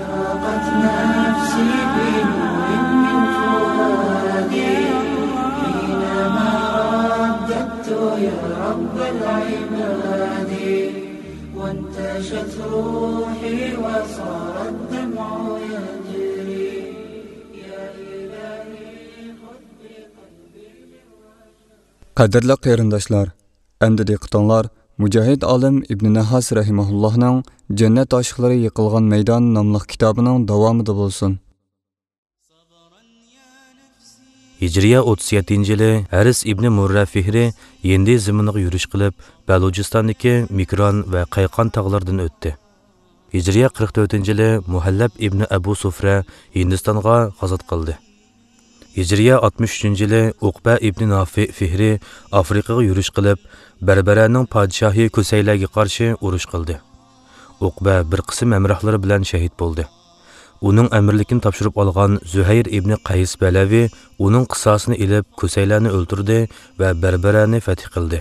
أشرقت نفسي بنور من فؤادي حينما رددت يا رب العباد، وانتشت روحي وصار الدمع يجري. يا إلهي خذ بقلبي. قەدىرلىك قېرىنداشلار، ئەمدى دىققىتىڭلار مۇجاھىد ئالىم ئىبنى نەھاس رەھىمەھۇللاھنىڭ جەننەت ئاشىقلىرى يىقىلغان مەيدان ناملىق كىتابىنىڭ داۋامىدا بولسۇن. ھىجرىيە ئوتتۇز يەتتىنچى يىلى ھەرىس ئىبنى مۇررە فىھرى ھىندى زېمىنىغا يۈرۈش قىلىپ، بەلۇجىستاندىكى مىكران ۋە قەيقان تاغلىرىدىن ئۆتتى. ھىجرىيە قىرىق تۆتىنچى يىلى مۇھەللەب ئىبنى ئەبۇ سۇفرە ھىندىستانغا غازات قىلدى. ھىجرىيە ئاتمىش ئۈچىنچى يىلى ئۇقبە ئىبنى نافىئ فىھرى ئافرىقىغا يۈرۈش قىلىپ، بەربەرەنىڭ پادىشاھى كۈسەيلەگە قارشى ئۇرۇش قىلدى. ئۇقبە بىر قىسىم ھەمراھلىرى بىلەن شەھىت بولدى. ئۇنىڭ ئەمىرلىكىنى تاپشۇرۇپ ئالغان زۇھەير ئىبنى قەيس بەلەۋى ئۇنىڭ قىساسىنى ئېلىپ، كۈسەيلەنى ئۆلتۈردى ۋە بەربەرەنى فەتھ قىلدى.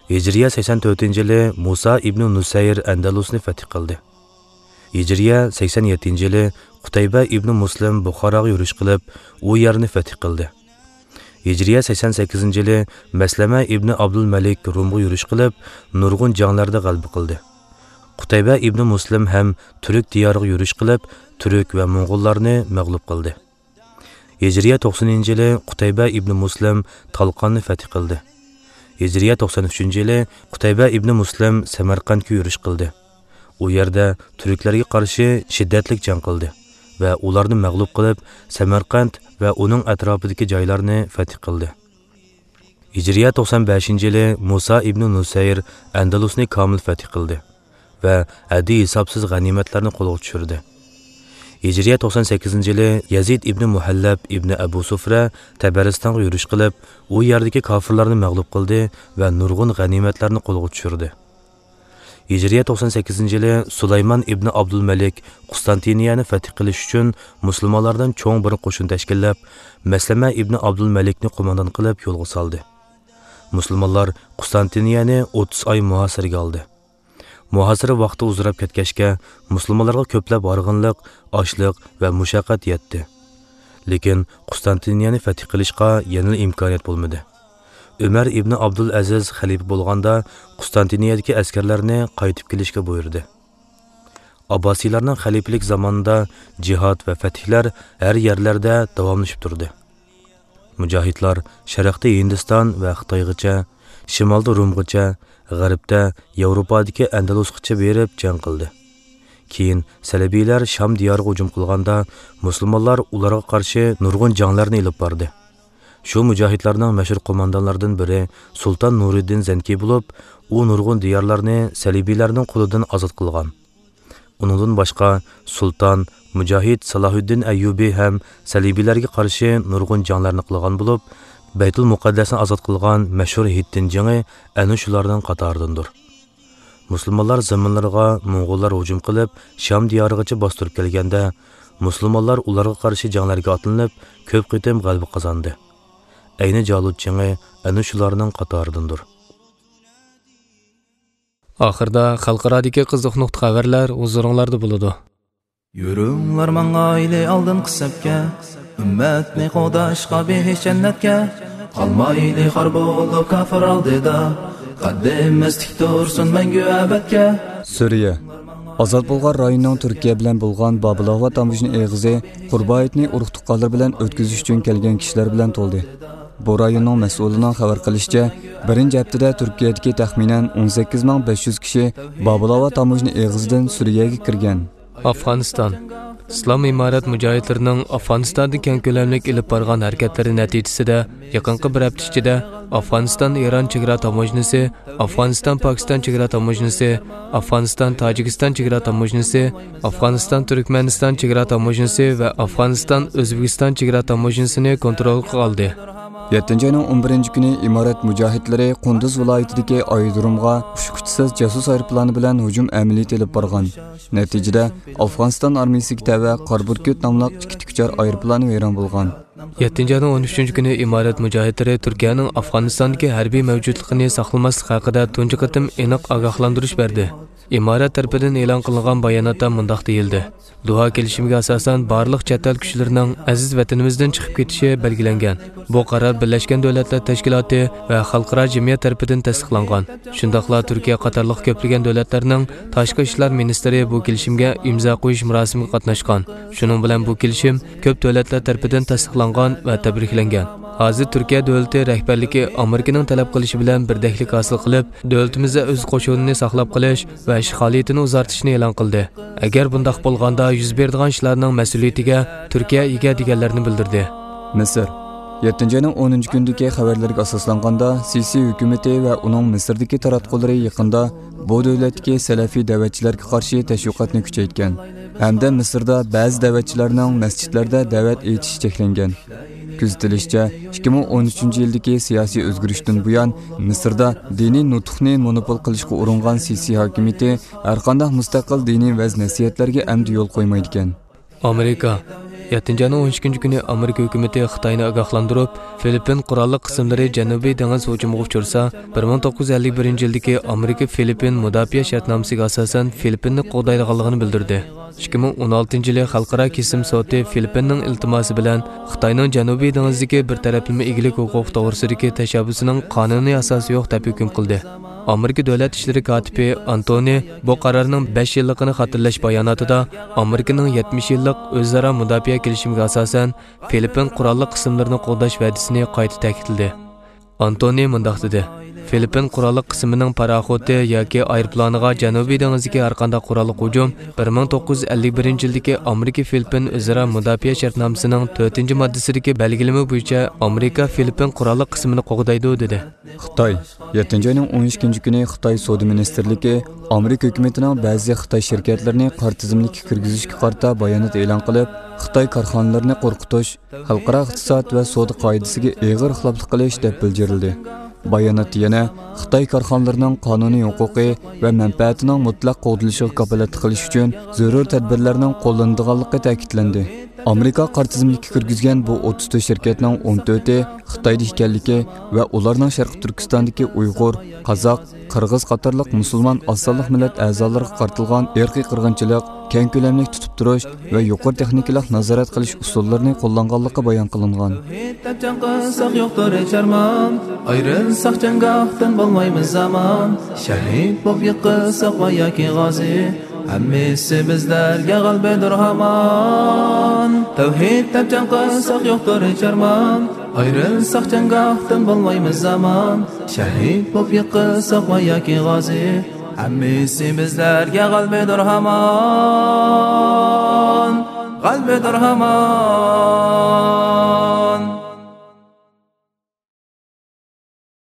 ھىجرىيە سەكسەن تۆتىنچى يىلى مۇسا ئىبنى نۇسەير ئەندەلۇسنى فەتھ قىلدى. ھىجرىيە سەكسەن يەتتىنچى يىلى قۇتەيبە ئىبنى مۇسلىم بۇخاراغا يۈرۈش قىلىپ، ئۇ يەرنى فەتھ قىلدى. ھىجرىيە سەكسەن سەككىزىنچى يىلى مەسلەمە ئىبنى ئابدۇلمەلىك رومغا يۈرۈش قىلىپ، نۇرغۇن جەڭلەردە غەلىبە قىلدى. قۇتەيبە ئىبنى مۇسلىم ھەم تۈرك دىيارىغا يۈرۈش قىلىپ، تۈرك ۋە موڭغۇللارنى مەغلۇپ قىلدى. ھىجرىيە توقسىنىنچى يىلى قۇتەيبە ئىبنى مۇسلىم تالقاننى فەتھ قىلدى. ھىجرىيە توقسەن ئۈچىنچى يىلى قۇتەيبە ئىبنى مۇسلىم سەمەرقەنتكە يۈرۈش قىلدى. ئۇ يەردە تۈركلەرگە قارشى شىددەتلىك جەڭ قىلدى ۋە ئۇلارنى مەغلۇپ قىلىپ، سەمەرقەنت ۋە ئۇنىڭ ئەتراپىدىكى جايلارنى فەتھ قىلدى. ھىجرىيە توقسەن بەشىنچى يىلى مۇسا ئىبنى نۇسەير ئەندەلۇسنى كامىل فەتھ قىلدى ۋە ھەددى ھېسابسىز غەنىيمەتلەرنى قولغا چۈشۈردى. ھىجرىيە توقسەن سەككىزىنچى يىلى يەزىد ئىبنى مۇھەللەب ئىبنى ئەبۇ سۇفرە تەبەرىستانغا يۈرۈش قىلىپ، ئۇ يەردىكى كاپىرلارنى مەغلۇپ قىلدى ۋە نۇرغۇن غەنىيمەتلەرنى قولغا چۈشۈردى. ھىجرىيە توقسەن سەككىزىنچى يىلى سۇلايمان ئىبنى ئابدۇلمەلىك قۇستانتىنىيەنى فەتھ قىلىش ئۈچۈن مۇسۇلمانلاردىن چوڭ بىر قوشۇن تەشكىللەپ، مەسلەمە ئىبنى ئابدۇلمەلىكنى قوماندان قىلىپ يولغا سالدى. مۇسۇلمانلار قۇستانتىنىيەنى ئوتتۇز ئاي مۇھاسىرىگە ئالدى. مۇھاسىرە ۋاقتى ئۇزىراپ كەتكەچكە، مۇسۇلمانلارغا كۆپلەپ ھارغىنلىق، ئاچلىق ۋە مۇشەققەت يەتتى. لېكىن قۇستانتىنىيەنى فەتھ قىلىشقا يەنىلا ئىمكانىيەت بولمىدى. ئۆمەر ئىبنى ئابدۇلئەزىز خەلىپە بولغاندا، قۇستانتىنىيەدىكى ئەسكەرلەرنى قايتىپ كېلىشكە بۇيرۇدى. ئابباسىيلارنىڭ خەلىپىلىك زامانىدا جىھاد ۋە فەتھلەر ھەر يەرلەردە داۋاملىشىپ تۇردى. مۇجاھىدلار شەرقتە ھىندىستان ۋە خىتايغىچە، شىمالدا رومغىچە، غەربتە ياۋروپادىكى ئەندەلۇسقىچە بېرىپ جەڭ قىلدى. كېيىن سەلىبىيلەر شام دىيارىغا ھۇجۇم قىلغاندا، مۇسۇلمانلار ئۇلارغا قارشى نۇرغۇن جەڭلەرنى ئېلىپ باردى. شۇ مۇجاھىدلارنىڭ مەشھۇر قوماندانلىرىدىن بىرى سۇلتان نۇرىدىن زەنكى بولۇپ، ئۇ نۇرغۇن دىيارلارنى سەلىبىيلەرنىڭ قولىدىن ئازاد قىلغان. ئۇنىڭدىن باشقا، سۇلتان، مۇجاھىد سالاھۇددىن ئەييۇبى ھەم سەلىبىيلەرگە قارشى نۇرغۇن جەڭلەرنى قىلغان بولۇپ، بەيتۇل مۇقەددەسنى ئازاد قىلغان مەشھۇر ھىتتىن جېڭى ئەنە شۇلارنىڭ قاتارىدىندۇر. مۇسۇلمانلار زېمىنلىرىغا موڭغۇللار ھۇجۇم قىلىپ، شام دىيارىغىچە باستۇرۇپ كەلگەندە، مۇسۇلمانلار ئۇلارغا قارشى جەڭلەرگە ئاتلىنىپ، كۆپ قېتىم غەلىبە قازاندى. ئەينى جالۇت جېڭى ئەنە شۇلارنىڭ قاتارىدىندۇر. ئاخىردا خەلقئارادىكى قىزىق نۇقتا خەۋەرلەر ھۇزۇرۇڭلاردا بولىدۇ. يۈرۈڭلار ماڭايلى ئالدىنقى سەپكە، ئۈممەتنى قوغداشقا بېھىش جەننەتكە. قالمايلى خار بولۇپ كاپىر ئالدىدا، قەددىمىز تىك تۇرسۇن مەڭگۈ ئەبەدكە. سۈرىيە. ئازاد بولغان رايوننىڭ تۈركىيە بىلەن بولغان بابىلاۋا تاموژنا ئېغىزى قۇربايىتنى ئۇرۇق-تۇغقانلىرى بىلەن ئۆتكۈزۈش ئۈچۈن كەلگەن كىشىلەر بىلەن تولدى. بۇ رايوننىڭ مەسئۇلىنىڭ خەۋەر قىلىشىچە، بىرىنچى ھەپتىدە تۈركىيەدىكى تەخمىنەن ئون سەككىز مىڭ بەش يۈز كىشى بابىلاۋا تاموژنا ئېغىزىدىن سۈرىيەگە كىرگەن. ئافغانىستان. ئىسلام ئىمارەت مۇجاھىدلىرىنىڭ ئافغانىستاندا كەڭ كۆلەملىك ئېلىپ بارغان ھەرىكەتلىرى نەتىجىسىدە، يېقىنقى بىر ھەپتە ئىچىدە ئافغانىستان ئىران چېگرا تاموژنىسى، ئافغانىستان پاكىستان چېگرا تاموژنىسى، ئافغانىستان تاجىكىستان چېگرا تاموژنىسى، ئافغانىستان تۈركمەنىستان چېگرا تاموژنىسى ۋە ئافغانىستان ئۆزبېكىستان چېگرا تاموژنىسىنى كونترولغا ئالدى. يەتتىنچى ئاينىڭ ئون بىرىنچى كۈنى ئىمارەت مۇجاھىدلىرى قۇندۇز ۋىلايىتىدىكى ئايرودرومغا ئۇچقۇچىسىز جاسۇس ئايروپىلانى بىلەن ھۇجۇم ئەمەلىيىتى ئېلىپ بارغان. نەتىجىدە، ئافغانىستان ئارمىيىسىگە تەۋە قارا بۈركۈت ناملىق ئىككى تىكۇچار ئايروپىلانى ۋەيران بولغان. يەتتىنچى ئاينىڭ ئون ئۈچىنچى كۈنى ئىمارەت مۇجاھىدلىرى تۈركىيەنىڭ ئافغانىستاندىكى ھەربىي مەۋجۇتلۇقىنى ساقلىماسلىق ھەققىدە تۇنجى قېتىم ئېنىق ئاگاھلاندۇرۇش بەردى. ئىمارەت تەرىپىدىن ئېلان قىلىنغان باياناتتا مۇنداق دېيىلدى: دوھا كېلىشىمىگە ئاساسەن، بارلىق چەت ئەل كۈچلىرىنىڭ ئەزىز ۋەتىنىمىزدىن چىقىپ كېتىشى بەلگىلەنگەن. بۇ قارار بىرلەشكەن دۆلەتلەر تەشكىلاتى ۋە خەلقئارا جەمئىيەت تەرىپىدىن تەستىقلانغان. شۇنداقلا تۈركىيە قاتارلىق كۆپلىگەن دۆلەتلەرنىڭ تاشقى ئىشلار مىنىستىرى بۇ كېلىشىمگە ئىمزا قويۇش مۇراسىمىغا قاتناشقان. شۇنىڭ بىلەن بۇ كېلىشىم كۆپ دۆلەتلەر تەرىپىدىن تەستىقلانغان ۋە تەبرىكلەنگەن. ھازىر تۈركىيە دۆلىتى رەھبەرلىكى ئامېرىكىنىڭ تەلەپ قىلىشى بىلەن بىردەكلىك ھاسىل قىلىپ، دۆلىتىمىزدە ئۆز قوشۇنىنى ساقلاپ قېلىش ۋە ئىشغالىيىتىنى ئۇزارتىشنى ئېلان قىلدى. ئەگەر بۇنداق بولغاندا، يۈز بېرىدىغان ئىشلارنىڭ مەسئۇلىيىتىگە تۈركىيە ئىگە، دېگەنلەرنى بىلدۈردى. مىسىر. يەتتىنچى ئاينىڭ ئونىنچى كۈنىدىكى خەۋەرلەرگە ئاساسلانغاندا، سىسى ھۆكۈمىتى ۋە ئۇنىڭ مىسىردىكى تاراتقۇلىرى يېقىندا بۇ دۆلەتتىكى سەلەفىي دەۋەتچىلەرگە قارشى تەشۋىقاتنى كۈچەيتكەن ھەمدە مىسىردا بەزى دەۋەتچىلەرنىڭ مەسچىتلەردە دەۋەت ئېيتىشى چەكلەنگەن. كۆزىتىلىشىچە، ئىككى مىڭ ئون ئۈچىنچى يىلدىكى سىياسىي ئۆزگىرىشتىن بۇيان، مىسىردا دىنىي نۇتۇقنى مونوپول قىلىشقا ئۇرۇنغان سىسى ھاكىمىيىتى ھەرقانداق مۇستەقىل دىنىي ۋەز-نەسىھەتلەرگە ئەمدى يول قويمايدىكەن. ئامېرىكا. يەتتىنچى ئاينىڭ ئون ئىككىنچى كۈنى ئامېرىكا ھۆكۈمىتى خىتاينى ئاگاھلاندۇرۇپ، فىلىپپىن قوراللىق قىسىملىرى جەنۇبىي دېڭىز ھۇجۇمىغا ئۇچرىسا، بىر مىڭ توققۇز يۈز ئەللىك بىرىنچى يىلدىكى ئامېرىكا فىلىپپىن مۇداپىئە شەرتنامىسىگە ئاساسەن فىلىپپىننى قوغدايدىغانلىقىنى بىلدۈردى. ئىككى مىڭ ئون ئالتىنچى يىلى خەلقئارا كېسىم سوتى فىلىپپىننىڭ ئىلتىماسى بىلەن خىتاينىڭ جەنۇبىي دېڭىزدىكى بىر تەرەپلىمە ئىگىلىك ھوقۇقى توغرىسىدىكى تەشەببۇسىنىڭ قانۇنىي ئاساسى يوق دەپ ھۆكۈم قىلدى. ئامېرىكا دۆلەت ئىشلىرى كاتىپى ئانتونى بۇ قارارنىڭ بەش يىللىقىنى خاتىرىلەش باياناتىدا، ئامېرىكىنىڭ يەتمىش يىللىق ئۆزئارا مۇداپىئە كېلىشىمىگە ئاساسەن، فىلىپپىن قوراللىق قىسىملىرىنى قوغداش ۋەدىسىنى قايتا تەكىتلىدى. ئانتونى مۇنداق دېدى: فىلىپپىن قوراللىق قىسىمىنىڭ پاراخوتى ياكى ئايروپىلانىغا جەنۇبىي دېڭىزدىكى ھەرقانداق قوراللىق ھۇجۇم بىر مىڭ توققۇز يۈز ئەللىك بىرىنچى يىلدىكى ئامېرىكا فىلىپپىن ئۆزئارا مۇداپىئە شەرتنامىسىنىڭ تۆتىنچى ماددىسىدىكى بەلگىلىمە بويىچە ئامېرىكا فىلىپپىن قوراللىق قىسمىنى قوغدايدۇ، دېدى. خىتاي. يەتتىنچى ئاينىڭ ئون ئىككىنچى كۈنى خىتاي سودا مىنىستىرلىكى ئامېرىكا ھۆكۈمىتىنىڭ بەزى خىتاي شىركەتلىرىنى قارا تىزىملىككە كىرگۈزۈشكە قارىتا بايانات ئېلان قىلىپ، خىتاي كارخانىلىرىنى قورقۇتۇش، خەلقئارا ئىقتىساد ۋە سودا قائىدىسىگە ئېغىر خىلاپلىق قىلىش دەپ بىلجىرىلدى. باياناتتا يەنە خىتاي كارخانىلىرىنىڭ قانۇنىي ھوقۇقى ۋە مەنپەئەتىنىڭ مۇتلەق قوغدىلىشىغا كاپالەتلىك قىلىش ئۈچۈن زۆرۈر تەدبىرلەرنىڭ قوللىنىدىغانلىقى تەكىتلەندى. ئامېرىكا قارا تىزىملىككە كىرگۈزگەن بۇ ئوتتۇز تۆت شىركەتنىڭ ئون تۆتى خىتايدا ئىكەنلىكى ۋە ئۇلارنىڭ شەرقىي تۈركىستاندىكى ئۇيغۇر، قازاق، قىرغىز قاتارلىق مۇسۇلمان ئاز سانلىق مىللەت ئەزالىرىغا قارىتىلغان ئىرقىي قىرغىنچىلىق، كەڭ كۆلەملىك تۇتۇپ تۇرۇش ۋە يۇقىرى تېخنىكىلىق نازارەت قىلىش ئۇسۇللىرىنى قوللانغانلىقى بايان قىلىنغان. تەۋھىد دەپ جەڭ قىلساق يوقتۇر ھېچ ئارمان، ئايرىلساق جەڭگاھتىن بولمايمىز ئامان، شەھىد بولۇپ يىقىلساق ۋە ياكى غازى، ھەممىسى بىزلەرگە غەلىبىدۇر ھامان. تەۋھىد دەپ جەڭ قىلساق يوقتۇر ھېچ ئارمان، ئايرىلساق جەڭگاھتىن بولمايمىز ئامان، شەھىد بولۇپ يىقىلساق ۋە ياكى غازى، ھەممىسى بىزلەرگە غەلىبىدۇر ھامان، غەلىبىدۇر ھامان.